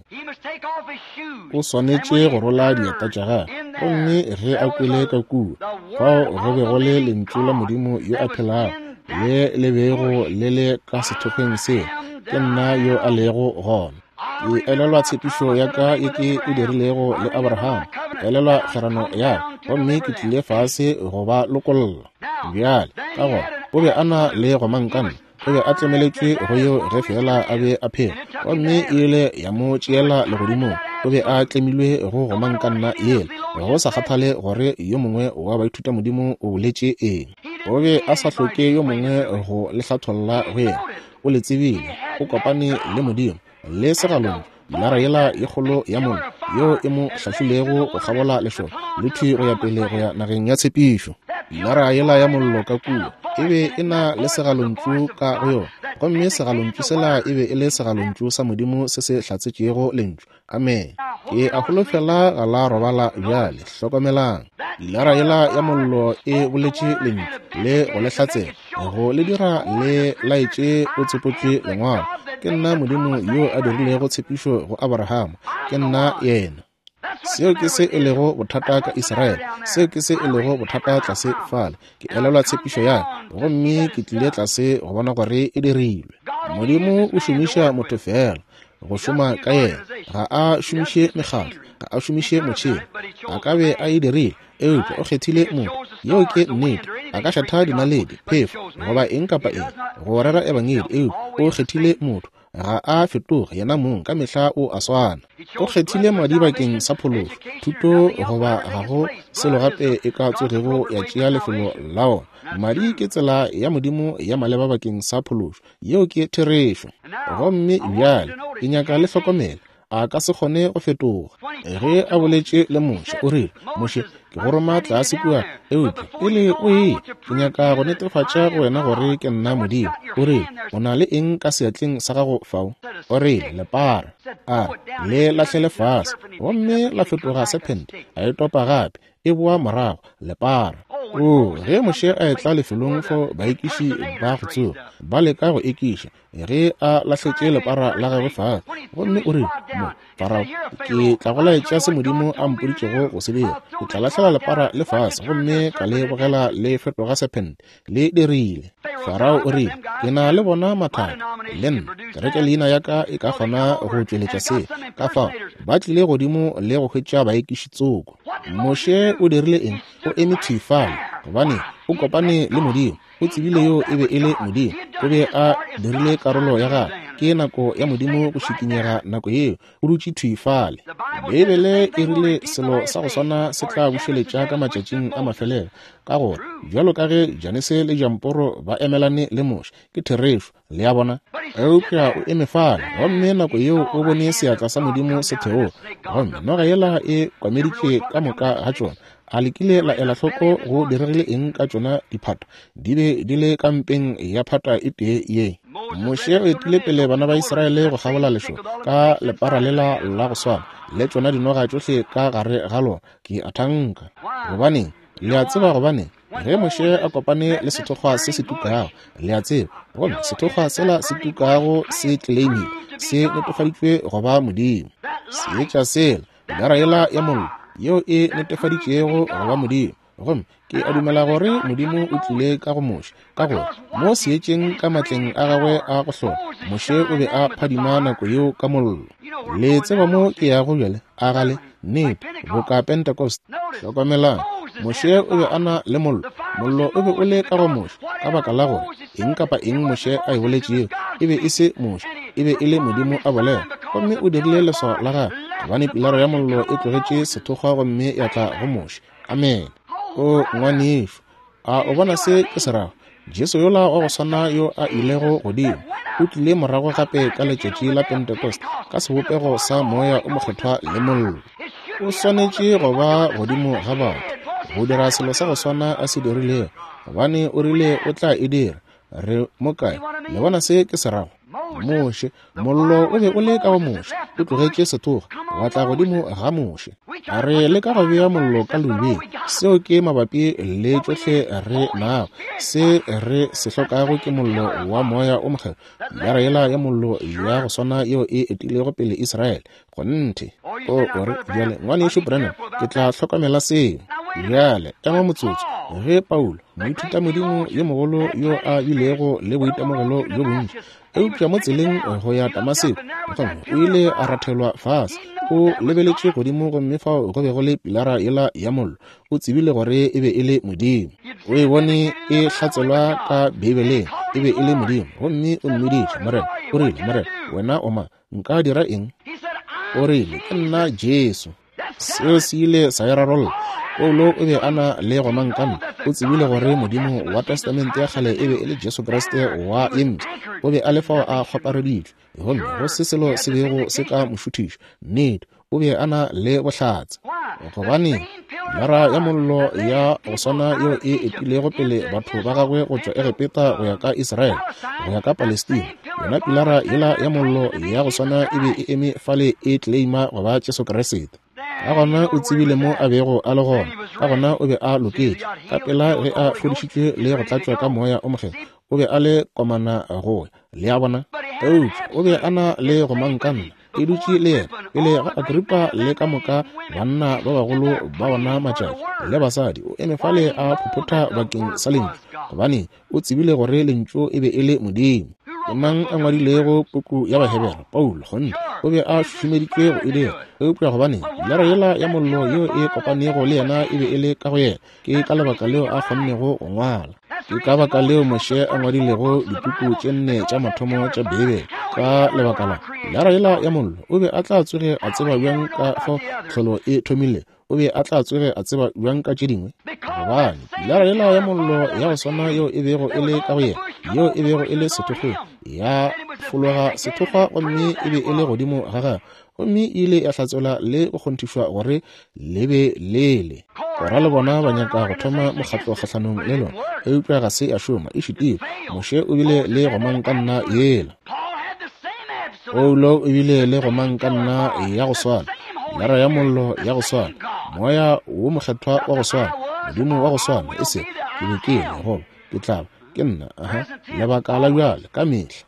O swanetše go rola dieta tša gagwe. Gomme ge a kwele ka kua, fao go be go le Lentšu la Modimo yo a phelago, le le bego le le ka sethokgweng seo, ke nna yo a lego gona. Ke elelwa tshepišo ya ka ye ke e dirilego le Abraham. Ke elelwa kgwerano ya ka, gomme ke tlile fase go ba lokolla. Bjale, ka gona, o be a na le gomangkanna. O be a tlemeletšwe go yeo ge feela a be a phela, gomme e ile ya mo tšeela legodimong. O be a tlemilwe go gomangkanna yela, go sa kgathale gore yo mongwe wa baithutamodimo o boletše eng. O be a sa hloke yo mongwe go le hlatholla go yena. O le tsebile. O kopane le Modimo, le segalong, pilara yela ye kgolo ya mollo yeo e mo hlahlilego go kgabola lešoka le thwi go ya pele go ya nageng ya tshepišo. Pilara yela ya mollo ka kua e be e na le segalontšu ka go yona, gomme segalontšu sela e be e le segalontšu sa Modimo se se hlatsetšego Lentšu. Amene. Ke a holofela ga la robala bjale. Hlokomelang. Pilara yela ya mollo e boletše Lentšu le go le hlatsela, go le dira le laetše o tsopotšwe Lengwalo. Ke nna Modimo yo a dirilego tshepišo go Abrahama. Ke nna Yena. Seo ke se e lego bothata ka Israele. Seo ke se e lego bothata tlase fale. Ke elelwa tshepišo ya ka, gomme ke tlile tlase go bona gore e dirilwe. Modimo o šomiša motho feela go šoma ka yena. Ga a šomiše mekgatlo, ga a šomiše motšhene. A ka be a e dirile, eupša o kgethile motho. Yeo ke nnete. A ka šatha dinaledi, phefo, goba eng kapa eng, go rera ebangedi, eupša o kgethile motho. Ga a fetoge yena mong, ka mehla o a swana. O kgethile madi bakeng sa phološo, thuto goba ga go selo gape e ka tsogego ya tšea lefelo la ona. Madi ke tsela ya Modimo ya maleba bakeng sa phološo. Yeo ke therešo. Gomme bjale ke nyaka le hlokomele. A ka se kgone go fetoga. Ge a boletše le Moshe, o rile, Moshe, ke go roma tlase kua, eupša pele o eya, ke nyaka go netefatša go wena gore ke nna Modimo. O rile, O na le eng ka seatleng sa gago fao? O rile, Lepara. A re, Le lahlele fase. Gomme la fetoga sephente, a e topa gape, e boa morago, lepara. Oo, ge Moshe a etla lefelong fo baekiši ba go tsoga, ba leka go ekiša, ge a lahletše lepara la gagwe fase, gomme o rile, Mo, Farao, ke tla go laetša se Modimo a mpoditšego go se dira. Ke tla lahlela lepara le fase, gomme ka le bogela le fetoga sephente. Le dirile. Farao o rile, Ke na le bona mathaka, le nna. Kereke leina ya ka e ka kgona go tšweletša se. Ka fao, ba tlile godimo le go hwetša baekiši tsoko. Moshe o dirile eng? O eme thwi fale, gobane o kopane le Modimo. O tsebile yo e be e le Modimo. O be a dirile karolo ya gagwe. Ke nako ya Modimo go šikinyega nako yeo. O dutše thwi fale. Beibele e rile selo sa go swana se tla bušeletša ka matšatšing a mafelelo, ka gore bjalo ka ge Janese le Jamporo ba emelane le Moshe. Ke therešo. Le a bona? Eupša o eme fale, gomme nako yeo o bone seatla sa Modimo se theoga, gomme noga yela e kwameditše ka moka ga tšona. A le kile la ela hloko go diregile eng ka tšona diphata? Di be di le ka mpeng ya phata e tee ye. Moshe o etile pele bana ba Israele go kgabola lešoka ka lepara lela la go swana le tšona dinoga tšohle ka gare ga lona. Ke a thanka. Gobaneng? Le a tseba gobaneng? Ge Moshe a kopane le sethokgwa se se tukago, le a tseba, gomme sethokgwa sela se tukago se tleleimile, se netefaditšwe go ba Modimo. Seetša sela, pilara yela ya mollo, yeo e netefaditšego go ba Modimo. Gomme ke a dumela gore Modimo o tlile ka go Moshe, ka gore mo seetšeng ka matleng a gagwe a go hlola, Moshe o be a phadima nako yeo ka mollo. Le tseba mo ke yago bjale, a ga le? Nnete, boka Pentecost. Hlokomelang, Moshe o be a na le mollo. Mollo o be o le ka go Moshe, ka baka la gore eng kapa eng Moshe a e boletšego e be e se Moshe, e be e le Modimo a bolela. Gomme o dirile leswao la gagwe, gobane pilara ya mollo e tlogetše sethokgwa gomme ya tla go Moshe. Amene. O ngwanešu, a o bona se ke se rago? Jesu yola wa go swana yo a ilego godimo, o tlile morago gape ka letšatši la Pentecost ka sebopego sa Moya o Mokgethwa le mollo. O swanetše go ba godimo ga batho go dira selo sa go swana a se dirilego, gobane o rile o tla e dira. Re mo kae? Le bona se ke se rago? Moshe, mollo o be o le ka go Moshe, o tlogetše sethoga, wa tla godimo ga Moshe. A re leka go bea mollo ka leubeng, seo ke mabapi le tšohle re nago. Se re se hlokago ke mollo wa Moya o Mokgethwa, pilara yela ya mollo ya go swana yeo e etilego pele Israele. Kgonthe. O, o re, bjale, Ngwanešu Branham, ke tla hlokomela seo. Bjale, ema motsotso. Ge Paulo, moithutamodimo yo mogolo yo a bilego le boitemogelo bjo bontši, eupša mo tseleng go ya Damaseko, gomme o ile a rathelwa fase, o lebeletše godimo gomme fao go be go le pilara yela ya mollo. O tsebile gore e be e le Modimo. O e bone e hlatselwa ka Beibeleng, e be e le Modimo. Gomme o mmiditše, Morena. O rile, Morena, wena o mang? Nka dira eng? O rile, Ke nna Jesu. Seo se ile sa e rarolla. Paulo o be a na le gomangkanna. O tsebile gore Modimo wa Testamente ya Kgale e be e le Jesu Kriste wa ye Mpsha. O be a le fao a kgwapareditšwe, gomme go se selo se bego se ka mo šuthiša. Nnete, o be a na le bohlatse. Gobaneng? Pilara ya mollo ya go swana yeo e etilego pele batho ba gagwe go tšwa Egepeta go ya ka Israele, go ya ka Palestina, yona pilara yela ya mollo ya go swana e be e eme fale e tleleima go ba Jesu Kriste. Ka gona o tsebile mo a bego a le gona, ka gona o be a loketše. Ka pela ge a fodišitšwe le go tlatšwa ka Moya o Mokgethwa, o be a le komana go ya. Le a bona? Eupša o be a na le gomangkanna e dutše le yena pele ga Agripa le ka moka banna ba bagolo ba ona matšatši le basadi. O eme fale a phophotha bakeng sa Lentšu, gobane o tsebile gore Lentšu e be e le Modimo. Ke mang a ngwadilego puku ya Bahebere? Paulo. Kgonthe, o be a šušumeditšwe go e dira. Eupša gobaneng? Pilara yela ya mollo yeo e kopanego le yena e be e le ka go yena. Ke ka lebaka leo a kgonnego go ngwala. Ke ka baka leo Moshe a ngwadilego dipuku tše nne tša mathomo tša Beibele. Ka lebaka la pilara yela ya mollo, o be a tla tsoge a tseba bjang ka fao tlholo e thomile? O be a tla tsoge a tseba bjang ka tše dingwe? Gobane pilara yela ya mollo ya go swana yeo e bego e le ka go yena, yeo e bego e le sethokgweng, ya Fologa sethokgwa gomme e be e le godimo ga gagwe, gomme e ile ya hlatselwa le go kgonthišwa gore le be le le. Kora le bona ba nyaka go thoma mokgatlo kgahlanong le lona, eupša ga se ya šoma, e šitilwe. Moshe o bile le gomangkanna yela. Paulo o bile le gomangkanna ya go swana, lara ya mollo ya go swana, Moya wo Mokgethwa wa go swana, Modimo wa go swana, e sego ke be ke le goba ke tla ba, ke nna, aha, lebaka la bjale, ka mehla.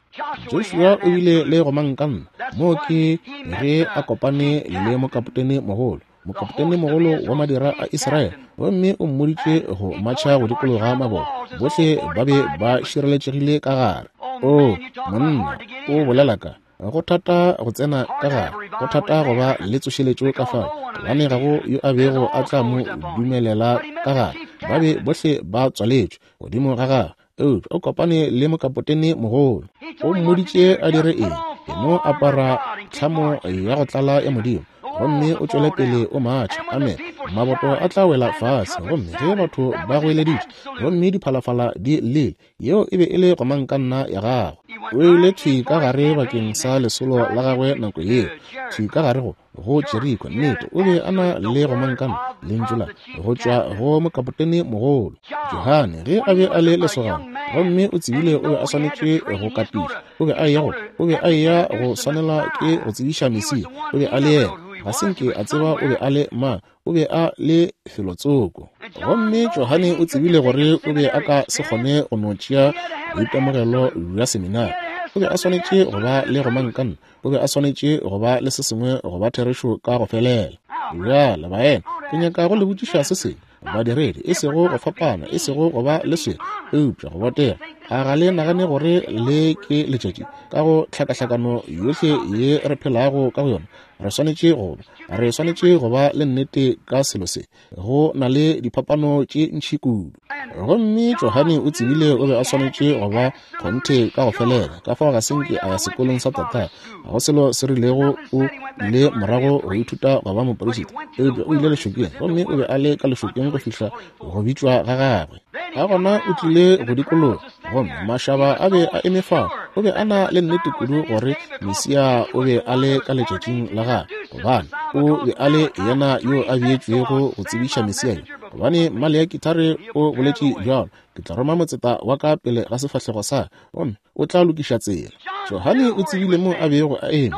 Joshua o bile le gomangkanna, moo ke ge a kopane le mokapotene mogolo, mokapotene mogolo wa madira a Israele, gomme o mmoditše go matšha go dikologa maboto. Bohle ba be ba šireletšegile ka gare. Oo, monna, o bolela ka go thata go tsena ka gare, go thata go ba le tsošeletšo ka fao, gobane ga go yo a bego a tla mo dumelela ka gare. Ba be bohle ba tswaletšwe godimo ga gagwe. Eupša o kopane le mokapotene mogolo. O mmoditše a dire eng? E no apara tlhamo ya go tlala ya Modimo, gomme o tšwele pele o matšha. Amen. Maboto a tla wela fase, gomme ge batho ba goeleditše, gomme diphalafala di llile, yeo e be e le gomangkanna ya gagwe. O ile thwi ka gare bakeng sa lesolo la gagwe nako yeo, thwi ka gare go go Jeriko. Nnete, o be a na le gomangkanna, lentšu la go tšwa go mokapotene mogolo. Johane, ge a be a le lesogana, gomme o tsebile o be a swanetše go katiša, o be a eya go, o be a eya go swanela ke go tsebiša Mesia. O be a le yena. Ga se nke a tseba o be a le mang. O be a le felotsoko. Gomme Johane o tsebile gore o be a ka se kgone go no tšea boitemogelo bja seminari. O be a swanetše go ba le gomangkanna. O be a swanetše go ba le se sengwe go ba therešo ka go felela. Bjale, baena, ke nyaka go le botšiša se sengwe. Badiredi, e sego go fapana, e sego go ba le swele, eupša go botega. A ga le nagane gore le ke letšatši ka go tlhakahlakano yohle ye re phelago ka go yona? Re swanetše go ba, re swanetše go ba le nnete ka selo se. Go na le diphapano tše ntši kudu. Gomme Johane o tsebile o be a swanetše go ba kgonthe ka go felela, ka fao ga se nke a ya sekolong sa tatagwe. Ga go selo se rilego o ile morago go ithuta go ba moperisita, eupša o ile lešokeng, gomme o be a le ka lešokeng go fihla go bitšwa ga gagwe. Ka gona o tlile go dikologa, gomme mašaba a be a eme fao. O be a na le nnete kudu gore Mesia o be a le ka letšatšing la gagwe, gobane o be a le yena yo a beetšwego go tsebiša Mesia yo. Gobane Maleaki thare o boletše bjalo, Ke tla roma motseta wa ka pele ga sefahlego sa ka, gomme o tla lokiša tsela. Johane o tsebile mo a bego a eme.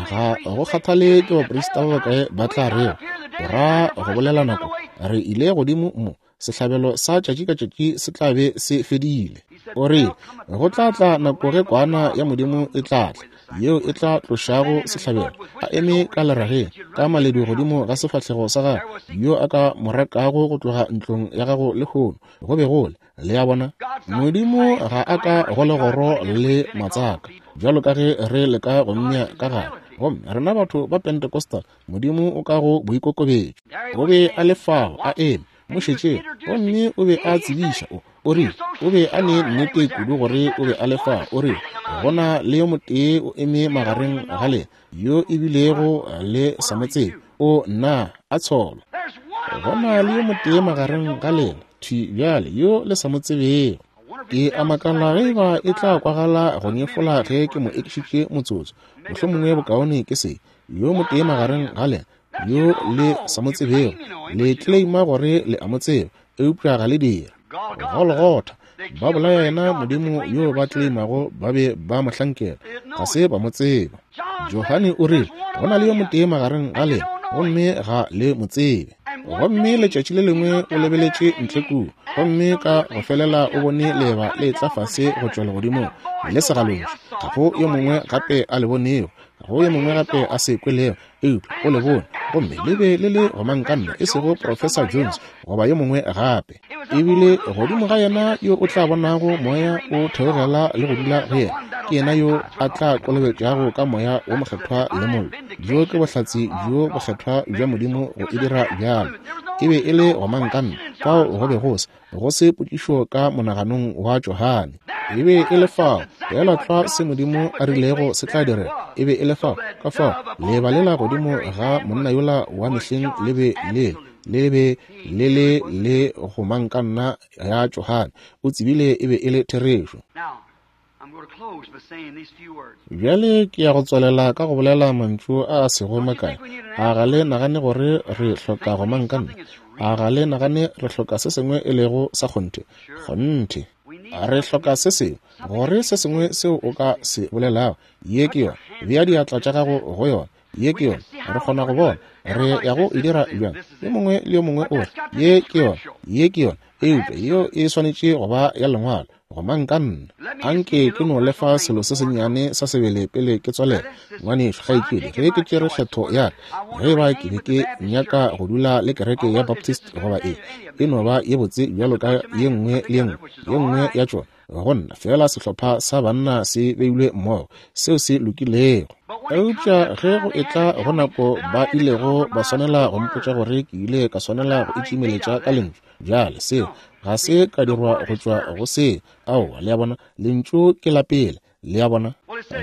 Ga go kgathale ke baprista ba bakae ba tla rego, o ra go bolela nako, re ile godimo mo, sehlabelo sa tšatši ka tšatši se tla be se fedile. O rile, Go tla tla nako ge Kwana ya Modimo e tla tla, yeo e tla tlošago sehlabelo, a eme ka lerageng, ka maledu godimo ga sefahlego sa gagwe, yo a ka mo rekago go tloga ntlong ya gago lehono. Go be go le, le a bona, Modimo ga a ka go legoro le matsaka, bjalo ka ge re leka go mmea ka gare. Gomme rena batho ba Pentecostal, Modimo o ka go boikokobetšo. O be a le fao, a eme, mo šetšeng, gomme o be a tsebiša, o, o rile, o be a ne nnete kudu gore o be a le fao, o rile, Go na le yo motee o eme magareng ga lena, yo e bilego le sa mo tsebe, o nna a tsholwa. Go na le yo motee magareng ga lena, thwi bjale, yo le sa mo tsebego. Ke a makala ge eba e tla kwagala go nyefola ge ke mo ekišitše motsotso. Mohlomongwe bokaone ke se. Yo motee magareng ga lena, yo le sa mo tsebego, le tleleima gore le a mo tseba, eupša ga le dire. Golgotha, ba bolaya yena Modimo yo ba tleleimago ba be ba mo hlankela, ga se ba mo tseba. Johane o rile, Go na le yo motee magareng ga lena, gomme ga le mo tsebe. Gomme letšatši le lengwe o lebeletše ntle kua, gomme ka go felela o bone leeba le etla fase go tšwa legodimong, le segalontšu. Ga go yo mongwe gape a le bonego, ga go yo mongwe gape a se kwelego, eupša o le bone, gomme le be le le gomangkanna, e sego Professor Jones goba yo mongwe gape. Ebile godimo ga yena yo o tla bonago Moya o theogela le go dula go yena, ke yena yo a tla kolobetšago ka Moya wo Mokgethwa le mollo. Bjo ke bohlatse bjo bokgethwa bja Modimo go e dira bjalo. E be e le gomangkanna, fao go be go se go se potšišo ka monaganong wa Johane. E be e le fao, feela tlwa se Modimo a rilego se tla direga. E be e le fao, ka fao leeba lela godimo ga monna yola wa mehleng le be le le be le le le gomangkanna ya Johane. O tsebile e be e le therešo. Bjale ke ya go tswalela ka go bolela mantšu a a sego makae. A ga le nagane gore re hloka gomangkanna? A ga le nagane re hloka se sengwe e lego sa kgonthe? Kgonthe. Re hloka se sengwe, gore se sengwe seo o ka se bolelago. Ye ke yona. Bea diatla tša gago go yona. Ye ke yona. Re kgona go bona re ya go e dira bjang. Yo mongwe le yo mongwe o re, Ye ke yona. Ye ke yona. Eupša yeo e swanetše go ba ya Lengwalo. Gomangkanna. Anke ke no lefa selo se sennyane sa sebele pele ke tswalela. Ngwanešu, kgaetšedi, ge ke tšere kgetho ya ka, ge eba ke be ke nyaka go dula le kereke ya Baptist goba eng, e no ba ye botse bjalo ka ye nngwe le ye nngwe, ye nngwe ya tšona go nna, feela sehlopha sa banna se beilwe mmogo, seo se lokilego. Eupša ge go etla go nako ba ilego ba swanela go mpotša gore ke ile ka swanela go itšimeletša ka Lentšu, Bjale, seo ga se ka dirwa go tšwa go se. Aowa, le a bona, Lentšu ke la pele. Le a bona?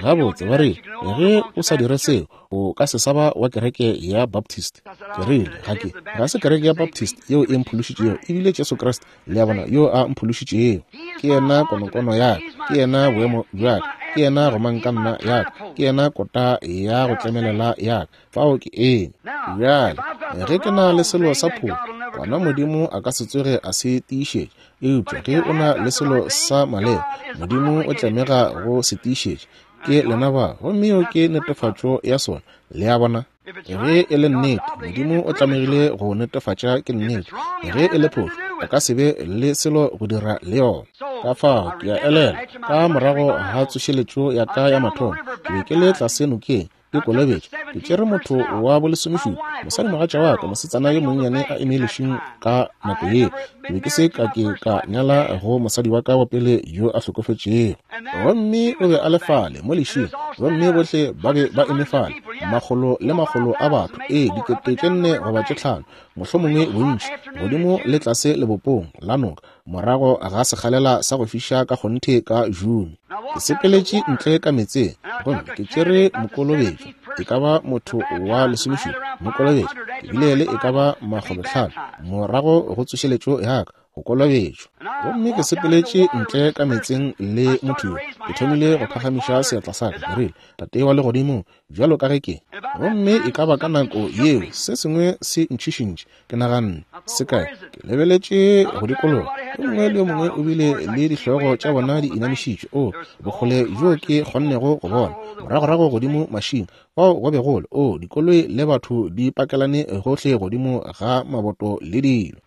Gabotse, ba rile, ge o sa dire seo, o ka se sa ba wa kereke ya Baptist. Ke rile, ga ke, ga se kereke ya Baptist yeo e mphološitšego, e bile Jesu Kriste, le a bona, yo a mphološitšego. Ke yena konokono ya ka, ke yena boemo bja ka, ke yena gomangkanna ya ka, ke yena kota ya go tlemelela ya ka. Fao ke eme. Bjale, ge ke na le selo sa phošo, gona Modimo a ka se tsoge a se tiišetša. Eupša ge o na le selo sa maleba, Modimo o tlamega go se tiišetša. Ke lena ba, gomme yeo ke netefatšo ya sona. Le a bona? Ge e le nnete, Modimo o tlamegile go netefatša ke nnete. Ge e le phošo, a ka se be le selo go dira le yona. Ka fao, ke a elelwa, ka morago ga tsošeletšo ya ka ya mathomo, ke be ke le tlase nokeng, ke kolobetšo. Ke tšere motho wa bolesomešupa, mosadimogatša wa ka, mosetsana yo monnyane a eme lešing ka nako yeo. Ke be ke se ka ke ka nyala go mosadi wa ka wa pele yo a hlokofetšego. Gomme o be a le fale mo lešing, gomme bohle ba be ba eme fale, makgolo le makgolo a batho, ee, 4,000 goba tše 5,000, mohlomongwe bontši, godimo le tlase lebopong la noka, morago ga sekgalela sa go fiša ka kgonthe ka June. Ke sepeletše ntle ka meetseng gomme ke tšere mokolobetšo, e ka ba motho wa lesomešupa, mokolobetšo. Ke bile le e ka ba makgolotlhano morago go tsošeletšo ya ka, go kolobetšwa. Gomme ke sepeletše ntle ka meetseng le motho yo. Ke thomile go phagamiša seatla sa ka, ke rile, Tate wa Legodimo, bjalo ka ge ke. Gomme e ka ba ka nako yeo se sengwe se ntšhišintše. Ke naganne, Se kae? Ke lebeletše go dikologa. Yo mongwe le yo mongwe o bile le dihlogo tša bona di inamišitšwe. O, bokgole bjo ke kgonnego go bona, moragorago godimo mašing, fao go be go le, o, dikoloi le batho di pakelane gohle godimo ga maboto le dilo.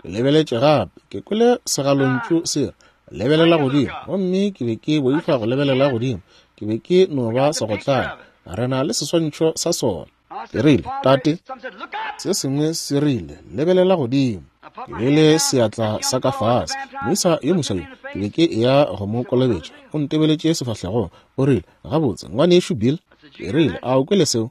Ke lebeletše gape, ke kwele segalontšu se re, Lebelela godimo. Gomme ke be ke boifa go lebelela godimo. Ke be ke no ba segotlane. Re na le seswantšho sa sona. Ke rile, Tate, se sengwe se rile, lebelela godimo. Ke beile seatla sa ka fase. Moisa yo moswa yo, ke be ke eya go mo kolobetša. O ntebeletše sefahlegong. O rile, Gabotse, Ngwanešu Bill. Ke rile, A o kwele seo?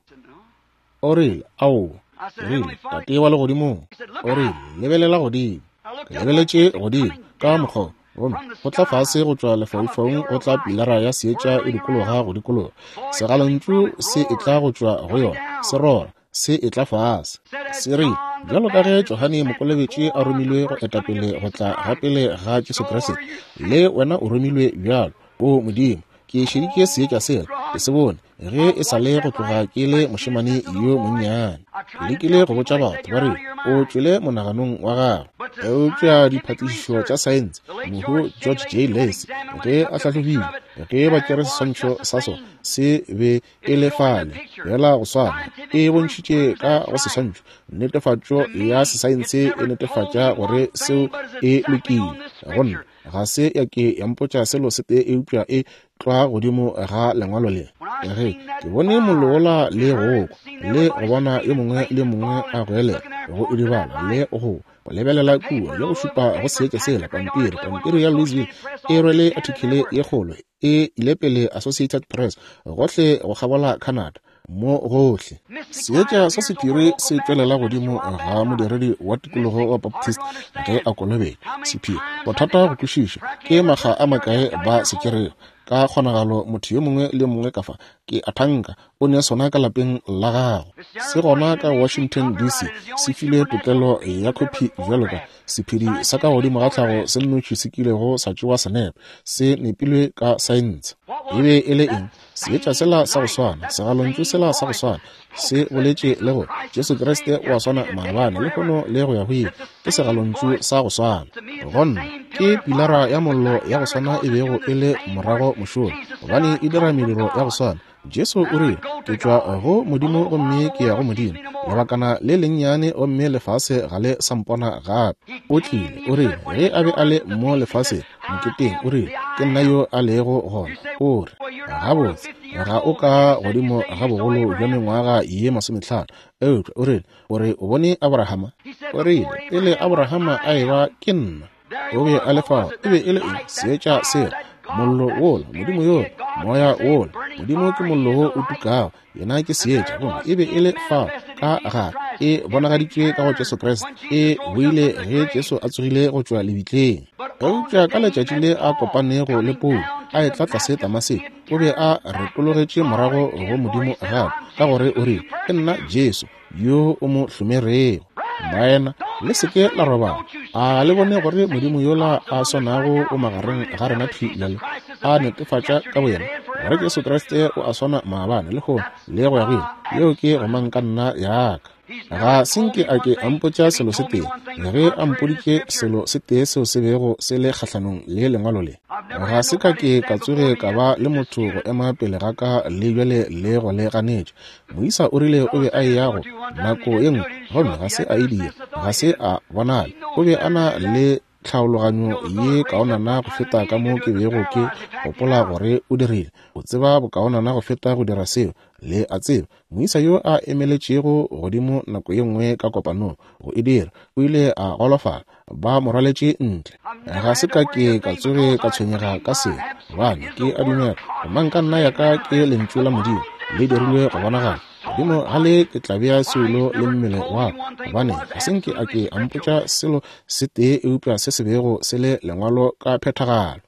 O rile, Aowa. Ke rile, Tate wa Legodimong. O rile, Lebelela godimo. Ke lebeletše godimo, ka mokgwa gomme go tla fase go tšwa lefaufaung go tla pilara ya seetša e dikologa go dikologa. Segalontšu se etla go tšwa go yona, se rora, se etla fase. Se rile, Bjalo ka ge Johane Mokolobetši a romilwe go eta pele go tla ga pele ga Jesu Kriste, le wena o romilwe bjalo. O Modimo, ke šeditše seetša sela, ke se bone ge e sa le go tloga ke le mošemane yo monnyane. Ke lekile go botša batho ba re o tšwele monaganong wa gago, eupša diphatišišo tša saense, mohu George J. Lacy ge a hlahlobile, ge ba tšere seswantšho sa sona, se be e le fale fela go swana, e bontšhitše ka go seswantšho. Netefatšo ya sesaense e netefatša gore seo e lokile. Go nna ga se ya ke ya mpotša selo se tee eupša e tlwa godimo ga lengwalo le. Ge ke bone mollo wola le go kwa, le go bona yo mongwe le yo mongwe a goelela, go idibala le go go lebelela kua le go šupa go seetša sela, pampiri, pampiri ya Louisville e rwele athikele ye kgolo e ile pele Associated Press gohle go kgabola Canada. Mo gohle seetša sa sephiri se tšwelela godimo ga modiredi wa tikologo wa Baptist ge a kolobetšwa. Sephiri, bothata go kwešiša, ke makga a makae ba se tšerego. Ka kgonagalo motho yo mongwe le yo mongwe ka fa, ke a thanka, o ne sona ka lapeng la gago. Se gona ka Washington, DC, se filwe tokelo ya khophi bjalo ka sephiri sa ka godimo ga tlhago se nnoši se kilego sa tšewa senepe, se nepilwe ka saense. E be e le eng? Seetša sela sa go swana, segalontšu sela sa go swana, se boletše le gore Jesu Kriste o a swana maabane, lehono le go ya go ile. Ke segalontšu sa go swana. Go nna, ke pilara ya mollo ya go swana e bego e le morago mošola, gobane e dira mediro ya go swana. Jesu o rile, Ke tšwa go Modimo gomme ke ya go Modimo. Lebakana le lennyane gomme lefase ga le sa mpona gape. O tlile, o rile, ge a be a le mo lefaseng, moketeng, o rile, Ke nna yo a lego gona. O re, Gabotse, ga o ka godimo ga bogolo bja mengwaga ye masometlhano, eupša o rile, o re o bone Abrahama? O rile, Pele Abrahama a eba, ke nna. O be a le fao. E be e le eng? Seetša sela, mollo wola, Modimo yola, Moya wola. Modimo ke mollo wo o tukago, Yena ke Seetša. Gomme e be e le fao ka gare, e bonagaditšwe ka go Jesu Kriste, e boile ge Jesu a tsogile go tšwa lebitleng. Eupša ka letšatši le a kopanego le Paulo, a etla tlase Damaseko, o be a retologetše morago go Modimo gape, ka gore o rile, Ke nna Jesu, yo o mo hlomerego. Baena, le se ke la robala. A le bone gore Modimo yola a swanago o magareng ga rena thwi bjale, a netefatša ka boyena gore Jesu Kriste o a swana maabane, lehono, le go ya go ile. Yeo ke gomang ka nna ya ka. Ga se nke a ke a mpotša selo se tee, ge a mpoditše selo se tee seo se bego se le kgahlanong le Lengwalo le. Ga se ka ke ka tsoge ka ba le motho go ema pele ga ka le bjale le go le ganetša. Moisa o rile o be a eya go nako ye nngwe, gomme ga se a e dira, ga se a bonala. O be a na le tlhaologanyo ye kaonana go feta ka mo ke bego ke gopola gore o dirile. O tseba bokaonana go feta go dira seo, le a tseba. Moisa yo a emeletšego godimo nako ye nngwe ka kopanong go e dira, o ile a golofala, ba mo rwaletše ntle. Ga se ka ke ka tsoge ka tshwenyega ka seo, gobane ke a dumela gomang ka nna ya ka ke Lentšu la Modimo le dirilwe go bonagala. Godimo ga le ke tla bea soulo le mmele wa ka, gobane ga se nke a ke a mpotša selo se tee eupša se se bego se le Lengwalo ka phethagalo.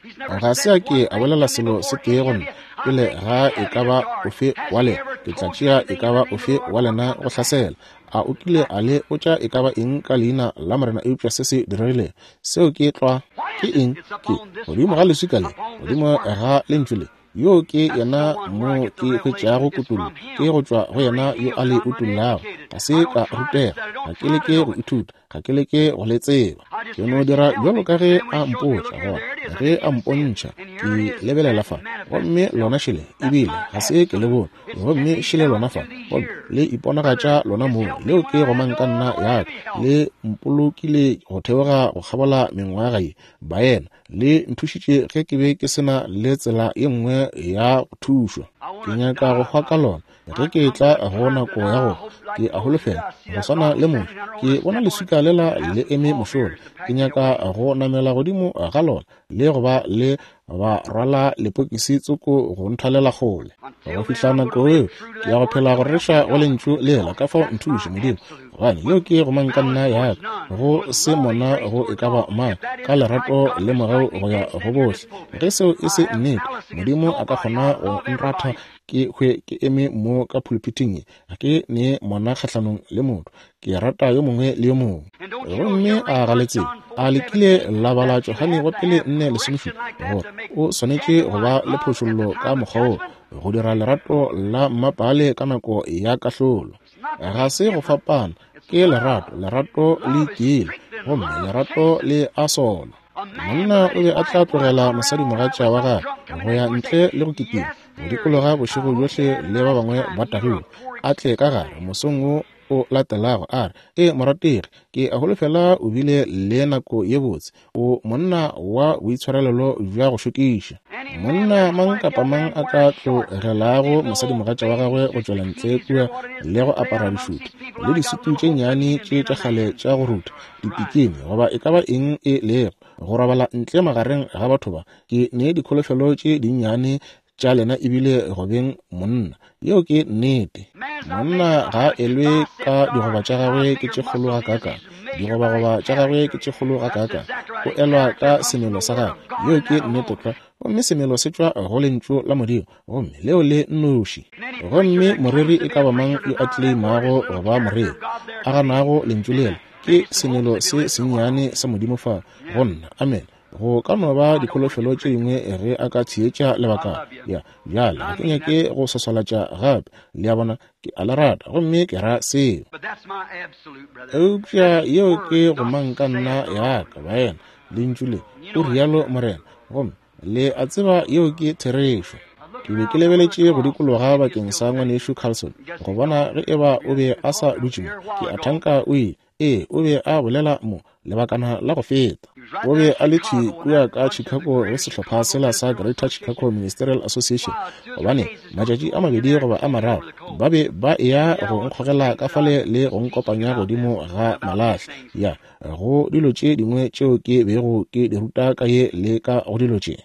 Ga se a ke a bolela selo se tee go nna pele ga e ka ba ofe wa lena. Ke tla tšea e ka ba ofe wa lena go hlasela. A o kile a le botša e ka ba eng ka leina la Morena eupša se se diregilego? Seo ke tlwa. Ke eng? Ke godimo ga leswika le, godimo ga Lentšu le. Yoo ke yena mo ke hwetšago kutollo, ke go tšwa go yena yo a le utollago. Ga se ka rutega, ga ke leke go ithuta, ga ke leke go le tseba. Ke no dira bjalo ka ge a mpotša, gona ge a mpontšha, ke lebelela fa, gomme lona šele, ebile ga se ke le bone, gomme šele lona fa, gomme le iponagatša lona mong. Leo ke gomang ka nna ya ka, le mpolokile go theoga go kgabola mengwaga ye, baena. Le nthušitše ge ke be ke se na le tsela ye nngwe ya go thušwa. Ke nyaka go hwa ka lona. Ge ke etla go nako ya go hwa, ke a holofela go swana le Moshe. Ke bona leswika lela le eme mošola. Ke nyaka go namela godimo ga lona le go ba le ba rwala lepokisi tsoko go nthwalela kgole. Go fihla nako eo, ke ya go phela go rereša go Lentšu lela. Ka fao nthuše, Modimo, gobane yeo ke gomang ka nna ya ka, go se mona go e ka ba mang, ka lerato le mogau go ya go bohle. Ge seo e se nnete, Modimo a ka kgona go nratha ke hwe ke eme mo ka phuluphiting ye. Ga ke ne mona kgahlanong le motho, ke rata yo mongwe le yo mongwe. Gomme a ga le tsebe, a le kile la bala Johane wa pele 4:17, gore o swanetše go ba le phošollo ka mokgwa wo, go dira lerato la mmapaale ka nako ya kahlolo. Ga se go fapana, ke lerato, lerato le itiile, gomme lerato le a sola. Monna o be a tla tlogela mosadimogatša wa gagwe go ya ntle le go kitima go dikologa bošego bjohle le ba bangwe ba tagilwe, a tle ka gare mosong wo o latelago a re, Ee, morategi, ke a holofela o bile le nako ye botse. O monna wa boitshwarelelo bja go šokiša. Monna mang kapa mang a ka tlogelago mosadimogatša wa gagwe go tšwela ntle kua le go apara dišutu le disutu tše nnyane tše tša kgale tša go rutha, dipikini, goba e ka ba eng e lego, go robala ntle magareng ga batho ba, ke ne dikholofelo tše dinnyane tša lena e bile go beng monna. Yeo ke nnete. Monna ga a elwe ka digoba tša gagwe ke tše kgolo gakaakang, digobagoba tša gagwe ke tše kgolo gakaakang. O elwa ka semelo sa gagwe. Yeo ke nnete tlwa. Gomme semelo se tšwa go Lentšu la Modimo, gomme leo le nnoši. Gomme moreri e ka ba mang yo a tleimago go ba moreri, a ganago Lentšu lela, ke semelo se sennyane sa Modimo fa go nna. Amen. Go ka no ba dikholofelo tše dingwe ge a ka theetša lebakana. Ya, bjale ga ke nyake go swaswalatša gape. Le a bona, ke a le rata, gomme ke ra seo. Eupša yeo ke gomang ka nna ya ka, baena, Lentšu le, o rialo Morena. Gomme le a tseba yeo ke therešo. Ke be ke lebeletše go dikologa bakeng sa Ngwanešu Carlson go bona ge eba o be a sa dutše mo. Ke a thanka o ile. Ee, o be a bolela mo lebakana la go feta. O be a le thwi kua ka Chicago go sehlopha sela sa Greater Chicago Ministerial Association, gobane matšatši a mabedi goba a mararo ba be ba eya go nkgogela ka fale le go nkopanya godimo ga malahle, ya go dilo tše dingwe tšeo ke bego ke di ruta ka ye le ka go dilo tše.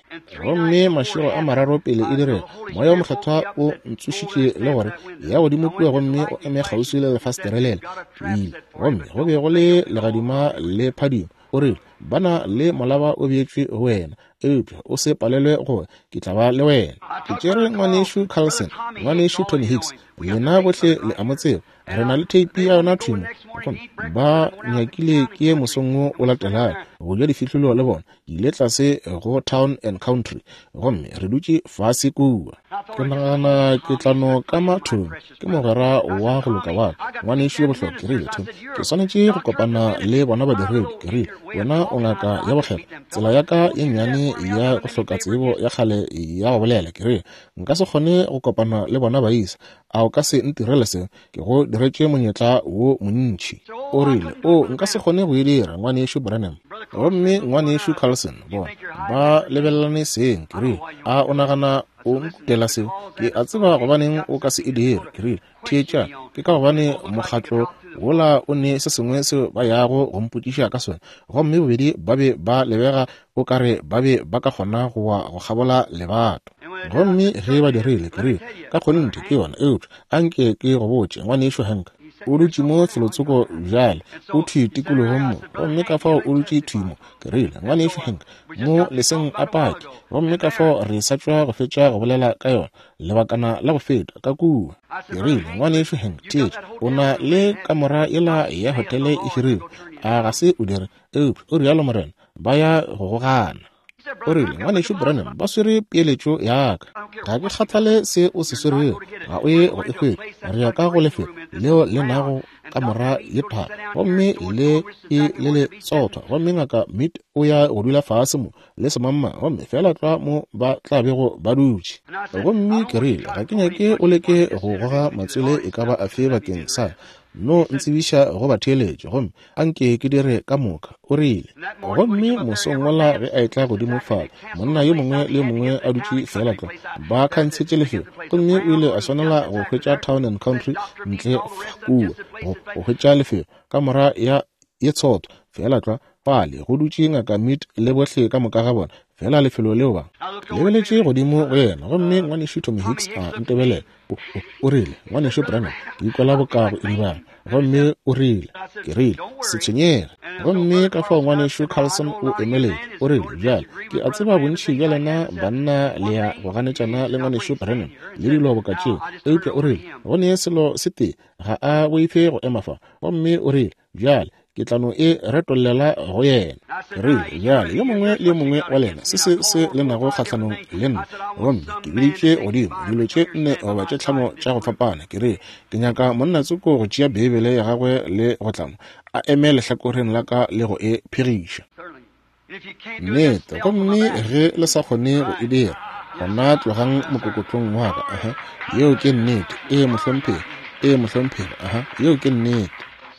Gomme mašego a mararo pele e direga, Moya wo Mokgethwa o ntsošitše le gore ya godimo kua gomme o eme kgauswi le lefastere lela. Ke ile, gomme go be go le legadima le phadimo. O rile, Ba na le molaba o beetšwe go wena, eupša o se palelwe go, ke tla ba le wena. Ke tšere Ngwanešu Carlson, Ngwanešu Tony Hicks, lena bohle le a mo tseba, re na le theipi ya yona thwi mo. Gomme ba nyakile ke ye mosong wo o latelago go ja difihlolo le bona. Ke ile tlase go Town and Country gomme re dutše fase kua. Ke nagana ke tla no kama Tony, ke mogwera wa go loka wa ka, ngwanešu yo bohlokwa. Ke rile, Tony, ke swanetše go kopana le bona badiredi. Ke rile, Wena o ngaka ya bokgethwa. Tsela ya ka ye nnyane ya go hloka tsebo ya kgale ya go bolela, ke rile, nka se kgone go kopana le bona baisa. A o ka se ntirele seo? Ke go diretše monyetla wo montši. O rile, O, nka se kgone go e dira, Ngwanešu Branham. Gomme Ngwanešu Carlson, bona, ba lebelelane seng. Ke rile, A o nagana o nkutela seo? Ke a tseba gobaneng o ka se e dire. Ke rile, Theetša, ke ka gobane mokgatlo wola o ne se sengwe seo ba yago go mpotšiša ka sona. Gomme bobedi ba be ba lebega o ka re ba be ba ka kgona go wa go kgabola lebato. Gomme ge ba dirile, ke rile, Ka kgonthe ke yona, eupša a nke ke go botše, Ngwanešu Hank. O dutše mo felotsoko bjale, o thwi tikologong mo, gomme ka fao o dutše thwi mo. Ke rile, Ngwanešu Hank, mo leseng a pake. Gomme ka fao re sa tšwa go fetša go bolela ka yona, lebakana la go feta, ka kua. Ke rile, Ngwanešu Hank, theetša, o na le kamora yela ya hotele e hirilwe, a ga se o dire? Eupša, o rialo morena, ba ya go go gana. O rile, Ngwanešu Branham, ba swere peeletšo ya ka. Ga ke kgathale se o se swerego, ga o ye go e hwetša. Re ya ka go lefelo leo le nago kamora ye thata, gomme le e le le tsothwa, gomme Ngaka Mead o ya go dula fase mo le semangmang, gomme feela tlwa mo ba tla bego ba dutše. Gomme ke rile, Ga ke nyake o leke go goga matswele e ka ba afe bakeng sa no ntsebiša go batheeletši, gomme a nke ke dire ka moka, o rile. Gomme mosong wola ge a etla godimo fale, monna yo mongwe le yo mongwe a dutše feela tlwa, ba khantshetše lefelo, gomme o ile a swanela go hwetša Town and Country ntle kua, go, go hwetša lefelo, kamora ya ye tshoto, feela tlwa fale go dutše Ngaka Mead le bohle ka moka ga bona, feela lefelo leo ba lebeletše godimo go yena. Gomme Ngwanešu Tommy Hicks a ntebelela. O, o, o rile, Ngwanešu Branham, ke ikwela boka go idibala. Gomme o rile, ke rile, se tshwenyege. Gomme ka fao Ngwanešu Carlson o emeletše, o rile, Bjale, ke a tseba bontši bja lena banna le ya go ganetšana le Ngwanešu Branham le dilo boka tšeo, eupša o rile, go ne selo se tee, ga a boife go ema fa. Gomme o rile, Bjale, ke tla no e retollela go yena. Ke rile, Bjale, yo mongwe le yo mongwe wa lena, se se se le nago kgahlanong le nna, gomme ke biditše godimo dilo tše nne goba tše tlhano tša go fapana. Ke rile, Ke nyaka monna tsoko go tšea Beibele ya gagwe le go tla mo, a eme lehlakoreng la ka le go e phegiša. Nnete. Gomme ge le sa kgone go e dira, gona tlogang mokokotlong wa ka. Aha. Yeo ke nnete. Ee, mohlomphegi. Ee, mohlomphegi. Aha. Yeo ke nnete.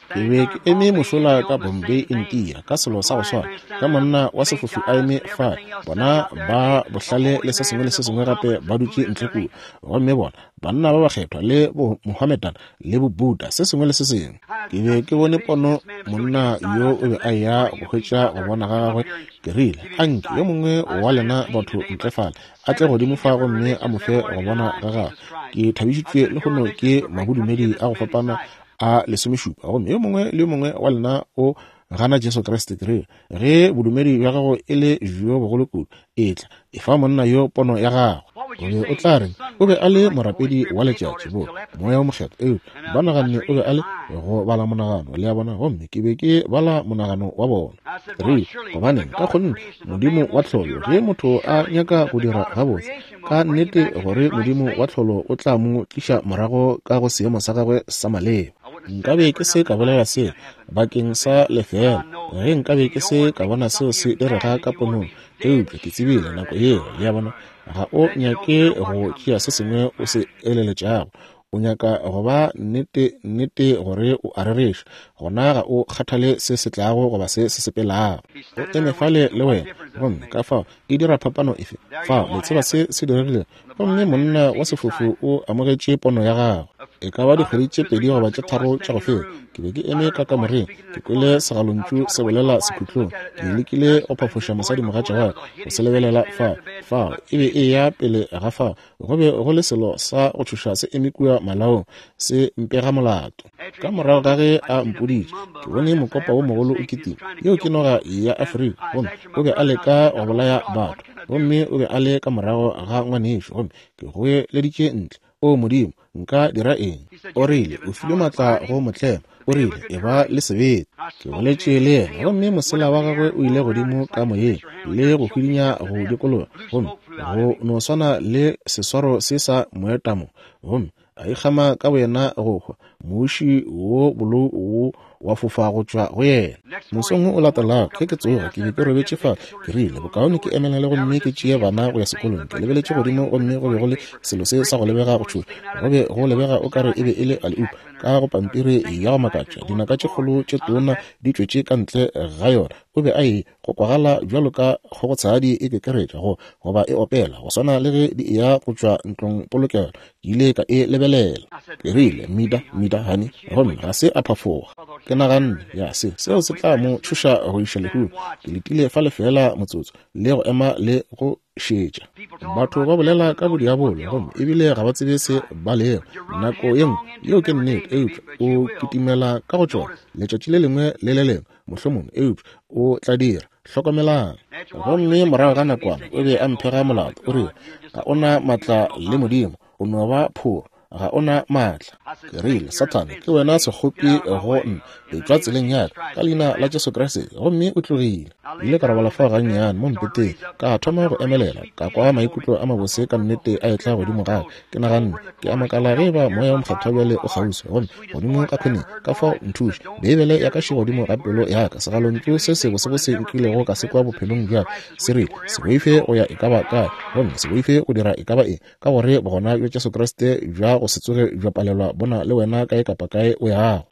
Ke be ke eme mošola ka Bombay, India, ka selo sa go swana, ge monna wa sefofu a eme fale, bona ba bohlale le se sengwe le se sengwe gape ba dutše ntle kua, gomme bona banna ba bakgethwa le bo Mohammedan le bo Buddha, se sengwe le se sengwe. Ke be ke bone pono, monna yo o be a eya go hwetša go bona ga gagwe. Ke rile, Anke yo mongwe wa lena batho ntle fale a tle godimo fa gomme a mo fe go bona ga gagwe. Ke thabišitšwe lehono ke mabodumedi a go fapana a lesomešupa, gomme yo mongwe le yo mongwe wa lena o gana Jesu Kriste. Ke rile, Ge bodumedi bja gago e le bjo bogolo kudu, etla, efa monna yo pono ya gagwe. O be o tla reng? O be a le morapedi wa letšatši, bo Moya wo Mokgethwa, eupša ba naganne o be a le go bala monagano, le a bona, gomme ke be ke bala monagano wa bona. Ke rile, Gobaneng, ka kgonthe, Modimo wa tlholo, ge motho a nyaka go dira gabotse, ka nnete gore Modimo wa tlholo o tla mo tliša morago ka go seemo sa gagwe sa maleba. Nkabe ke se ka bolela seo bakeng sa lefeela ge nkabe ke se ka bona seo se direga ka ponong, eupša ke tsebile nako yeo, le a bona, ga o nyake go tšea se sengwe o se eleletšago, o nyaka go ba nnete, nnete gore o a rereša, gona ga o kgathale se se tlago goba se se sepelago. O eme fale le wena, gomme ka fao e dira phapano efe? Fao le tseba se se diregilego. Gomme monna wa sefofu o amogetše pono ya gagwe. E ka ba dikgwedi tše pedi goba tše tharo tša go feta, ke be ke eme ka kamoreng, ke kwele segalontšu se bolela sekhutlong. Ke lekile go phafoša mosadimogatša wa ka go se lebelela fao. Fao e be e eya pele ga fao. Go be go le selo sa go tšhoša se eme kua malaong, se mpega molato. Ka morago ga ge a mpoditše, ke bone mokopa wo mogolo o kitima. Yeo ke noga ya Afrika, gomme o be a leka go bolaya batho. Gomme o be a le ka morago ga ngwanešu, gomme ke goeleditše ntle, O Modimo, nka dira eng? O rile, O filwe maatla go mo tlema. O rile, Eba le sebete. Ke boletše le yena, gomme mosela wa gagwe o ile godimo ka moyeng le go hwidinya go dikologa, gomme go no swana le seswaro se sa moetamo, gomme a ikgama ka boyena go hwa, muši wo bolou wo wa fofa go tšwa go yena. Mosong wo o latelago, ge ke tsoga, ke be ke robetše fa, ke rile, Bokaone ke emelele gomme ke tšee bana go ya sekolong. Ke lebeletše godimo gomme go be go le selo se sa go lebega go tšhoša. Go be go lebega o ka re e be e le alley-oop ka go pampiri ya go makatša, dinaka tše kgolo tše tona di tšwetše ka ntle ga yona. O be a e go kwagala bjalo ka kgogotshadi e kekeretša go goba e opela, go swana le ge di eya go tšwa ntlong polokelo. Ke ile ka e lebelela. Ke rile, Mida, Mida, honey, gomme ga se a phafoga. Ke naganne, Ya, se, seo se tla mo tšhoša go iša lehung. Ke letile fale feela motsotso, le go ema le go šetša. Batho ba bolela ka bodiabolo, gomme ebile ga ba tsebe se ba lego. Nako ye nngwe, yeo ke nnete, eupša o kitimela ka go tšona, letšatši le lengwe le le lengwe, mohlomongwe, eupša o tla dira. Hlokomelang. Gomme morago ga nakwana o be a mphega molato, o rile, Ga o na maatla le Modimo, o no ba phoro, ga o na maatla. Ke rile, Sathane, ke wena sekgopi go nna, etšwa tseleng ya ka, ka Leina la Jesu Kriste. Gomme o tlogile. Ke ile ka robala fao gannyane mo mpeteng, ka thoma go emelela, ka kwa maikutlo a mabose ka nnete a etla godimo ga ka. Ke naganne, Ke a makala ge eba Moya wo Mokgethwa bjale o kgauswi, gomme godimo ka khoneng, ka fao nthuše. Beibele ya ka še godimo ga pelo ya ka, segalontšu se sebosebose nkilego ka se kwa bophelong bja ka, se rile, Se boife go ya e ka ba kae, gomme se boife go dira e ka ba eng, ka gore Bogona bja Jesu Kriste bja go se tsoge bja palelwa bo na le wena kae kapa kae o yago.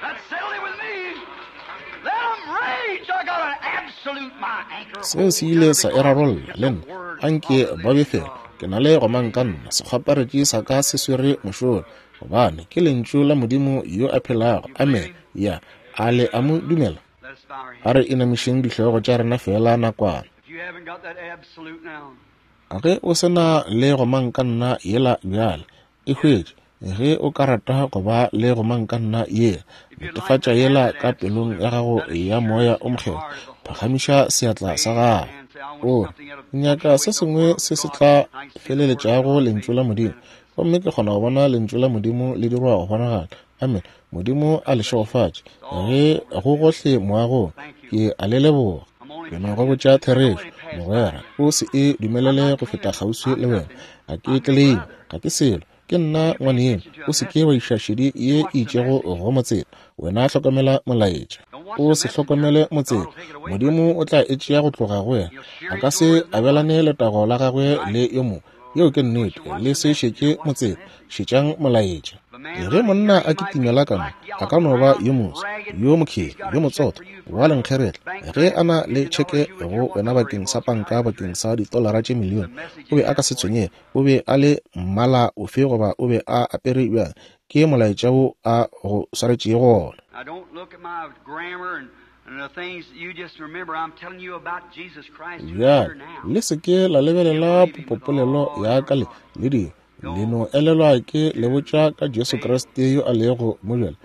Seo se ile sa e rarolla le nna. Anke ba befele. Ke na le gomangkanna, sekgwaparetši sa ka se swere mošola, gobane ke Lentšu la Modimo yo a phelago. Amene. Ya. A le a mo dumela? A re inamišeng dihlogo tša rena feela nakwana. Ge o se na le gomangkanna yela bjale, e hwetše. Ge o ka rata go ba le gomangkanna yela, netefatša yela ka pelong ya gago ya Moya o Mokgethwa, phagamiša seatla sa gago. O re, Nyaka se sengwe se se tla feleletšago Lentšu la Modimo, gomme ke kgona go bona Lentšu la Modimo le dirwa go bonagala. Amen. Modimo a le šegofatše. Ge go gohle moagong, ke a le leboga. Ke no go botša therešo, mogwera, o se e dumelele go feta kgauswi le wena. Ga ke tleleime, ga ke selo, ke nna ngwaneno. O se ke wa iša šedi ye e itšego go motseta. Wena hlokomela molaetša. O se hlokomele motseta. Modimo o tla e tšea go tloga go wena. A ka se abelane letago la gagwe le yo mongwe. Yeo ke nnete. Le se šetše motseta, šetšang molaetša. Ge monna a kitimela ka mo, a ka no ba yo moso, yo mokheri, yo motsotho, wa lenkgeretla. Ge a na le tšheke go wena bakeng sa panka bakeng sa ditolara tše milione, o be a ka se tshwenyege o be a le mmala ofe goba o be a apere bjang. Ke molaetša wo a go swaretšego wona. Bjale, le se ke la lebelela popopolelo ya ka le le dilo. Le no elelwa ke le botša ka Jesu Kriste yo a lego mo bjale.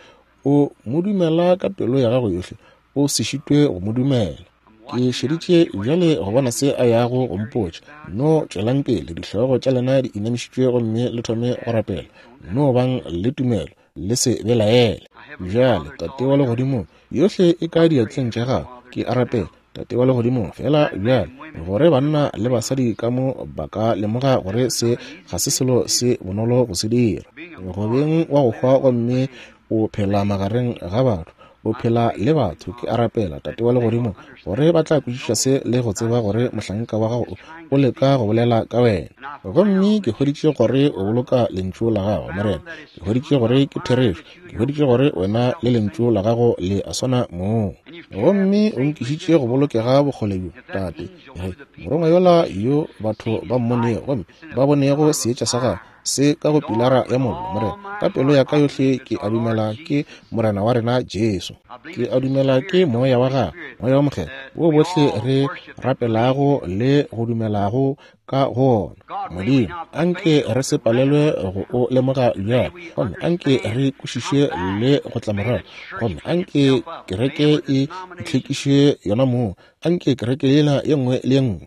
O mo dumela ka pelo ya gago yohle, o se šitwe go mo dumela. Ke šeditše bjale go bona se a yago go mpotša. No tšwelang pele, dihlogo tša lena di inamišitšwe gomme le thome go rapela. No bang le tumelo, le se belaele. Bjale, Tate wa Legodimong, yohle e ka diatleng tša gago. Ke a rapela, Tate wa Legodimong, feela bjale, gore banna le basadi ka mo ba ka lemoga gore se ga se selo se bonolo go se dira. Go beng wa go hwa gomme o phela magareng ga batho, o phela le batho. Ke a rapela, Tate wa Legodimo, gore ba tla kwešiša se le go tseba gore mohlanka wa gago o leka go bolela ka wena. Gomme ke hweditše gore o boloka Lentšu la gago, Morena. Ke hweditše gore ke therešo. Ke hweditše gore wena le Lentšu la gago le a swana mong. Gomme o nkišitše go bolokega bokgole bjo, Tate. Ge morongwa yola yo batho ba mmonego gomme ba bonego seetša sa gagwe se ka go pilara ya mollo, Morena, ka pelo ya ka yohle ke a dumela ke Morena wa rena Jesu. Ke a dumela ke Moya wa gagwe, Moya wa Mokgethwa, wo bohle re rapelago le go dumelago ka go ona. Modimo, anke re se palelwe go o lemoga bjale, gomme anke re kwešiše le go tla morago, gomme anke kereke e itlhwekiše yona mong, anke kereke yela ye nngwe le ye nngwe.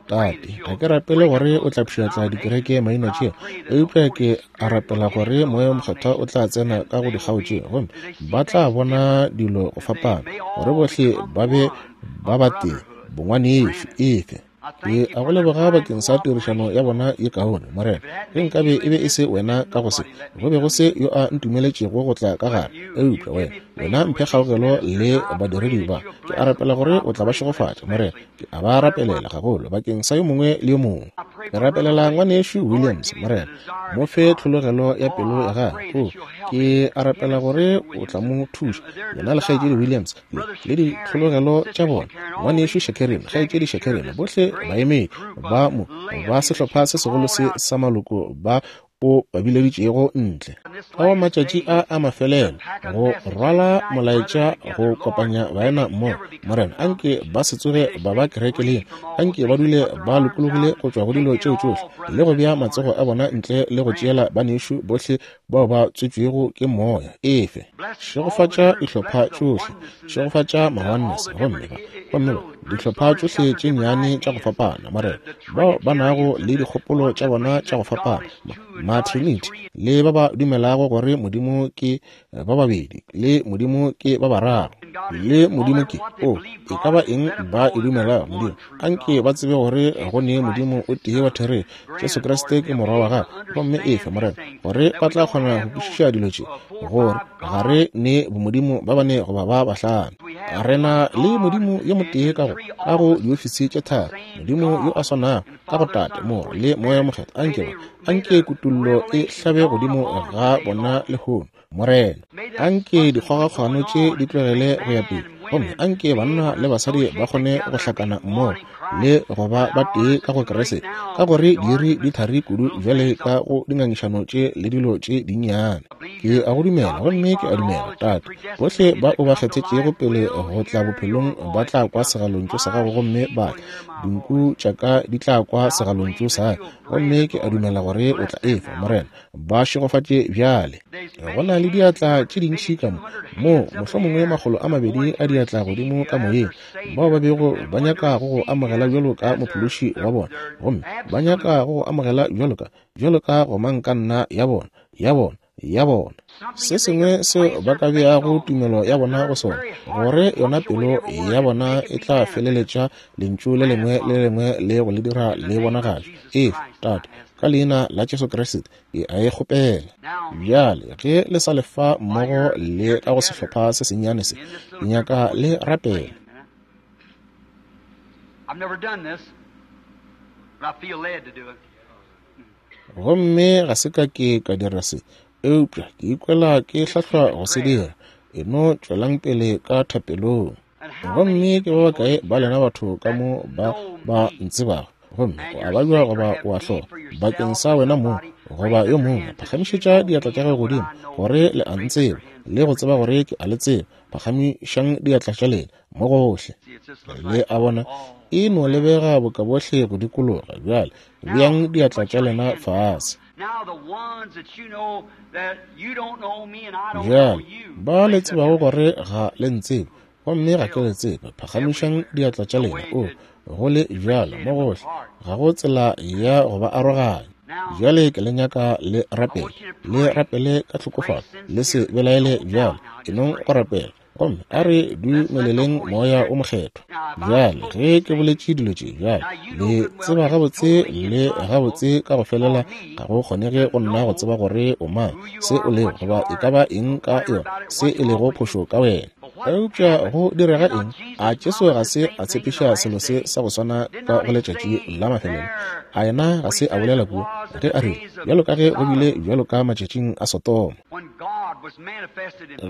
Tate, ga ke rapele gore o tla pšhatla dikereke maina tšeo, eupša ke a rapela gore Moya wo Mokgethwa o tla tsena ka go dikgao tšeo, gomme ba tla bona dilo go fapana, gore bohle ba be ba batee, bongwanešu. Efe. Ke a go leboga bakeng sa tirišano ya bona ye kaone, Morena. Ge nkabe e be e se wena ka go se, go be go se yo a ntumeletšego go tla ka gare, eupša wena, wena mphe kgaogelo le badiredi ba. Ke a rapela gore o tla ba šegofatša, Morena. Ke a ba rapelela gagolo bakeng sa yo mongwe le yo mongwe. Ke rapelela ngwanešu Williams, Morena. Mo fe tlhologelo ya pelo ya gagwe. O, ke a rapela gore o tla mo thuša, yena le kgaetšedi Williams, le ditlhologelo tša bona, ngwanešu Shakerin, kgaetšedi Shakerin, bohle baemedi ba mo ba sehlopha se segolo se sa maloko ba o ba bileditšego ntle ka wa matšatši a a mafelelo go rwala molaetša go kopanya baena mmogo. Morena, anke ba se tsoge ba ba kerekeleng, anke ba dule ba lokologile go tšwa go dilo tšeo tšohle le go bea matsogo a bona ntle le go tšeela banešu bohle bao ba tswetšwego ke Moya. Efe. Šegofatša dihlopha tšohle. Šegofatša ma-Oneness, gomme ba, gomme ba, dihlopha tšohle tše nnyane tša go fapana, Morena, bao ba nago le dikgopolo tša bona tša go fapana, ma, ma-Trinity, le ba ba dumelago gore Modimo ke ba babedi, le Modimo ke ba bararo, le Modimo ke, o, e ka ba eng ba e dumelago, Modimo, anke ba tsebe gore go ne Modimo o tee wa therešo, Jesu Kriste ke Morwa wa Gagwe. Gomme efe, Morena, gore ba tla kgona go kwešiša dilo tše, gore ga re ne bomodimo ba bane goba ba bahlano. Re na le Modimo yo motee ka go, ka go diofisi tše tharo, Modimo yo a swanago ka go Tate, Morwa, le Moya Mokgethwa. Anke ba, anke kutollo e hlabe godimo ga bona lehono, Morena. Anke dikgogakgano tše di tlogele go ya pele, gomme anke banna le basadi ba kgone go hlakana mmogo le go ba ba tee ka go Kriste, ka gore diiri di thari kudu bjale ka go dingangišano tše le dilo tše dinnyane. Ke a go dumela, gomme ke a dumela, Tate, bohle ba o ba kgethetšego pele go tla bophelong ba tla kwa segalontšu sa gago gomme ba tla. Dinku tša ka di tla kwa segalontšu sa ka, gomme ke a dumela gore o tla efa, Morena. Ba šegofatše bjale. Go na le diatla tše dintši ka mo, moo mohlomongwe 200 a diatla godimo ka moyeng, bao ba bego ba nyaka go go amogela bjalo ka Mophološi wa bona, gomme ba nyaka go go amogela bjalo ka, bjalo ka gomangkanna ya bona, ya bona, ya bona. Se sengwe seo ba ka beago tumelo ya bona go sona, gore yona pelo ya bona e tla feleletša Lentšu le lengwe le le lengwe le go le dira le bonagatšwe. Efa, Tate, ka Leina la Jesu Kriste, ke a e kgopela. Bjale, ge le sa le fa mmogo le ka go sehlopha se sennyane se, ke nyaka le rapela. I've never done this, but I feel led to do it. Gomme ga se ka ke ka dira se, eupša ke ikwela ke hlahlwa go se dira. E no tšwelang pele ka thapelong. Gomme ke ba bakae ba lena batho ka mo ba ba ntsebago, gomme o a babja goba o a hloka, bakeng sa wena mong goba yo mongwe, phagamišetša diatla tša gago godimo, gore le a ntseba, le go tseba gore ke a le tseba. Phagamišang diatla tša lena mo gohle. Le a bona, e no lebega boka bohle go dikologa. Bjale beang diatla tša lena fase. Bjale ba le tsebago gore ga le ntsebe, gomme ga ke le tsebe, phagamišang diatla tša lena. O go le bjalo mo gohle, ga go tsela ya go ba aroganya. Bjale ke le nyaka le rapele, le rapele ka tlhokofalo, le se belaele bjale, e nong go rapela. Gomme a re dumeleleng Moya o Mokgethwa. Bjale ge ke boletše dilo tše, bjale le tseba gabotse le gabotse ka go felela ga go kgonege go nna go tseba gore o mang, se o lego, goba e ka ba eng ka yona, se e lego phošo ka wena. Eupša go direga eng? A Jesu ga se a tshepiša selo se sa go swana ka go letšatši la mafelelo? A yena ga se a bolela kua ge a rile, bjalo ka ge go bile bjalo ka matšatšing a Sodoma?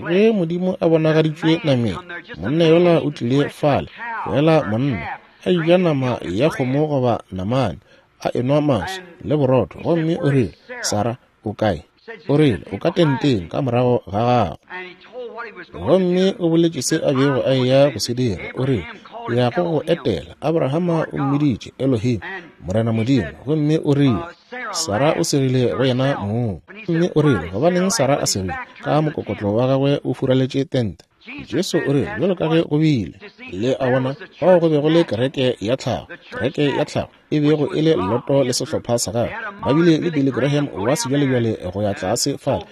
Ge Modimo a bonagaditšwe nameng, monna yola o tlile fale, feela monna, a eja nama ya kgomo goba namane, a enwa maswi le borotho, gomme o rile, Sara, o kae? O rile, o ka tenteng ka morago ga gago. Gomme o boletše se a bego a eya go se dira. O rile, ke ya go go etela. Abrahama o mmiditše Elohim, Morena Modimo. Gomme o rile, Sara o segile go yena mong. Gomme o rile, gobaneng Sara a segile? Ka mokokotlo wa gagwe o furaletše tente. Jesu o rile, bjalo ka ge go bile. Le a bona, fao go be go le kereke ya tlhago, kereke ya tlhago e bego e le Loto le sehlopha sa gagwe. Ba bile le Billy Graham wa sebjalebjale go ya tlase fale,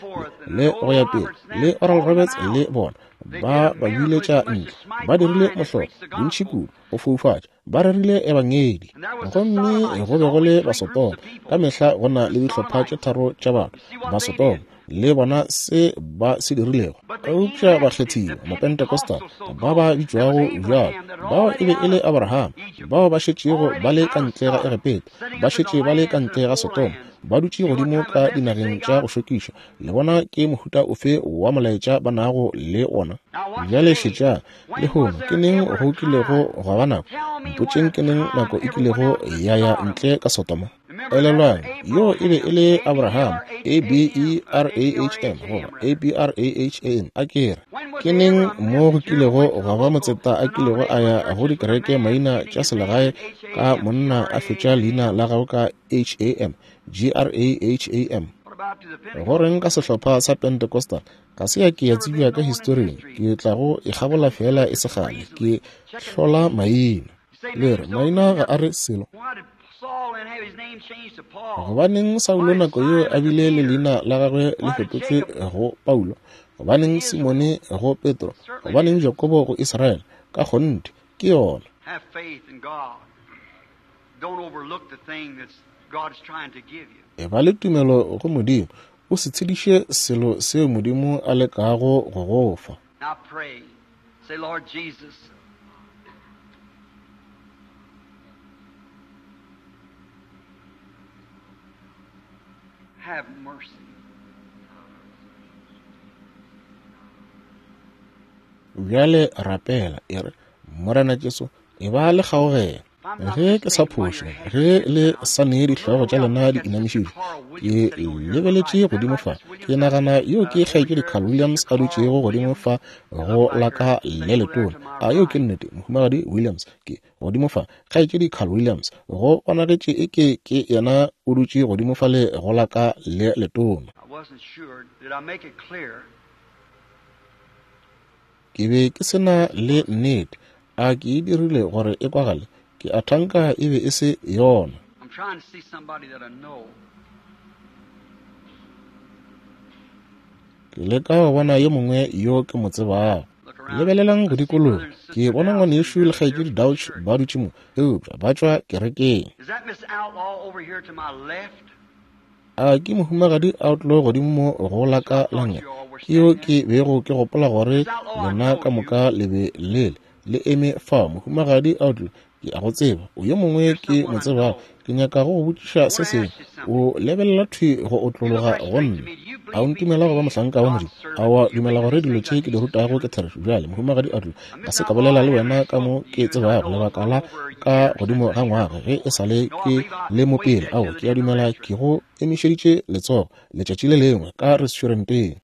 le go ya pele, le Oral Roberts le bona, ba ba biletša ntle. Ba dirile mohlolo, bontši kudu, go foufatša. Ba rerile ebangedi. Gomme go be go le Basodoma. Ka mehla go na le dihlopha tše tharo tša batho, Basodoma, le bona se ba se dirilego. Eupša bakgethiwa, Mapentecostal, ba ba bitšwago bjalo, bao e be e le Abraham, bao ba šetšego ba le ka ntle ga Egepeta, ba šetše ba le ka ntle ga Sodoma, ba dutše godimo ka dinageng tša go šokiša. Le bona ke mohuta ofe wa molaetša ba nago le wona? Bjale šetšang, lehono ke neng go kilego gwa ba nako? Mpotšeng ke neng nako e kilego ya ya ntle ka Sodoma? Elelwang, yoo e be e le Abraham, A-B-E-R-A-H-M, goba A-B-R-A-H-A-M, a ke re. Ke neng mo go kilego gwa ba motseta a kilego a ya go dikereke maina tša selegae ka monna a fetša leina la gagwe ka H-A-M, G-R-A-H-A-M? Go reng ka sehlopha sa Pentecostal? Ga se ya ke ya tsebja ka historing. Ke tla go e kgabola feela e se kgale. Ke hlola maina. Le re, maina ga a re selo. Gobaneng Saulo nako yeo a bile le leina la gagwe le fetotšwe go Paulo? Gobaneng Simone go Petro? Gobaneng Jakobo go Israele? Ka kgonthe, ke yona. Eba le tumelo go Modimo. O se tshediše selo seo Modimo a lekago go go fa. Say, Lord Jesus, have mercy. Bjale rapela, e re, Morena Jesu, e ba le kgaogelo. Ge ke sa phošo, ge le sa ne dihlogo tša lena di inamišitšwe, ke lebeletše godimo fa, ke nagana yo ke Kgaetšedi Carl Williams a dutšego godimo fa go la ka le letona. A yeo ke nnete, Mohumagadi Williams? Ke godimo fa, Kgaetšedi Carl Williams, go bonagetše e ke ke yena o dutše godimo fale go la ka le letona. Ke be ke se na le nnete. A ke e dirile gore e kwagale? Ke a thanka e be e se yona. Ke leka go bona yo mongwe yo ke mo tsebago. Lebelelang go dikologa. Ke bona ngwanešu le kgaetšedi Dauch ba dutše mo, eupša ba tšwa kerekeng. A ke Mohumagadi Outlaw godimo mo go la ka la nngele? Ke yo ke bego ke gopola gore lena ka moka le be le le eme fao. Mohumagadi Outlaw, Ke a go tseba. O yo mongwe ke mo tsebago. Ke nyaka go go botšiša se sengwe. O lebelela thwi go otlologa go nna. A o ntumela go ba mohlanka wa Modimo? A wa dumela gore dilo tše ke di rutago ke therešo? Bjale, Mohumagadi Adler, ga se ka bolela le wena ka mo ke tsebago lebaka la ka godimo ga ngwaga ge e sa le ke le mo pele. Ao, ke a dumela ke go emišeditše letsogo letšatši le lengwe ka restauranteng.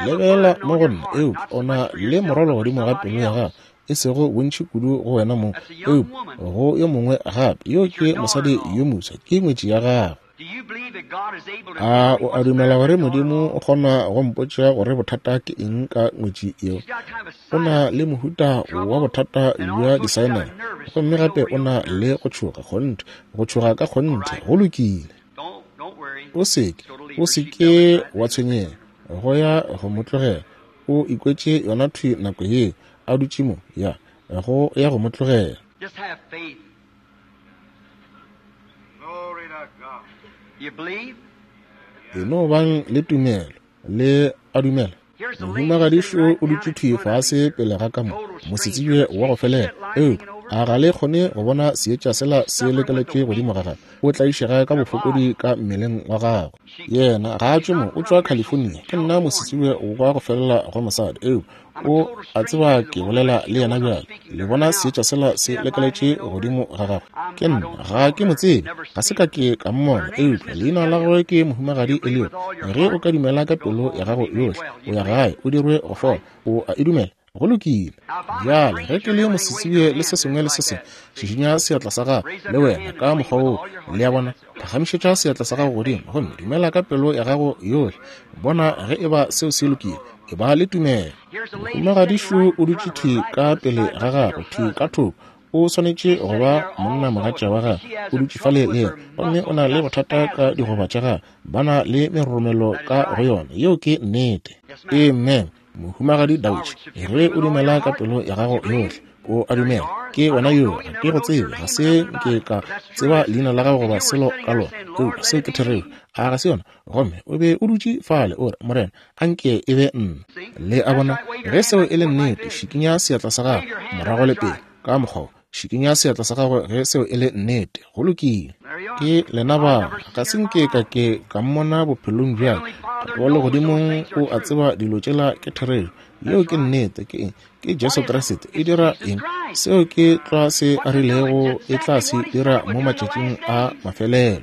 Lebelela mo go nna, eupša o na le morwalo godimo ga pelo ya gago, e sego bontši kudu go wena mong, eupša go yo mongwe gape. Yo ke mosadi yo moswa, ke ngwetši ya gago. A o a dumela gore Modimo o kgona go mpotša gore bothata ke eng ka ngwetši yeo? O na le mohuta wa bothata bja disaenale, gomme gape o na le go tšhoga kgonthe, go tšhoga ka kgonthe. Go lokile. O seke, o seke wa tshwenyega, go ya go mo tlogela. O ikwetše yona thwi nako yeo, a dutše mo, ya, go ya go mo tlogela. E no bang le tumelo, le a dumela. Mohumagadišo o dutše thwi fase pele ga ka mo, mosetsebje wa go felela. Eupša a ga le kgone go bona seetša sela se lekeletše godimo ga gagwe? O tlaišega ka bofokodi ka mmeleng wa gagwe. Yena ga a tšwe mo, o tšwa California. Ke nna mosetsebje wa go felela go mosadi. Eupša o a tseba ke bolela le yena bjale. Le bona seetša sela se lekeletše godimo ga gagwe? Ke nna, ga ke mo tsebe, ga se ka ke ka mmona, eupša leina la gagwe ke Mohumagadi Elliot. Ge o ka dumela ka pelo ya gago yohle, o ya gae, o dirwe go fola. O a e dumela? Go lokile. Bjale, ge ke le mosetsebje le se sengwe le se sengwe, šišinya seatla sa gago le wena ka mokgwa woo. Le a bona? Phagamišetša seatla sa gago godimo gomme dumela ka pelo ya gago yohle. Bona ge e ba seo se lokile. E ba le tumelo. Mohumagadišu o dutše thwi ka pele ga gago, thwi ka thoko. O swanetše go ba monnamogatša wa gagwe. O dutše fale le yena, gomme o na le bothata ka digoba tša gagwe. Ba na le meroromelo ka go yona. Yeo ke nnete. Amen. Mohumagadi Dauch, ge o dumela ka pelo ya gago yohle, o a dumela. Ke wena yoo, ga ke go tsebe, ga se nke ka tseba leina la gago goba selo ka lona, eupša seo ke therešo. A ga se yona? Gomme o be o dutše fale, o re, Morena, a nke e be nna. Le a bona? Ge seo e le nnete, šikinya seatla sa gago, morago le pele, ka mokgwa wo. Šikinya seatla sa gago ge seo e le nnete. Go lokile. Ke lena ba. Ga se nke ka ke ka mmona bophelong bja ka. Tate wa Legodimong o a tseba dilo tšela ke therešo. Yeo ke nnete. Ke eng? Ke Jesu Kriste. E dira eng? Seo ke tlwa se A rilego e tla se dira mo matšatšing a mafelelo.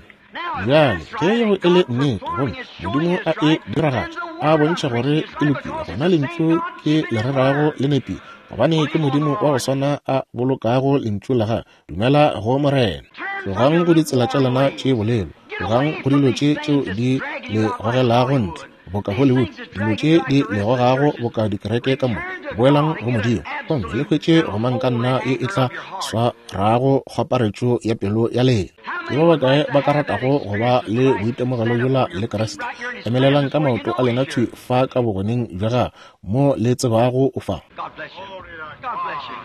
Bjale, ge yeo e le nnete, gomme Modimo a e diragatša, a bontšha gore e lokile, gona Lentšu ke le rerago le nepile, gobane ke Modimo wa go swana a bolokago Lentšu la Gagwe. Dumela go Morena. Tlogang go ditsela tša lena tše bolelo. Tlogang go dilo tše tšeo di le gogelago ntle, boka Hollywood, dilo tše di le gogago boka dikereke ka moka. Boelang go Modimo, gomme le hwetše gomangkanna ye e tla swarago kgwaparetšo ya pelo ya lena. Ke ba bakae ba ka ratago go ba le boitemogelo bjola le Kriste? Emelelang ka maoto a lena thwi fa ka bogoneng bja Gagwe, mo le tsebago o fa. God bless you. God bless you.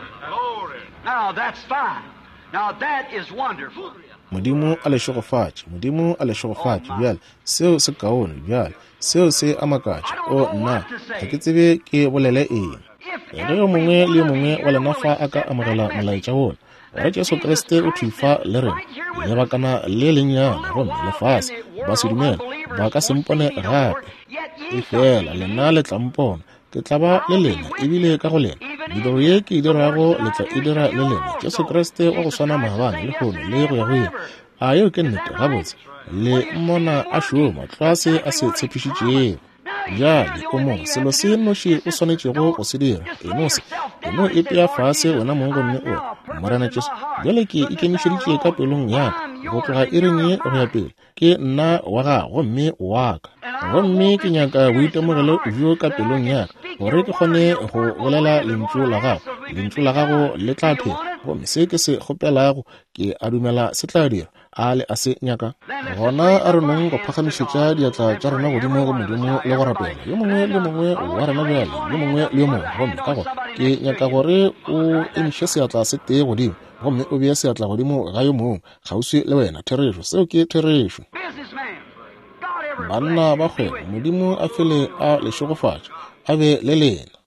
Now that's fine. Now that is wonderful. Modimo a le šegofatše. Modimo a le šegofatše. Bjale, seo se kaone. Bjale, seo se a makatša. O, nna, ga ke tsebe ke bolele eng. Ge yo mongwe le yo mongwe wa lena fa a ka amogela molaetša wola, gore Jesu Kriste o thwi fa le rena, lebakana le lennyane, gomme lefase ba se dumele, ba ka se mpone gape. Efela lena le tla mpona, Ke tla ba le lena, ebile ka go lena. Mediro ye ke e dirago, le tla e dira le lena. Jesu Kriste wa go swana maabane, lehono, le go ya go ile. A yeo ke nnete? Gabotse, le mmona a šoma tlwa se a se tshepišitšego. Bjale o mo, selo se nnoši o swanetšego go se dira, e no se, e no ipea fase wena mong gomme o re, Morena Jesu, bjale ke ikemišeditše ka pelong ya ka, go tloga iring ye go ya pele, Ke nna wa gago gomme o wa ka. Gomme ke nyaka boitemogelo bjo ka pelong ya ka, gore ke kgone go bolela Lentšu la Gago. Lentšu la Gago le tla phela. Gomme se ke se kgopelago, ke a dumela se tla dira. A le a se nyaka? Gona a re nong go phagamišetša diatla tša rena godimo go Modimo le go rapela, yo mongwe le yo mongwe wa rena bjale, yo mongwe le yo mongwe. Gomme ka gore ke nyaka gore o emiše seatla se tee godimo, gomme o bee seatla godimo ga yo mongwe kgauswi le wena. Therešo, seo ke therešo. Banna ba kgwebo, Modimo a fele a le šegofatša, a be le lena.